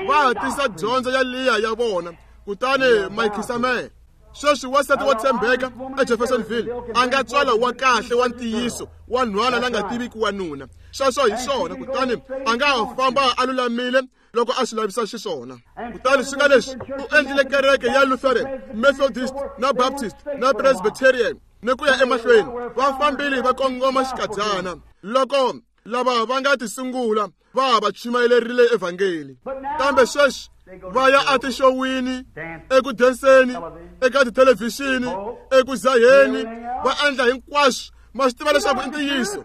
Va hatisa dyondzo ya liya ya vona, kutani maikhisamela. Sweswi wansati wo tshembeka eJeffersonville a nga tswala wa kahle wa ntiyiso wa nhwana la nga tiviki wanuna. Sweswo hi swona. Kutani a nga ha famba a lulamile loko a swi lavisa xiswona. Kutani swi nga leswi u endlile kereke ya Lutheran, Methodist na Baptist na Presbyterian ni ku ya emahlweni, va fambile va kongoma xikadyana loko lava va nga ti sungula va va chumayelerile evhangeli. Kambe sweswi va ya etixowini, eku denseni, eka tithelevhixini, eku zaheni, va endla hinkwaswo. Ma swi tiva leswaku i ntiyiso.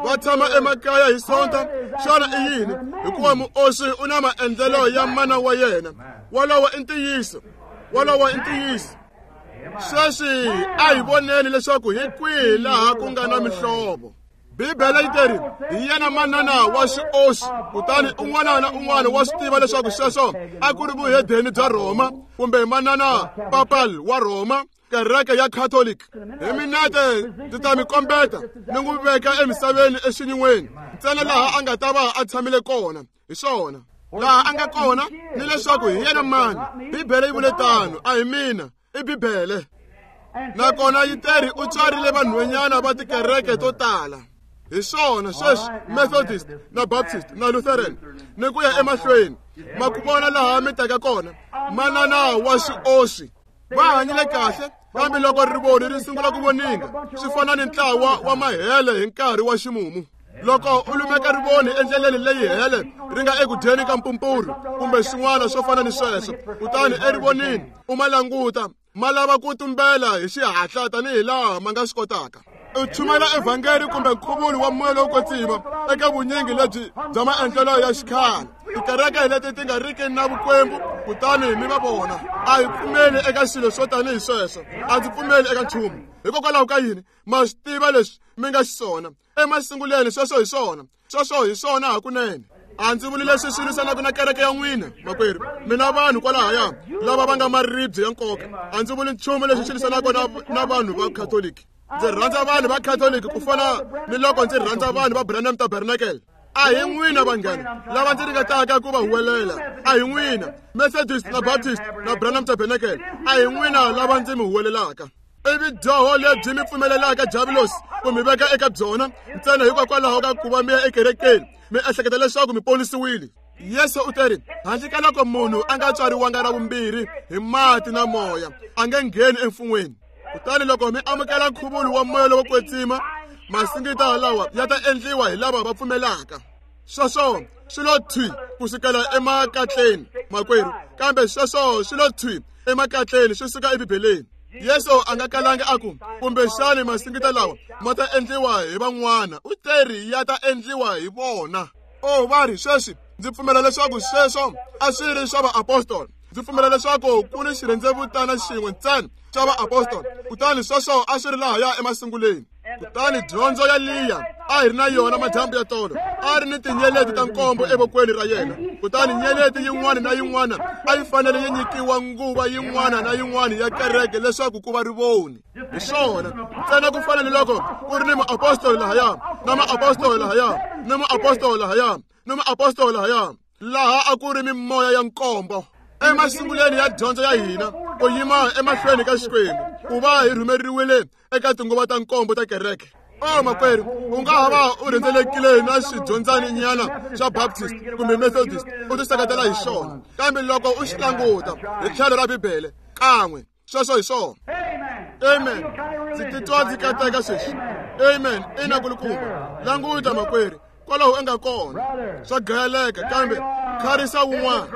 Va tshama emakaya hi Sonta. Xana i yini? Hikuva muoswi u na maendlelo ya mana wa yena. Walowo i ntiyiso. Walowo i ntiyiso. Sweswi a hi voneni leswaku hi kwihi laha ku nga na mihlovo. Bibele yi teri hi yena manana wa xioxi, kutani un'wana na un'wana wa swi tiva leswaku sweswo a ku ri vuhedeni bya Rhoma kumbe manana papal wa Rhoma, kereke ya Catholic. Hi minete ndzi ta mi kombeta ni n'wi veka emisaveni exinyiweni ntsena laha a nga ta va a tshamile kona. Hi swona laha a nga kona ni leswaku hi yena mani. Bibele yi vule tano, a hi mina, i Bibele. Nakona yi teri u tswarile vanhwanyana va tikereke to tala. Hi swona sweswi Methodist na Baptist na Lutheran ni ku ya emahlweni. Ma ku vona laha mi taka kona, manana wa xioxi. Va hanyile kahle, kambe loko rivoni ri sungula ku voninga swi fana ni ntlawa wa mahele hi nkarhi wa ximumu. Loko u lumeka rivoni endleleni leyi hele ri nga eku dyeni ka mpumpuru kumbe swin'wana swo fana ni sweswo, kutani erivonini u ma languta, ma lava ku tumbela hi xihatla tanihi laha ma nga swi kotaka. U chumela evhangeli kumbe nkhuvulo wa moya lowo kwetsima eka vunyingi lebyi bya maendlelo ya xikhale, tikereke leti ti nga riki na vukwembu, kutani mi va vona. A hi pfumeli eka swilo swo tanihi sweswo, a ndzi pfumeli eka nchumu. Hikokwalaho ka yini? Ma swi tiva leswi mi nga xiswona emasunguleni, sweswo hi swona, sweswo hi swona hakunene. A ndzi vuli leswi swi lwisanaka na kereke ya n'wina, makwerhu. Mina vanhu kwalahaya lava va nga maribye ya nkoka, a ndzi vuli nchumu leswi swi lwisanaka na vanhu va Catholic. Ndzi rhandza vanhu va Catholic ku fana ni loko ndzi rhandza vanhu va Branham Tabernacle. A hi n'wina vanghana lava ndzi ringetaka ku va huwelela, a hi n'wina Methodist na Baptist na Branham Tabernacle, a hi n'wina lava ndzi mi huwelelaka. I vidyoho lebyi mi pfumelelaka Diabolos ku mi veka eka byona ntsena hikokwalaho ka ku va mi ya ekerekeni mi ehleketa leswaku mi ponisiwile. Yesu u teri handle ka loko munhu a nga tswariwanga ra vumbirhi hi mati na moya, a nge ngheni emfun'weni. Kutani loko mi amukela nkhuvulo wa moya lowo kwetsima, masingita lawa ya ta endliwa hi lava va pfumelaka. Sweswo swi lo thwi kusukela emakatleni, makwerhu, kambe sweswo swi lo thwi emakatleni swi suka eBibeleni. Yesu a nga kalanga a ku kumbexani masingita lawa ma ta endliwa hi van'wana, u teri ya ta endliwa hi vona. O va ri sweswi ndzi pfumela leswaku sweswo a swi ri swa vaapostoli. Ndzi pfumela leswaku ku ni xirhendzevutana xin'we ntsena xa vaapostoli, kutani sweswo a swi ri lahaya emasunguleni. Kutani dyondzo ya Liya a hi ri na yona madyambu ya tolo, a ri ni tinyeleti ta nkombo evokweni ra yena, kutani nyeleti yin'wana na yin'wana a yi fanele yi nyikiwa nguva yin'wana na yin'wana ya kereke leswaku ku va rivoni. Hi swona ntsena ku fana ni loko ku ri ni muapostoli lahaya na muapostoli lahaya ni muapostoli lahaya ni muapostoli lahaya, laha a ku ri mimoya ya nkombo. Emasunguleni ya dyondzo ya hina ku yima emahlweni ka Xikwembu ku va hi rhumeriwile eka tinguva ta nkombo ta kereke. O makwerhu, u nga ha va u rhendzelekile na swidyondzani nyana swa Baptist kumbe Methodist u ti seketela hi swona, kambe loko u xi languta hi tlhelo ra Bibele kan'we, sweswo hi swona. Amen. Ndzi titwa ndzi kateka sweswi. Amen. Ina kulukumba. Languta makwerhu, kwalaho u nga kona swa gayeleka, kambe kharisa wun'wana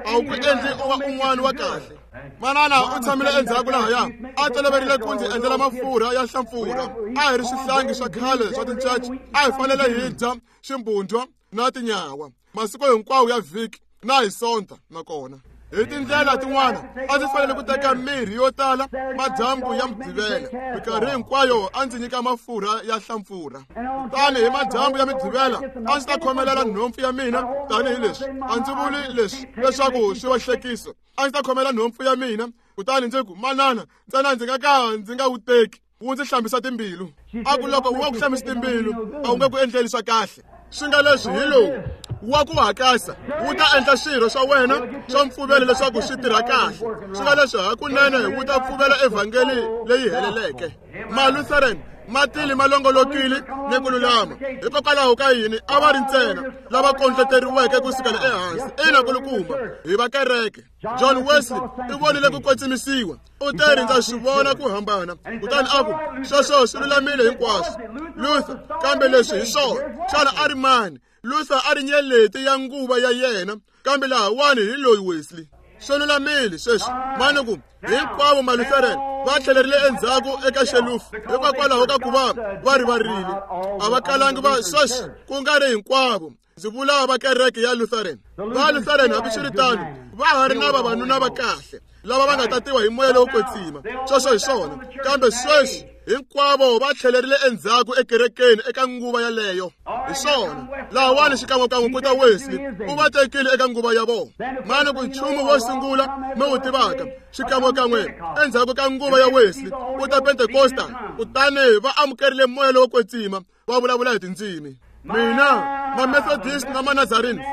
a wu ku endli u va un'wana wa kahle. Manana u tshamile endzhaku lahaya a toloverile ku ndzi endlela mafurha ya hlampfurha. A hi ri swihlangi swa khale swa tincaci, a hi fanele hi dya ximbundwa na tinyawa masiku hinkwawo ya vhiki na hi Sonta. Nakona hi tindlela tin'wana a ndzi fanele ku teka mirhi yo tala madyambu ya Mugqivela. Minkarhi hinkwayo a ndzi nyika mafurha ya hlampfurha, kutani hi madyambu ya Mugqivela a ndzi ta khomelela nhompfu ya mina tanihileswi. A ndzi vuli leswi leswaku swi va hlekiso. A ndzi ta khomela nhompfu ya mina, kutani ndzi ku, manana, ntsena ndzi nga ka ndzi nga wu teki, wu ndzi hlambisa timbilu. A ku loko wu nga ku hlambisi timbilu, a wu nge ku endleli swa kahle. Swi nga leswi hi lowu wa ku hakasa wu ta endla swirho swa wena swa mpfuvelo leswaku swi tirha kahle. Swi nga leswi hakunene wu ta pfuvela evhangeli leyi heleleke. Malutheran ma tile ma longolokile ni ku lulama. Hikokwalaho ka yini a va ri ntsena lava kondleteriweke ku sukela ehansi? Ina kulukumba, hi va kereke. John Wesley u vonile ku kwetsimisiwa, u teri ndza swi vona ku hambana, kutani a ku sweswo swi lulamile hinkwaswo. Luther, kambe leswi hi swona. Xana a ri mani? Luther a ri nyeleti ya nguva ya yena, kambe lahawani hi loyi Wesley. Swi lulamile sweswi. Mani ku hinkwavo Malutheran va tlhelerile endzhaku eka xelufu hikokwalaho ka ku va va rivarile. A va kalangi va sweswi, ku nga ri hinkwavo. Ndzi vula va kereke ya Lutheran. Va Lutheran hambiswiritano va ha ri na vavanuna va kahle lava va nga tatiwa hi moya lowo kwetsima. Sweswo hi swona. Kambe sweswi Hinkwavo va tlhelerile endzhaku ekerekeni eka nguva yaleyo. Hi swona lahawani xikan'wekan'we ku ta Wesley, u va tekile eka nguva ya vona. Mani ku nchumu wo sungula mi wu tivaka, xikan'wekan'we endzhaku ka nguva ya Wesley ku ta Pentekosta, kutani va amukerile moya lowo kwetsima, va vulavula hi tindzimi. Mina ma-Methodist na ma-Nazarene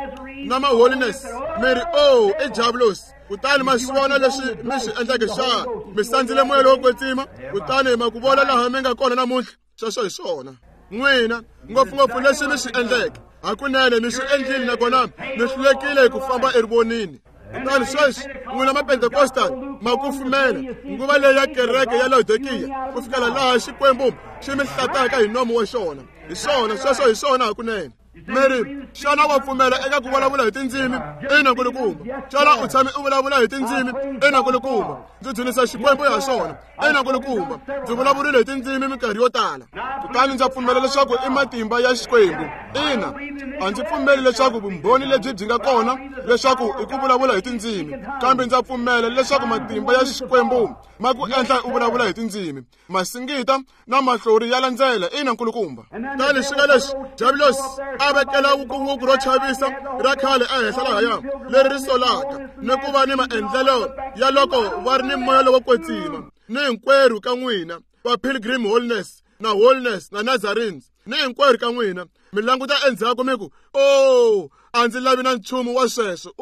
na ma-Holiness mi ri o i diabolos, kutani ma swi vona leswi mi swi endleke xana? Mi sandzile moya lowo kwetsima, kutani ma ku vona laha mi nga kona namuntlha. Sweswo hi swona n'wina ngopfungopfu leswi mi swi endleke. Hakunene mi swi endlile, nakona mi hlulekile ku famba erivonini. Kutani sweswi n'wina ma-Pentecostal ma kufumela nguva leyi ya kereke ya Laodikiya, ku fikela laha Xikwembu xi mi hlataka hi nomu wa xona. Hi swona sweswo, hi swona hakunene. Mi ri, xana wa pfumela eka ku vulavula hi tindzimi? Ina, nkulukumba. Xana u tshame u vulavula hi tindzimi? Ina, nkulukumba. Ndzi dzunisa Xikwembu ha swona. Ina, nkulukumba. Ndzi vulavurile hi tindzimi minkarhi yo tala, kutani ndza pfumela leswaku i matimba ya Xikwembu. Ina, a ndzi pfumeli leswaku vumbhoni lebyi byi nga kona leswaku i ku vulavula hi tindzimi, kambe ndza pfumela leswaku matimba ya Xikwembu ma ku endla u vulavula hi tindzimi. Masingita na mahlori ya landzela. Ina, nkulukumba. Tani swi nga leswi diabolos a vekela wukuwuku ro chavisa ra khale ehenhla lahaya leri ri solaka ni ku va ni maendlelo ya loko va ri ni moya lowo kwetsima. Ni hinkwerhu ka n'wina va Pilgrim Holiness na Holiness na Nazarenes, ni hinkwerhu ka n'wina mi languta endzhaku mi ku, o a ndzi lavi na nchumu wa sweswo.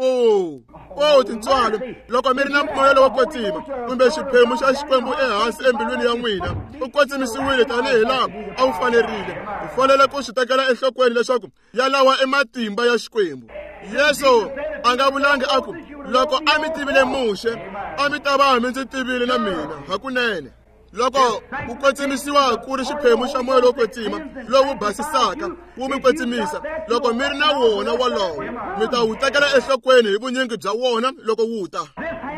O tintswalo, loko mi ri na moya lowo kwetsima kumbe xiphemu xa Xikwembu ehansi embilwini ya n'wina, u kwetsimisiwile tanihi laha a wu fanerile. U fanele ku swi tekela enhlokweni leswaku yalawa i matimba ya Xikwembu. Yesu a nga vulangi a ku, loko a mi tivile Muxe, a mi ta va mi ndzi tivile na mina. Hakunene loko ku kwetsimisiwa ku ri xiphemu xa moya lowo kwetsima lowu basisaka wu mi kwetsimisa, loko mi ri na wona wolowo, mi ta wu tekela enhlokweni hi vunyingi bya wona loko wu ta.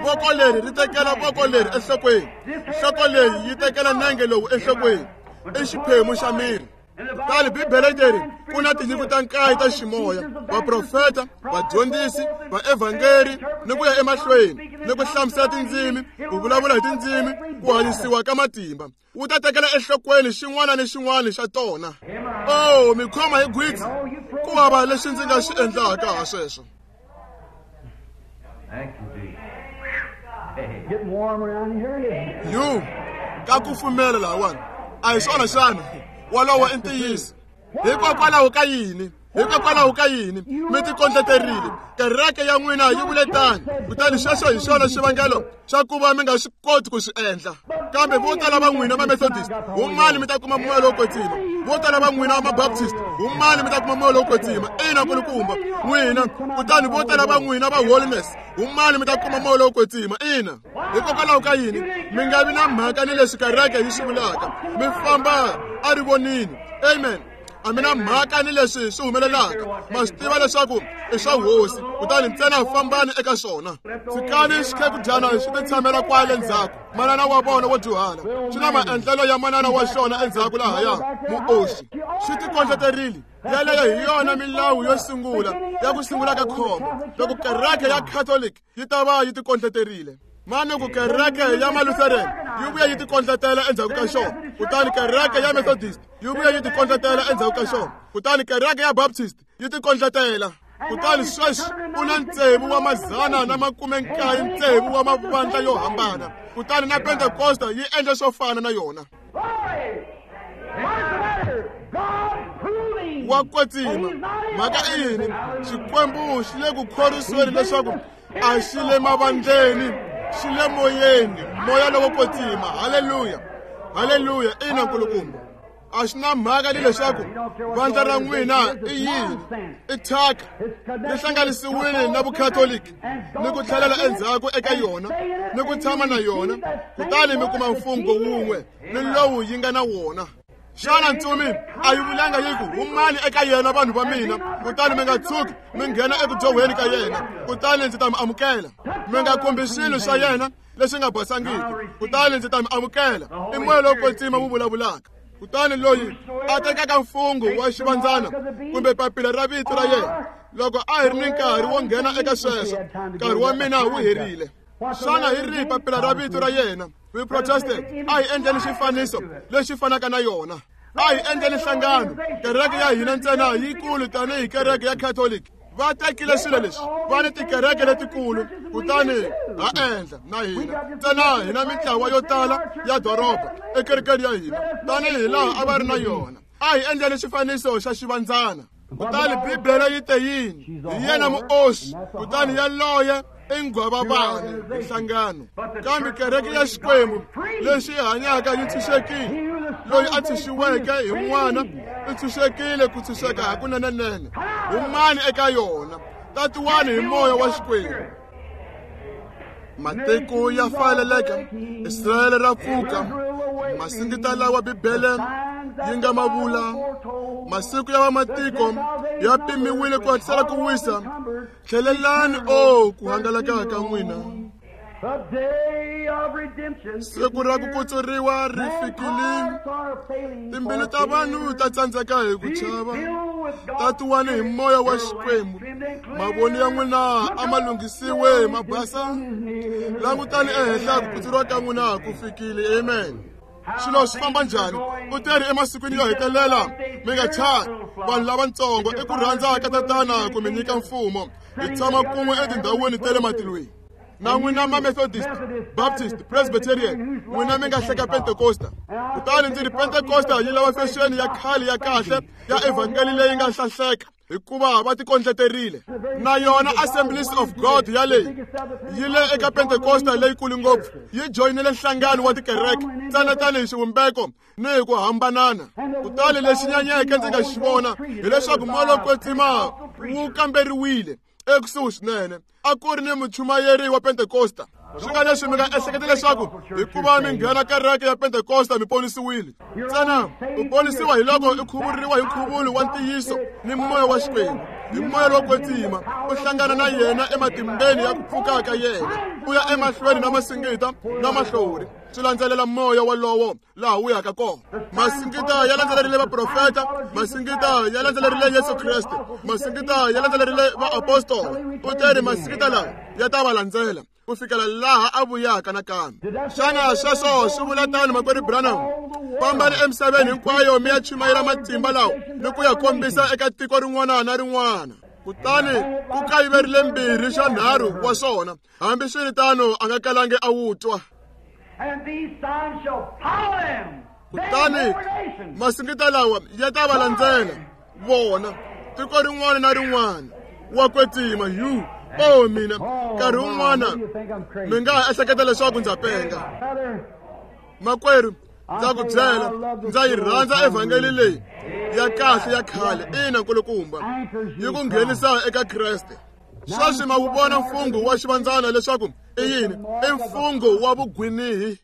Voko leri ri tekela voko leri enhlokweni, nhloko leyi yi tekela nenge lowu enhlokweni. I xiphemu xa miri. Kutani Bibele leri ku na tinyiko ta nkaye ta ximoya, vaprofeta, vadyondzisi, vaevhangeri, ni ku ya emahlweni, ni ku hlamusela tindzimi, ku vulavula hi tindzimi, ku hanyisiwa ka matimba. Wu ta tekela enhlokweni xin'wana ni xin'wana xa tona. O mi khoma hi gwitsi, ku hava lexi ndzi nga xi endlaka ha sweswo. Yu ka kufumela lahawani, a hi swona xana? Wolowo i ntiyiso. Hikokwalaho ka yini? Hikokwalaho ka yini mi tikondleterile? Kereke ya n'wina yi vule tani, kutani xexo hi xona xivangelo xa ku va mi nga swi koti ku swi endla. Kambe vo tala va n'wina ma-Methodist, humani mi ta kuma moya lowo kwetsima. Vo tala va n'wina ma-Baptist, humani mi ta kuma moya lowo kwetsima. Ina, nkulukumba. N'wina, kutani vo tala va n'wina va Holiness, humani mi ta kuma moya lowo kwetsima. Ina. Hikokwalaho ka yini mi nga vi na mhaka ni leswi kereke yi swi vulaka? Mi famba a rivonini. Amen. A mi na mhaka ni leswi swi humelelaka, ma swi tiva leswaku i swa hosi, kutani ntsena fambani eka swona. Tshikani xikhekudyana xi ti tshamela kwale ndzhaku. Manana wa vona wo dyuhala xi na maendlelo ya manana wa xona endzhaku lahaya muoxi. Xi tikondleterile. Yeleyo hi yona milawu yo sungula ya ku sungula ka khombo loko kereke ya Catholic yi ta va yi tikondleterile. Manuku kereke ya Malutheran yi vuya yi tikondletela endzhaku ka xona, kutani kereke ya Methodist yi vuya yi tikondletela endzhaku ka xona, kutani kereke ya Baptist yi tikondletela. Kutani sweswi ku na 696 wa mavandla yo hambana, kutani na Pentekosta yi endla swo fana na yona. Wa kwetsima. Mhaka i yini? Xikwembu xi le ku khorwisiweni leswaku a xi le mavandleni, xi le moyeni, moya lowo kwetsima. Haleluya, haleluya. Ina, nkulukumba. A xi na mhaka ni leswaku vandla ra n'wina i yini, i thyaka ri hlanganisiwile na vukhatoliki ni ku tlhelela endzhaku eka yona ni ku tshama na yona, kutani mi kuma mfungho wun'we ni lowu yi nga na wona. Xana ntsumi a yi vulanga yi ku, humani eka yena vanhu va mina, kutani mi nga tshuki mi nghena eku dyohweni ka yena, kutani ndzi ta mi amukela. Mi nga khumbi swilo swa yena leswi nga basangiki, kutani ndzi ta mi amukela. I moya lowo kwetsima wu vulavulaka. Kutani loyi a tekaka mfungho wa xivandzana kumbe papila ra vito ra yena, loko a hi ri ni nkarhi wo nghena eka sweswo, nkarhi wa mina wu herile. Xana hi rihi papila ra vito ra yena? We protested. A hi endleni xifaniso lexi fanaka na yona. A hi endleni nhlangano. Kereke ya hina ntsena yikulu tanihi kereke ya Catholic. Va tekile swilo leswi, va ni tikereke letikulu, kutani ha endla na hina ntsena hina mintlawa yo tala ya doroba ekerekeni ya hina tanihi laha a va ri na yona. A hi endleni xifaniso xa xivandzana. Kutani Bibele yi te yini? Hi yena muoxi, kutani yaloye i nghwavavani hi nhlangano. Kambe kereke ya Xikwembu lexi hanyaka yi tshunxekile. Loyi a tshunxiweke hi n'wana i tshunxekile ku tshunxeka hakunenenene. Humani eka yona, tatiwani hi moya wa Xikwembu. Matiko ya faleleka, Israyele ra pfuka. Masingita lawa Bibele yi nga ma vula, masiku ya vamatiko ya pimiwile ku hatlisela ku wisa. Tlhelelani o ku hangalaka ka n'wina. Siku ra ku kutsuriwa ri fikile. Timbilu ta vanhu ta tsandzeka hi ku chava. Tatiwani hi moya wa Xikwembu. Mavoni ya n'wina a ma lunghisiwe ma basa. Langutani ehenhla ku kutsuriwa ka n'wina ku fikile. Amen. Swilo swi famba njhani? U teri emasikwini yo hetelela, mi nga chavi vanhu lavatsongo, i ku rhandza ka Tatana ku mi nyika mfumo. Hi tshama kun'we etindhawini ta le matilweni. Na n'wina ma Methodist, Baptist, Presbyterian, n'wina mi nga hleka Pentecosta. Kutani ndzi ri Pentecosta yi lava fexeni ya khale ya kahle ya evhangeli leyi nga hlahleka, hikuva va tikondleterile. Na yona Assemblies of God yaleyi yi le eka Pentecosta leyikulu ngopfu, yi joyinile nhlangano wa tikereke ntsena tanihi xivumbeko ni hi ku hambanana. Kutani lexi nyanyeke ndzi nga xi vona hileswaku moya lowo kwetsima wu kamberiwile ekusuhi swinene. A ku ri ni muchumayeri wa Pentecosta. Swi nga leswi mi nga ehleketa leswaku hikuva mi nghena kereke ya Pentecosta mi ponisiwile. Ntsena u ponisiwa hi loko u khuvuriwa hi nkhuvulo wa ntiyiso ni moya wa Xikwembu. Hi moya lowo kwetsima u hlangana na yena ematimbeni ya ku pfuka ka yena, u ya emahlweni na masingita na mahlori. Swi landzelela moya walowo laha wu yaka kona. Masingita ya landzelerile vaprofeta, masingita ya landzelerile Yesu Kreste, masingita ya landzelerile vaapostola. U teri masingita lawa ya ta va landzela ku fikela laha a vuyaka nakambe. Xana sweswo swi vula tano, makwerhu Branham? Fambani emisaveni hinkwayo mi ya chumayela matimba lawa ni ku ya kombisa eka tiko rin'wana na rin'wana. Kutani ku kayiverile 2 xa 3 wa swona, hambiswiritano a nga kalangi a wu twa. Kutani masingita lawa ya ta va landzela vona tiko rin'wana na rin'wana. Wa kwetsima yu o mina nkarhi wun'wana mi nga ha ehleketa leswaku ndza penga. Makwerhu, ndza ku byela, ndza yi rhandza evhangeli leyi ya kahle ya khale. Ina nkulukumba, yi ku nghenisa eka Kreste. Sweswi ma wu vona mfungho wa xivandzana leswaku i yini? I mfungho wa vugwinihi.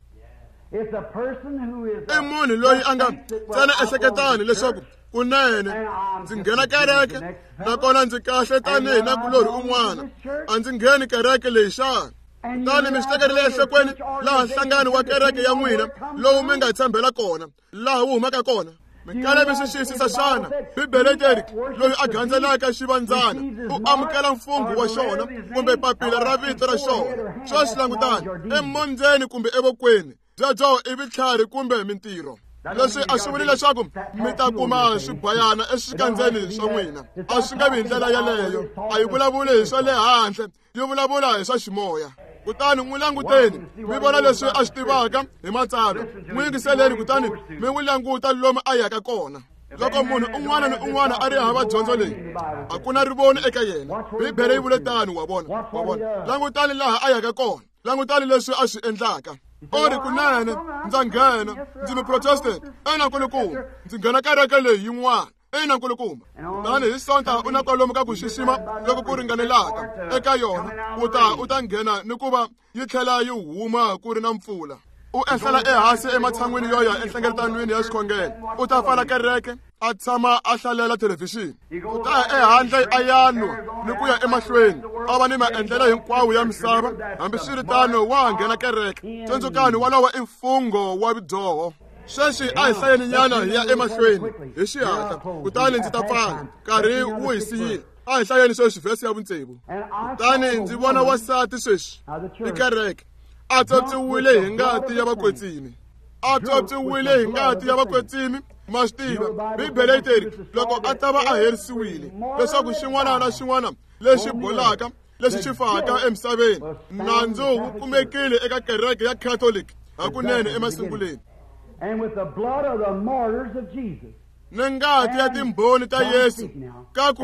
I munhu loyi a nga ntsena ehleketani leswaku kunene ndzi nghena kereke nakona ndzi kahle tanihi na kulorhi un'wana, a ndzi ngheni kereke leyi xana? Kutani mi swi tekerile enhlokweni laha nhlangano wa kereke ya n'wina lowu mi nga tshembela kona, laha wu humaka kona. Mi kale mi swi xiyisisa xana? Bibele teri loyi a gandzelaka xivandzana u amukela mfungho wa xona kumbe papila ra vito ra xona. Sweswi langutani, emondzeni kumbe evokweni, byebyo i vutlhari kumbe mintirho. Leswi a swi vuli leswaku mi ta kuma swibayana eswikandzeni swa n'wina. A swi nga vi hi ndlela yaleyo. A yi vulavuli hi swa le handle, yi vulavula hi swa ximoya. Kutani n'wi languteni mi vona leswi a swi tivaka hi matsalwa. N'wi yingiseleni kutani mi n'wi languta lomu a yaka kona. Loko munhu un'wana ni un'wana a ri hava dyondzo leyi, a ku na rivoni eka yena. Bibele yi vule tano, wa vona, wa vona. Langutani laha a yaka kona, langutani leswi a swi endlaka. O ri kunene ndza nghena, ndzi muprotestant, ina nkulukumba, ndzi nghena kereke leyi yin'wana. Ina nkulukumba. Kutani hi Sonta u na kwalomu ka ku xixima loko ku ringanelaka eka yona, u ta nghena ni ku va yi tlhela yi huma ku ri na mpfula. U ehlela ehansi ematshan'wini yo ya enhlengeletanweni ya xikhongelo, u ta pfala kereke a tshama a hlalela thelevhixini. U ta ya ehandle a ya nwa ni ku ya emahlweni a va ni maendlelo hinkwawo ya misava. Hambiswiritano wa ha nghena kereke. Tsundzukani, walowo i mfungho wa vudyoho. Sweswi a hi hlayeni nyana hi ya emahlweni hi xihatla, kutani ndzi ta pfala. Nkarhi wu hi siyile. A hi hlayeni sweswi vhesi ya 6. Kutani ndzi vona wansati sweswi i kereke A tswotswiwile hi ngati ya vakwetsimi. A tswotswiwile hi ngati ya vakwetsimi. Ma swi tiva Bibele yi teri loko a ta va a herisiwile leswaku xin'wana na xin'wana lexi bolaka lexi xi faka emisaveni nandzu wu kumekile eka kereke ya Catholic hakunene emasunguleni. And with the blood of the martyrs of Jesus. Ni ngati ya timbhoni ta Yesu. Kaku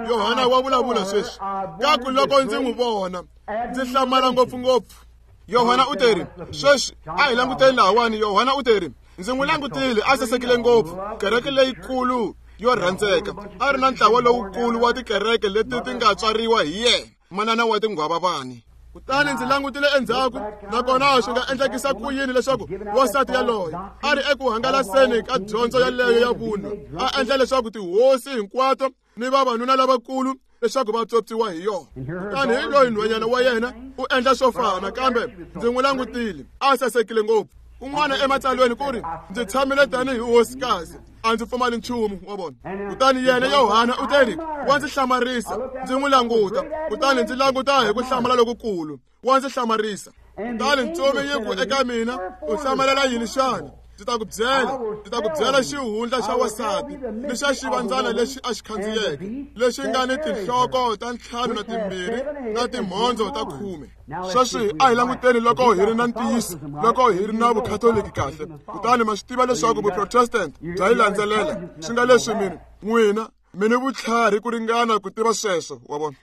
Yohana wa vulavula sweswi. Kaku loko ndzi n'wi vona ndzi hlamala ngopfungopfu. Yohana u teri sweswi a hi languteni lahawani. Yohana u teri ndzi n'wi langutile a sasekile ngopfu kereke leyikulu yo rhandzeka a ri na ntlawa lowukulu wa tikereke leti ti nga tswariwa hi yena manana wa tinghwavavani. Kutani ndzi langutile endzhaku nakona swi nga endlekisa ku yini leswaku wansati yaloye a ri eku hangalaseni ka dyondzo yaleyo ya vunwa a endla leswaku tihosi hinkwato ni vavanuna lavakulu leswaku va tswotswiwa hi yona. Kutani hi loyi nhwanyana wa yena u endla swo fana kambe ndzi n'wi langutile a sasekile ngopfu. Kun'wana ematsalweni ku ri ndzi tshamile tanihi hosikazi a ndzi pfumali nchumu wa vona. Kutani yena Yohana u teri wa ndzi hlamarisa ndzi n'wi languta kutani ndzi languta hi ku hlamala lokukulu wa ndzi hlamarisa. Kutani ntsumi yi ku eka mina u hlamalela yini xana? Ndzi ta ku byela, ndzi ta ku byela xihundla xa wansati ni xa xivandzana lexi a xi khandziyeke lexi nga ni tinhloko ta 5 na 2 na timhondzo ta 10. Sweswi a hi languteni loko hi ri na ntiyiso loko hi ri na vukhatoliki kahle. Kutani ma swi tiva leswaku vuprotestant bya yi landzelela swi nga leswi mina n'wina mi ni vutlhari ku ringana ku tiva sweswo wa vona.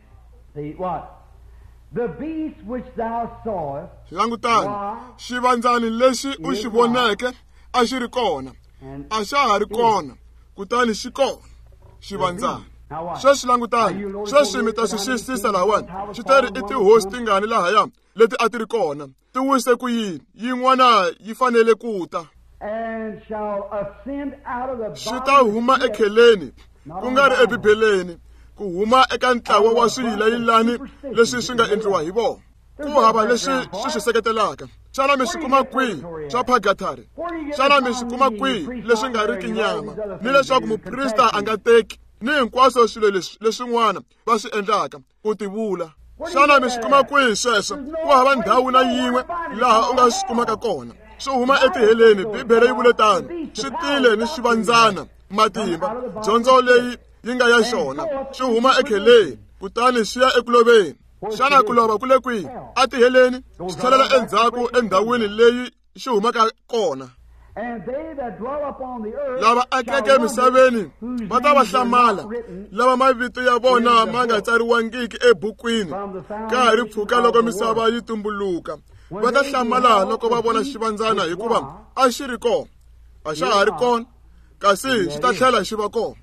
The beast which thou sawest, langutani xivandzani lexi u xi voneke a xi ri kona a xa ha ri kona kutani xi kona xivandzani. Sweswi langutani sweswi mi ta swi xiyisisa lahawani xi teri i tihosi tingani lahaya leti a ti ri kona ti wise ku yini yin'wana yi fanele ku ta xi ta huma ekheleni ku nga ri ebibeleni ku huma eka ntlawa wa swiyilayilani leswi swi nga endliwa hi vona ku hava leswi swi swi seketelaka. Xana mi swi kuma kwihi swa purgatory? Xana mi swi kuma kwihi leswi nga riki nyama ni leswaku muprista a nga teki ni hinkwaswo swilo leswi leswin'wana va swi endlaka ku tivula? Xana mi swi kuma kwihi sweswo? Ku hava ndhawu na yin'we laha u nga swi kumaka kona. Swi huma etiheleni, Bibele yi vule tano. Swi tile ni xivandzana matimba dyondzo leyi yi nga ya xona swi huma ekheleni kutani swi ya ekuloveni. Xana ku lova ku le kwihi? Atiheleni swi tlhelela endzhaku endhawini leyi xi humaka kona. Lava akeke emisaveni va ta va hlamala lava mavito ya vona ma nga tsariwangiki ebukwini ka ha ri pfuka loko misava yi tumbuluka. Va ta hlamala loko va vona xivandzana hikuva a xi ri kona a xa ha ri kona kasi xi ta tlhela xi va kona.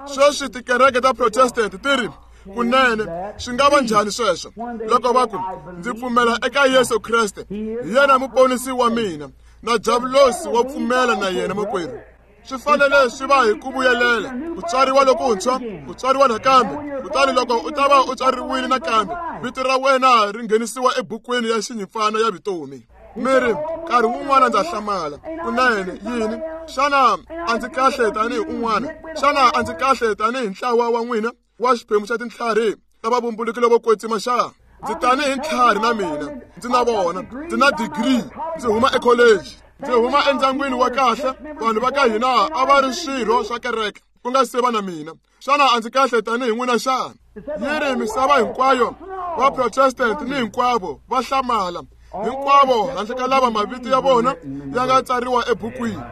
Sweswi tikereke ta Protestant ti ri kunene swi nga va njhani sweswo loko va ku ndzi pfumela eka Yesu Kreste hi yena muponisi wa mina na diabulosi wa pfumela na yena makwerhu. Swi fanele swi va hi ku vuyelela ku tswariwa lokuntshwa ku tswariwa nakambe. Kutani loko u ta va u tswariwile nakambe vito ra wena ri nghenisiwa ebukwini ya xinyimpfana ya vutomi. Mi ri nkarhi wun'wana ndza hlamala kunene yini? Xana a ndzi kahle tanihi un'wana? Xana a ndzi kahle tanihi ntlawa wa n'wina wa xiphemu xa tintlhari ta vavumbuluki vo kwetsima xa? Ndzi tanihi ntlhari na mina ndzi na vona ndzi na degree ndzi huma ekholeji ndzi huma endyangwini wa kahle vanhu va ka hina a va ri swirho swa kereke ku nga se va na mina. Xana a ndzi kahle tanihi n'wina xana? Yi ri misava hinkwayo va Protestant ni hinkwavo va hlamala hinkwavo handle ka lava mavito ya vona ya nga tsariwa ebukwini.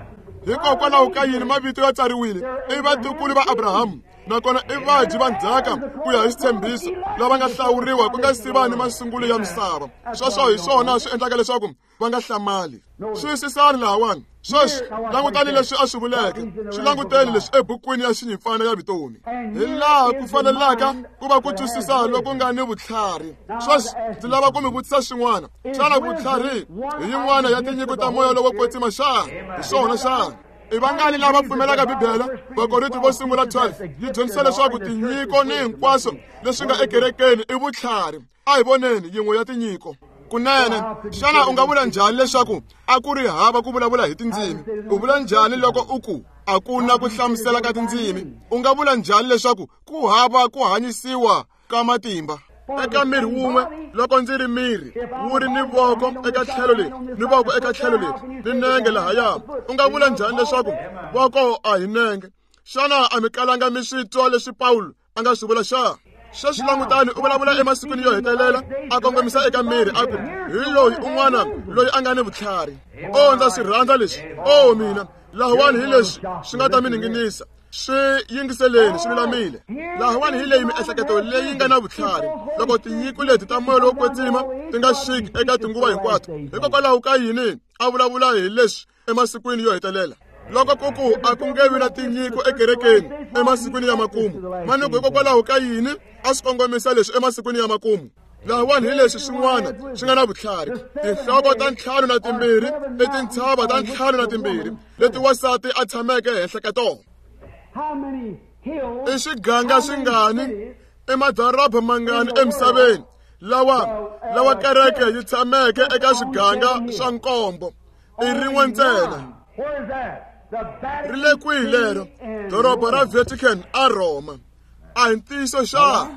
Hikokwalaho ka yini mavito ya tsariwile? I vatukulu va Abrahamu nakona i vadyi va ndzhaka ku ya hi xitshembiso lava nga hlawuriwa ku nga si va ni masungulo ya misava. Sweswo hi swona swi endlaka leswaku va nga hlamali. Xiyisisani lahawani sweswi langutani leswi a swi vuleke swi languteni leswi ebukwini ya xinyimpfana ya vutomi hi laha ku fanelaka ku va ku twisisa loku nga ni vutlhari. Sweswi ndzi lava ku mi vutisa swin'wana. Xana vutlhari hi yin'wana ya tinyiko ta moya lowo kwetsima xana? Hi swona xana? I vangani lava pfumelaka Bibele? Vakorinto vo sungula 12 yi dyondzisa leswaku tinyiko ni hinkwaswo leswi nga ekerekeni i vutlhari. A hi voneni yin'we ya tinyiko. Kunene xana u nga vula njhani leswaku a ku ri hava ku vulavula hi tindzimi? U vula njhani loko u ku a ku na ku hlamusela ka tindzimi? U nga vula njhani leswaku ku hava ku hanyisiwa ka matimba? Eka miri wun'we loko ndzi ri miri wu ri ni voko eka tlhelo leri ni voko eka tlhelo leri ni nenge lahaya, u nga vula njhani leswaku voko a hi nenge? Xana a mi kalanga mi swi twa leswi Pawulo a nga swi vula xa? Sweswi langutani, u vulavula emasikwini yo hetelela a kongomisa eka miri a ku hi loyi un'wana loyi a nga ni vutlhari. O ndza swi rhandza leswi. O mina, lahawani hi leswi swi nga ta mi ninginisa. Swi yingiseleni, swi lulamile. Lahawani hi leyi miehleketo leyi nga na vutlhari. Loko tinyiko leti ta moya lowo kwetsima ti nga xiki eka tinguva hinkwato, hikokwalaho ka yini a vulavula hi leswi emasikwini yo hetelela? Loko ku ku a ku nge vi na tinyiko ekerekeni emasikwini ya makumu, manuku hikokwalaho ka yini a swi kongomisa leswi emasikwini ya makumu? Lahawani hi leswi swin'wana swi nga na vutlhari. Tinhloko ta 52 i tintshava ta 52 leti wansati a tshameke henhla ka tona. I swiganga swingani, i madoroba mangani emisaveni lawa kereke yi tshameke eka swiganga swa nkombo? I rin'we ntsena. Ri le kwihi lero? Doroba ra Vatican a Roma. A hi ntiyiso xa?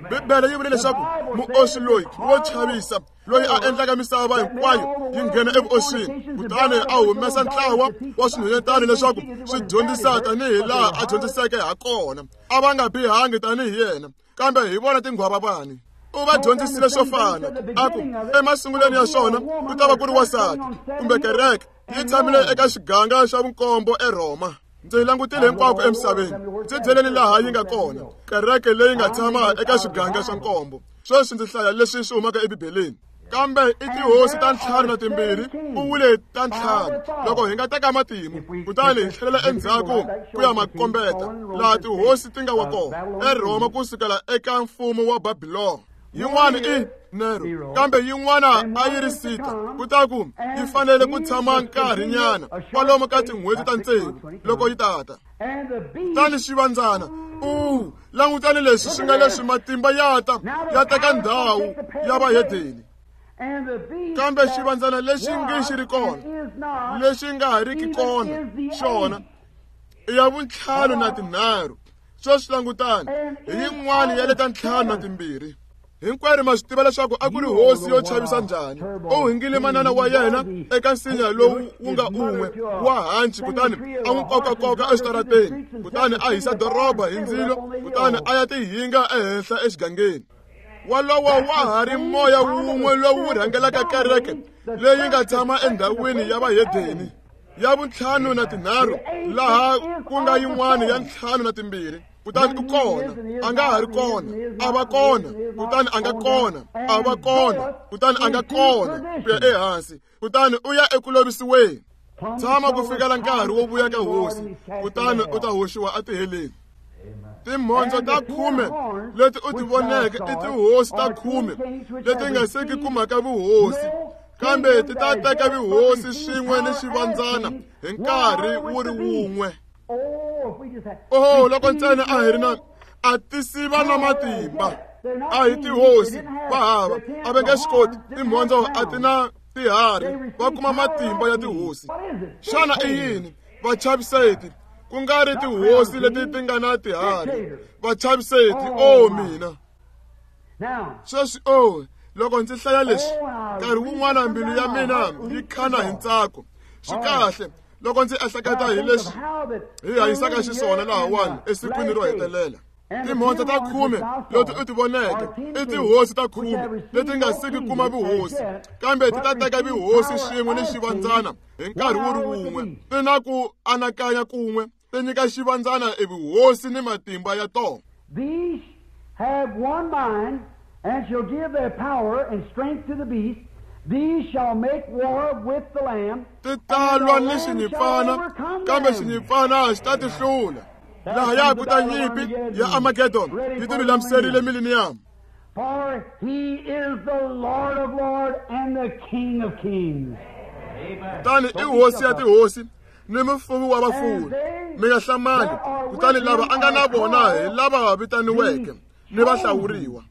Bibele yi vule leswaku muoswi loyi wo chavisa loyi a endlaka misava hinkwayo yi nghena evuoswini, kutani a humesa ntlawa wa swinhwanyetana leswaku swi dyondzisa tanihi laha a dyondziseke ha kona. A va nga bihangi tanihi yena, kambe hi vona tinghwavavani. U va dyondzisile swo fana, a ku emasungulweni ya swona ku ta va ku ri wansati kumbe kereke yi tshamile eka xiganga xa vunkombo eRhoma. Ndzi langutile hinkwako emisaveni, ndzi byeleni laha yi nga kona kereke leyi nga tshama eka xiganga xa nkombo. Sweswi ndzi hlaya leswi swi humaka eBibeleni. Kambe i tihosi ta 52, u vule ta 5. Loko hi nga teka matimu kutani hi tlhelela endzhaku ku ya makombeta laha tihosi ti nga wa kona eRhoma ku sukela eka mfumo wa Babilona. Yin'wana i Nero, kambe yin'wana a yi ri Sita. Kutaku yi fanele ku tshama nkarhinyana kwalomu ka tin'hweti ta 6 loko yi tata. Kutani xivandzana, u langutani leswi swi nga leswi matimba ya ta ya teka ndhawu ya vahedeni. Kambe xivandzana lexi nge xi ri kona, lexi nga ha riki kona, xona i ya vu-53. Sweswi langutani, hi yin'wana ya leta 52. Hinkwerhu ma swi tiva leswaku a ku ri hosi yo chavisa njhani. U hingile manana wa yena eka nsinya lowu wu nga un'we wa hanci, kutani a n'wi kokakoka exitarateni, kutani a hisa doroba hi ndzilo, kutani a ya tihinga ehenhla exigangeni. Walowo wa ha ri moya wun'we lowu rhangelaka kereke leyi nga tshama endhawini ya vahedeni ya vu-53, laha ku nga yin'wana ya 52. Kutani u kona, a nga ha ri kona, a va kona, kutani a nga kona, a va kona, kutani a nga kona, ku ya ehansi, kutani u ya eku lovisiweni. Tshama ku fikela nkarhi wo vuya ka hosi, kutani u ta hoxiwa etiheleni. Timhondzo ta 10 leti u ti voneke i tihosi ta 10 leti nga seki kumaka vuhosi, kambe ti ta teka vuhosi swin'we ni xivandzana hi nkarhi wu ri wun'we. Oh, loko ntsena a hi ri na a tisiva na matimba, a hi tihosi va hava, a va nge swi koti. Timhondzo a ti na tiharhi, va kuma matimba ya tihosi. Xana i yini? Vachaviseti, ku nga ri tihosi leti ti nga na tiharhi. Vachaviseti, o mina. Sweswi o loko ndzi hlaya leswi, nkarhi wun'wana mbilu ya mina yi khana hi ntsako. Swi kahle loko ndzi ehleketa hi leswi hi hanyisaka xiswona lahawani esikwini ro hetelela. Timhondzo ta 10 leti u ti voneke i tihosi ta 10 leti nga siki kuma vuhosi, kambe ti ta teka vuhosi swin'we ni xivandzana hi nkarhi wu ri wun'we. Ti na ku anakanya kun'we, ti nyika xivandzana evuhosi ni matimba ya tona. These have one mind and shall give their power and strength to the beast. These shall make war with the Lamb. Ti ta lwa ni xinyimpfana, kambe xinyimpfana xi ta ti hlula. Lahaya ku ta nyimpi ya Armageddon yi ti lulamiserile millennium. For he is the Lord of lords and the King of kings. Kutani i hosi ya tihosi ni mufumi wa vafumi. Mi nga hlamali, kutani lava a nga na vona hi lava vitaniweke ni vahlawuriwa.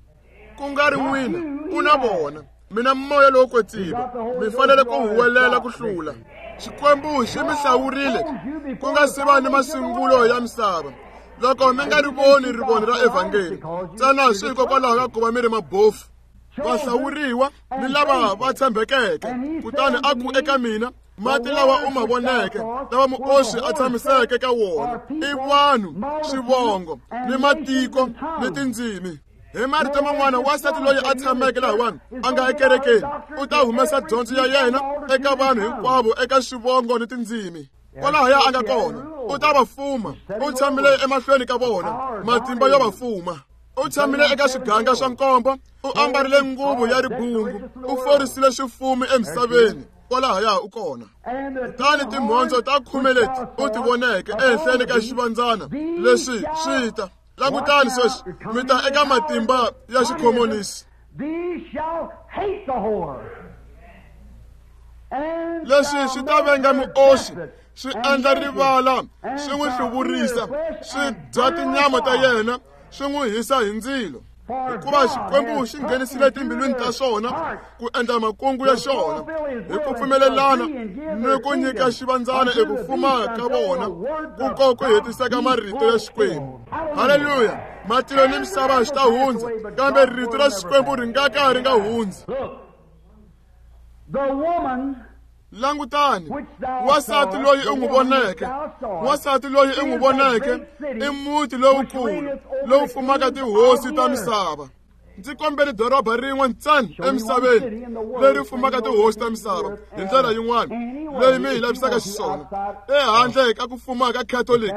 Ku nga ri n'wina, u na vona. Mina moya lowo kwetsima, mi fanele ku huwelela ku hlula. Xikwembu xi mi hlawurile ku nga si va ni masungulo ya misava. Loko mi nga ri voni rivoni ra evhangeli ntsena swi hikokwalaho ka ku va mi ri mabofu, vahlawuriwa ni lava va tshembekeke. Kutani a ku eka mina, mati lawa u ma voneke, lawa muoswi a tshamiseke ka wona, i vanhu, swivongo, ni matiko, ni tindzimi. Hi marito man'wana, wansati loyi a tshameke lahawani a nga ekerekeni u ta humesa dyondzo ya yena eka vanhu hinkwavo eka swivongo ni tindzimi. Kwalahaya a nga kona, u ta va fuma. U tshamile emahlweni ka vona, matimba yo va fuma. U tshamile eka swiganga swa nkombo, u ambarile nguvu ya ribungu, u forisile swifumi emisaveni. Kwalahaya u kona. Kutani timhondzo ta 10 leti u ti voneke ehenhleni ka xivandzana leswi swi ta. Langutani sweswi, mi ta eka matimba ya xikhomonisi. Leswi swi ta venga muoswi, swi endla rivala, swi n'wi hluvurisa, swi dya tinyama ta yena, swi n'wi hisa hi ndzilo. Hikuva Xikwembu xi nghenisile timbilwini ta swona ku endla makungu ya xona hi ku pfumelelana ni ku nyika xivandzana eku fuma ka vona, ku ko ku hetiseka marito ya Xikwembu. Haleluya! Matilo ni misava swi ta hundza, kambe rito ra Xikwembu ri nga ka ri nga hundzi. Langutani, wansati loyi u n'wi voneke, wansati loyi u n'wi voneke i muti lowukulu lowu fumaka tihosi ta misava. Ndzi kombele doroba rin'we ntsena emisaveni leri fumaka tihosi ta misava hi ndlela yin'wana leyi mi hi lavisaka xiswona, ehandle ka ku fuma ka Catholic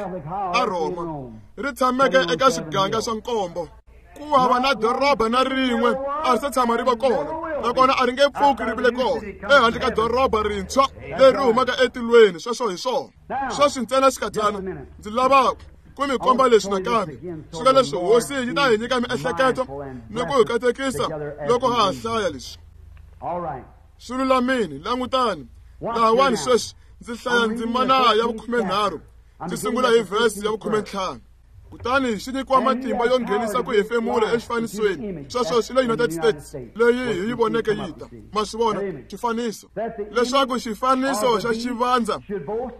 a Rhoma, ri tshameke eka swiganga swa nkombo. Ku hava na doroba na rin'we a ri se tshama ri va kona, nakona a ri nge pfuki ri vile kona ehandle ka doroba rintshwa leri humaka etilweni. Sweswo hi swona. Sweswi ntsena xikadyana ndzi lava ku mi komba leswi nakambe, swi nga leswi Hosi yi ta hi nyika miehleketo ni ku hi katekisa loko ha ha hlaya leswi. Swi lulamile. Langutani lahawani sweswi, ndzi hlaya ndzimana ya 13, ndzi sungula hi vhesi ya 15. Kutani xi nyikiwa matimba yo nghenisa ku hefemula exifanisweni. Sweswo swi le United States leyi hi yi voneke yi ta. Ma swi vona xifaniso, leswaku xifaniso xa xivandza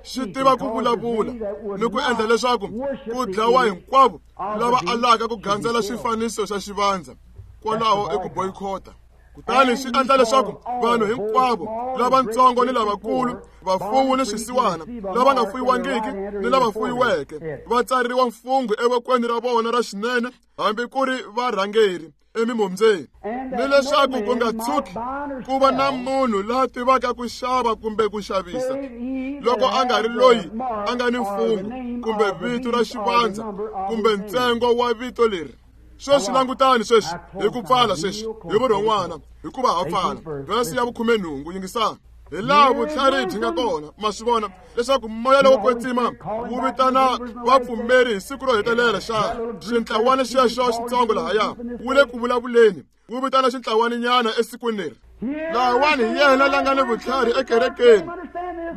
xi tiva ku vulavula ni ku endla leswaku ku dlawa hinkwavo lava alaka ku gandzela xifaniso xa xivandza. Kwalaho i ku boycota. Kutani xi endla leswaku vanhu hinkwavo, lavatsongo ni lavakulu, vafuwi ni swisiwana, lava nga fuyiwangiki ni lava fuyiweke, va tsariwa mfungho evokweni ra vona ra xinene, hambi ku ri varhangeri emimombyeni, ni leswaku ku nga tshuki ku va na munhu la tivaka ku xava kumbe ku xavisa, loko a nga ri loyi a nga ni mfungho kumbe vito ra xivandza kumbe ntsengo wa vito leri. Sweswi langutani sweswi hi ku pfala sweswi hi vurhon'wana, hikuva ha pfala. Vhesi ya 18, yingisani. Hi laha vutlhari byi nga kona, ma swi vona leswaku moya lowo kwetsima wu vitana vapfumeri hi siku ro hetelela. Xana xintlawana xexo xitsongo lahaya wu le ku vulavuleni, wu vitana xintlawaninyana esikwini leri. Lahawani hi yena la nga ni vutlhari ekerekeni.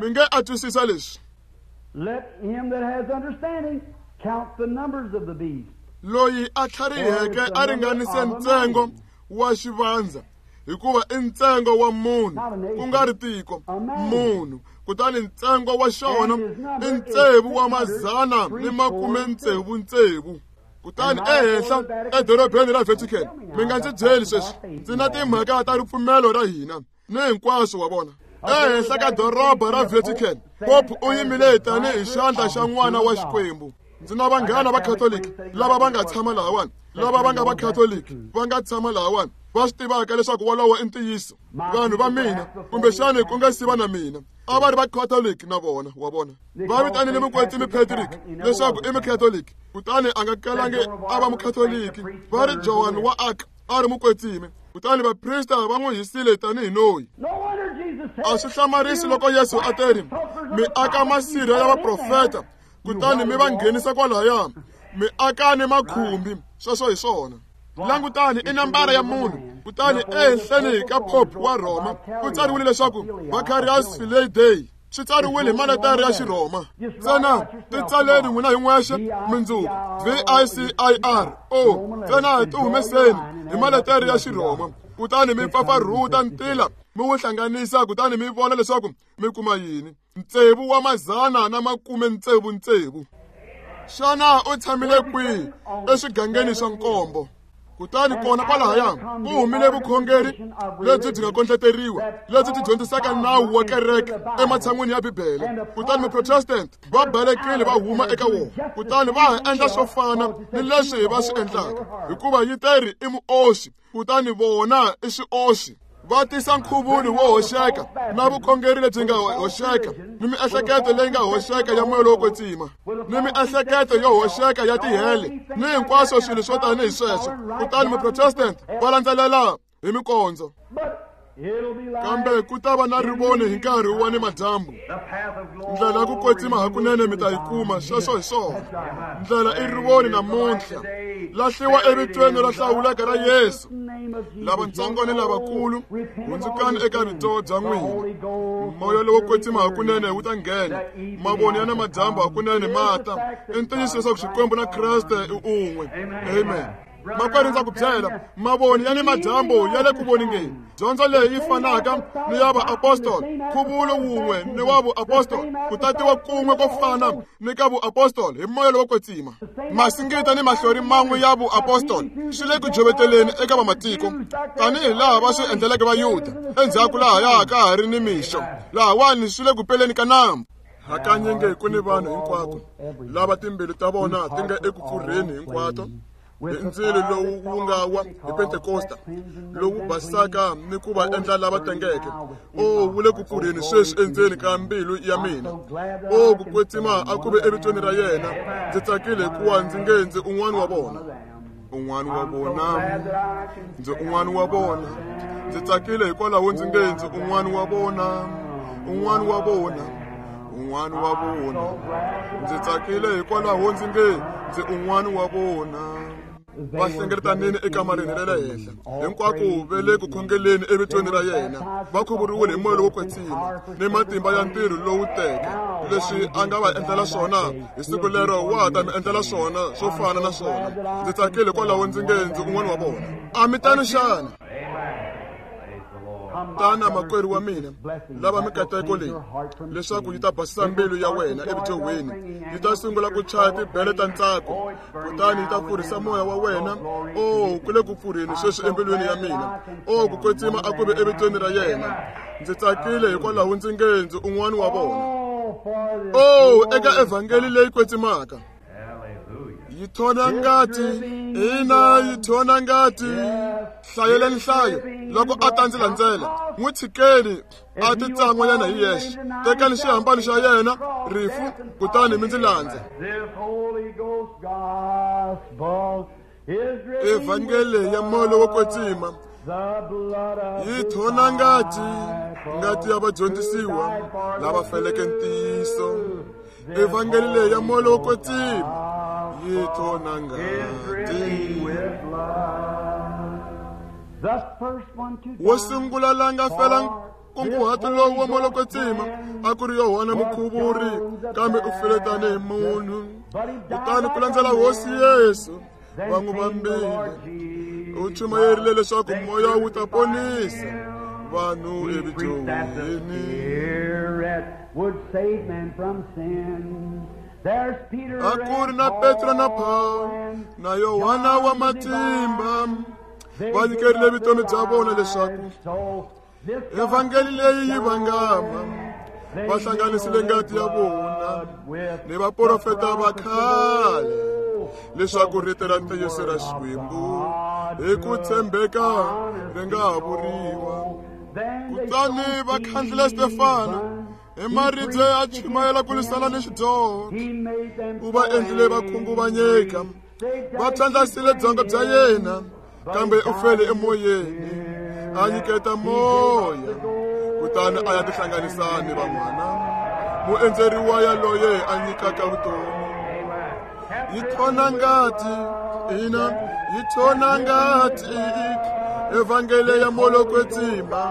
Mi nge a twisisa leswi. Loyi a tlhariheke a ringanise ntsengo wa xivandza, hikuva i ntsengo wa munhu, ku nga ri tiko, munhu. Kutani ntsengo wa xona i 666. Kutani ehenhla edorobeni ra Vatican, mi nga ndzi byeli sweswi, ndzi na timhaka ta ripfumelo ra hina ni hinkwaswo wa vona. Ehenhla ka doroba ra Vatican, Pope u yimile tanihi xandla xa n'wana wa Xikwembu. Ndzi na vanghana va Catholic lava va nga tshama lahawani, lava va nga va Catholic va nga tshama lahawani, va swi tivaka leswaku wolowo i ntiyiso. Vanhu va mina, kumbexani ku nga siva na mina, a va ri va Catholic na vona, wa vona. Va vitanile mukwetsimi Patrick leswaku i Mucatholic, kutani a nga kalangi a va Mucatholic. Va ri Joan wa Arc a ri mukwetsimi, kutani vaprista va n'wi hisile tanihi noyi. A swi hlamarisi loko Yesu a teri, mi aka masirha ya vaprofeta, kutani mi va nghenisa kwalahaya, mi aka ni makhumbi. Sweswo hi swona. Langutani, i nambara ya munhu. Kutani ehenhleni ka Pope wa Rhoma ku tsariwile leswaku Vicarius Filii Dei. Swi tsariwile hi maletere ya Xirhoma. Ntsena ti tsaleni n'wina hi n'wexe mindzuku, V-I-C-I-R O, ntsena ti humeseni hi maletere ya Xirhoma, kutani mi pfapfarhuta ntila mi wu hlanganisa, kutani mi vona leswaku mi kuma yini. 696. Xana u tshamile kwihi eswigangeni swa nkombo? Kutani kona kwalahaya ku humile vukhongeri lebyi byi nga kondleteriwa, lebyi byi dyondzisaka nawu wa kereke ematshan'wini ya Bibele. Kutani Maprotestant va balekile va huma eka wona, kutani va ha endla swo fana ni leswi va swi endlaka, hikuva yi teri i muoxi, kutani vona i swioxi. Va tisa nkhuvulo wo hoxeka na vukhongeri lebyi nga hoxeka, ni miehleketo leyi nga hoxeka ya moya lowo kwetsima, ni miehleketo yo hoxeka ya tihele, ni hinkwaswo swilo swo tanihi sweswo. Kutani Maprotestant va landzelela hi mikondzo. Kambe ku ta va na rivoni hi nkarhi wa ni madyambu. Ndlela ya ku kwetsima hakunene mi ta yi kuma, sweswo hi swona. Ndlela i rivoni namuntlha. Lahliwa evitweni ra hlawuleka ra Yesu. Lavatsongo ni lavakulu, hundzukani eka vito bya n'wina. Moya lowo kwetsima hakunene wu ta nghena. Mavoni ya na madyambu hakunene ma ta. I ntiyiso leswaku Xikwembu na Kreste i un'we. Amen. Makwerhu, ndza ku byela, mavoni ya ni madyambu ya le ku voningeni. Dyondzo leyi yi fanaka ni ya vaapostoli, nkhuvulo wun'we ni wa vuapostoli, ku tatiwa kun'we ko fana ni ka vuapostoli hi moya lowo kwetsima. Masingita ni mahlori man'we ya vuapostoli swi le ku joveteleni eka vamatiko, tanihi laha va swi endleleke Vayuda endzhaku lahaya ka ha ri ni mixo, lahawani swi le ku peleni ka nambu. Hakanyingi ku ni vanhu hinkwako lava timbilu ta vona ti nga eku pfurheni hinkwato hi ndzilo lowu wu nga wa hi Pentekosta, lowu basaka ni ku va endla lava tengeke. O wu le ku pfurheni sweswi endzeni ka mbilu ya mina. O ku kwetsima a ku ve evitweni ra yena. Ndzi tsakile hikuva ndzi nge ndzi un'wana wa vona. Un'wana wa vona, ndzi un'wana wa vona. Ndzi tsakile hikwalaho ndzi nge ndzi un'wana wa vona. Un'wana wa vona, un'wana wa vona. Ndzi tsakile hikwalaho ndzi nge ndzi un'wana wa vona. Va hlengeletanini ekamareni ra le henhla, hinkwako ve le ku khongeleni evitweni ra yena. Va khuvuriwile hi moya lowo kwetsima ni matimba ya ntirho lowu teke. Leswi a nga va endlela swona hi siku lero, wa ha ta mi endlela swona swo fana na swona. Ndzi tsakile hikwalaho ndzi nge ndzi un'wana wa vona. A mi tano xana? Tana makwerhu wa mina, lava mikateko leyi leswaku yi ta basisa mbilu ya wena evudyohweni. Yi ta sungula ku chaya tibele ta ntsako, kutani yi ta pfurhisa moya wa wena. O ku le ku pfurheni sweswi embilwini ya mina. O ku kwetsima a ku ve evitweni ra yena. Ndzi tsakile hikwalaho ndzi nge ndzi un'wana wa vona. O eka evhangeli leyi kwetsimaka. Yi thona ngati, ina yi thona ngati. Hlayeleni nhlayo loko a ta ndzi landzela. N'wi tshikeni a ti tsan'wanyana hi yexe. Tekani xihambano xa yena, rifu, kutani mi ndzi landza. Evhangeli ya moya lowo kwetsima yi thona ngati, ngati ya vadyondzisiwa lava feleke ntiyiso. Evhangeli leyi ya moya lowo kwetsima yi thona ngati. Wo sungula la nga fela nkunguhato lowu wa moya lowo kwetsima a ku ri Yohana Mukhuvuri, kambe u file tanihi munhu. Kutani ku landzela Hosi Yesu va n'wi vambile. U chumayerile leswaku moya wu ta ponisa vanhu evudyoheni. A ku ri na Petro na Pawulo na Yohana wa matimba, va nyikerile vutomi bya vona leswaku evhangeli leyi yi vangama. Va hlanganisile ngati ya vona ni vaprofeta va khale leswaku rito ra ntiyiso ra Xikwembu hi ku tshembeka ri nga ha vuriwa. Kutani va khandlile Stefano hi maribye a chumayela ku lwisana ni xidyoho. U va endlile va khunguvanyeka, va phyandlasile byongo bya yena, kambe u fele emoyeni, a nyiketa moya, kutani a ya tihlanganisa ni van'wana. Muendzeriwa yaloye a nyikaka vutomi. Yi thona ngati, ina yi thona ngati. Evhangeli ya moya lowo kwetsima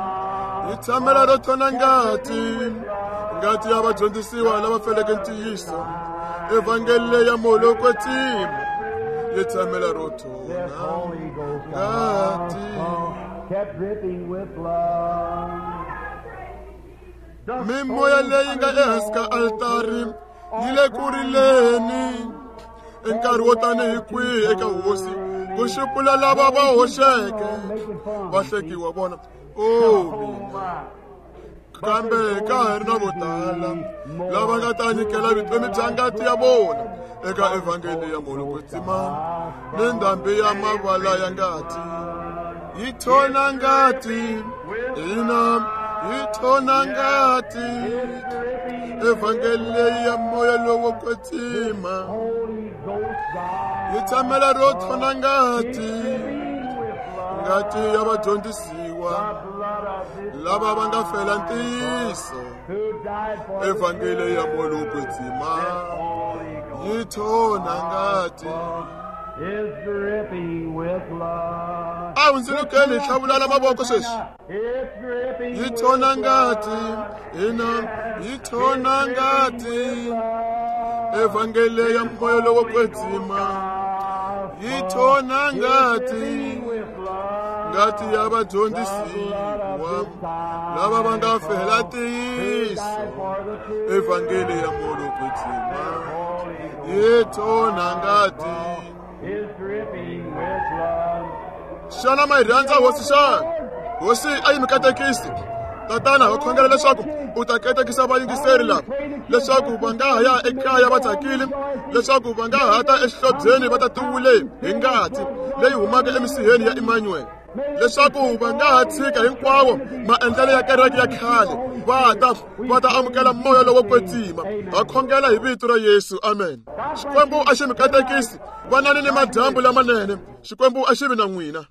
yi tshamela ro thona ngati, ngati ya vadyondzisiwa lava feleke ntiyiso. Evhangeli ya moya lowo kwetsima yi tshamela ro thona ngati. Mimoya leyi nga ehansi ka altari yi le ku rileni. I nkarhi wo tanihi kwihi eka hosi ku xupula lava va hoxeke va hlekiwa vona. O mina, kambe ka ha ri na vo tala lava nga ta nyikela vutomi bya ngati ya vona eka evhangeli ya moya kwetsima ni ndhambi ya mavala ya ngati. Yi thona ngati hina, yi thona ngati evhangeli leyi ya moya lowo kwetsima yi tshamela ro thona ngati, ngati ya vadyondzisiwa lava va nga fela ntiyiso. Evhangeli ya moya lowo kwetsima yi thona ngati. A hundzulukeni hi tlhavulana mavoko sweswi. Yi thona ngati hina, yi thona ngati evhangeli ya moya lowo kwetsima yi thona ngati, ngati ya vadyondzisiwa lava va nga fela ntiyiso. Evhangeli ya moya lowo kwetsima yi thona ngati. Xana ma yi rhandza hosi xana? Hosi a yi mi katekisi. Tatana, va khongela leswaku u ta katekisa vayingiseri lava, leswaku va nga ha ya ekaya va tsakile, leswaku va nga ha ta exihlobyeni va ta tiwule hi ngati leyi humaka emisiheni ya Emmanuel, leswaku va nga ha tshika hinkwawo maendlelo ya kereke ya khale, va ta amukela moya lowo kwetsima. Va khongela hi vito ra Yesu, amen. Xikwembu a xi mi katekisi. Vanani ni madyambu lamanene. Xikwembu a xi vi na n'wina.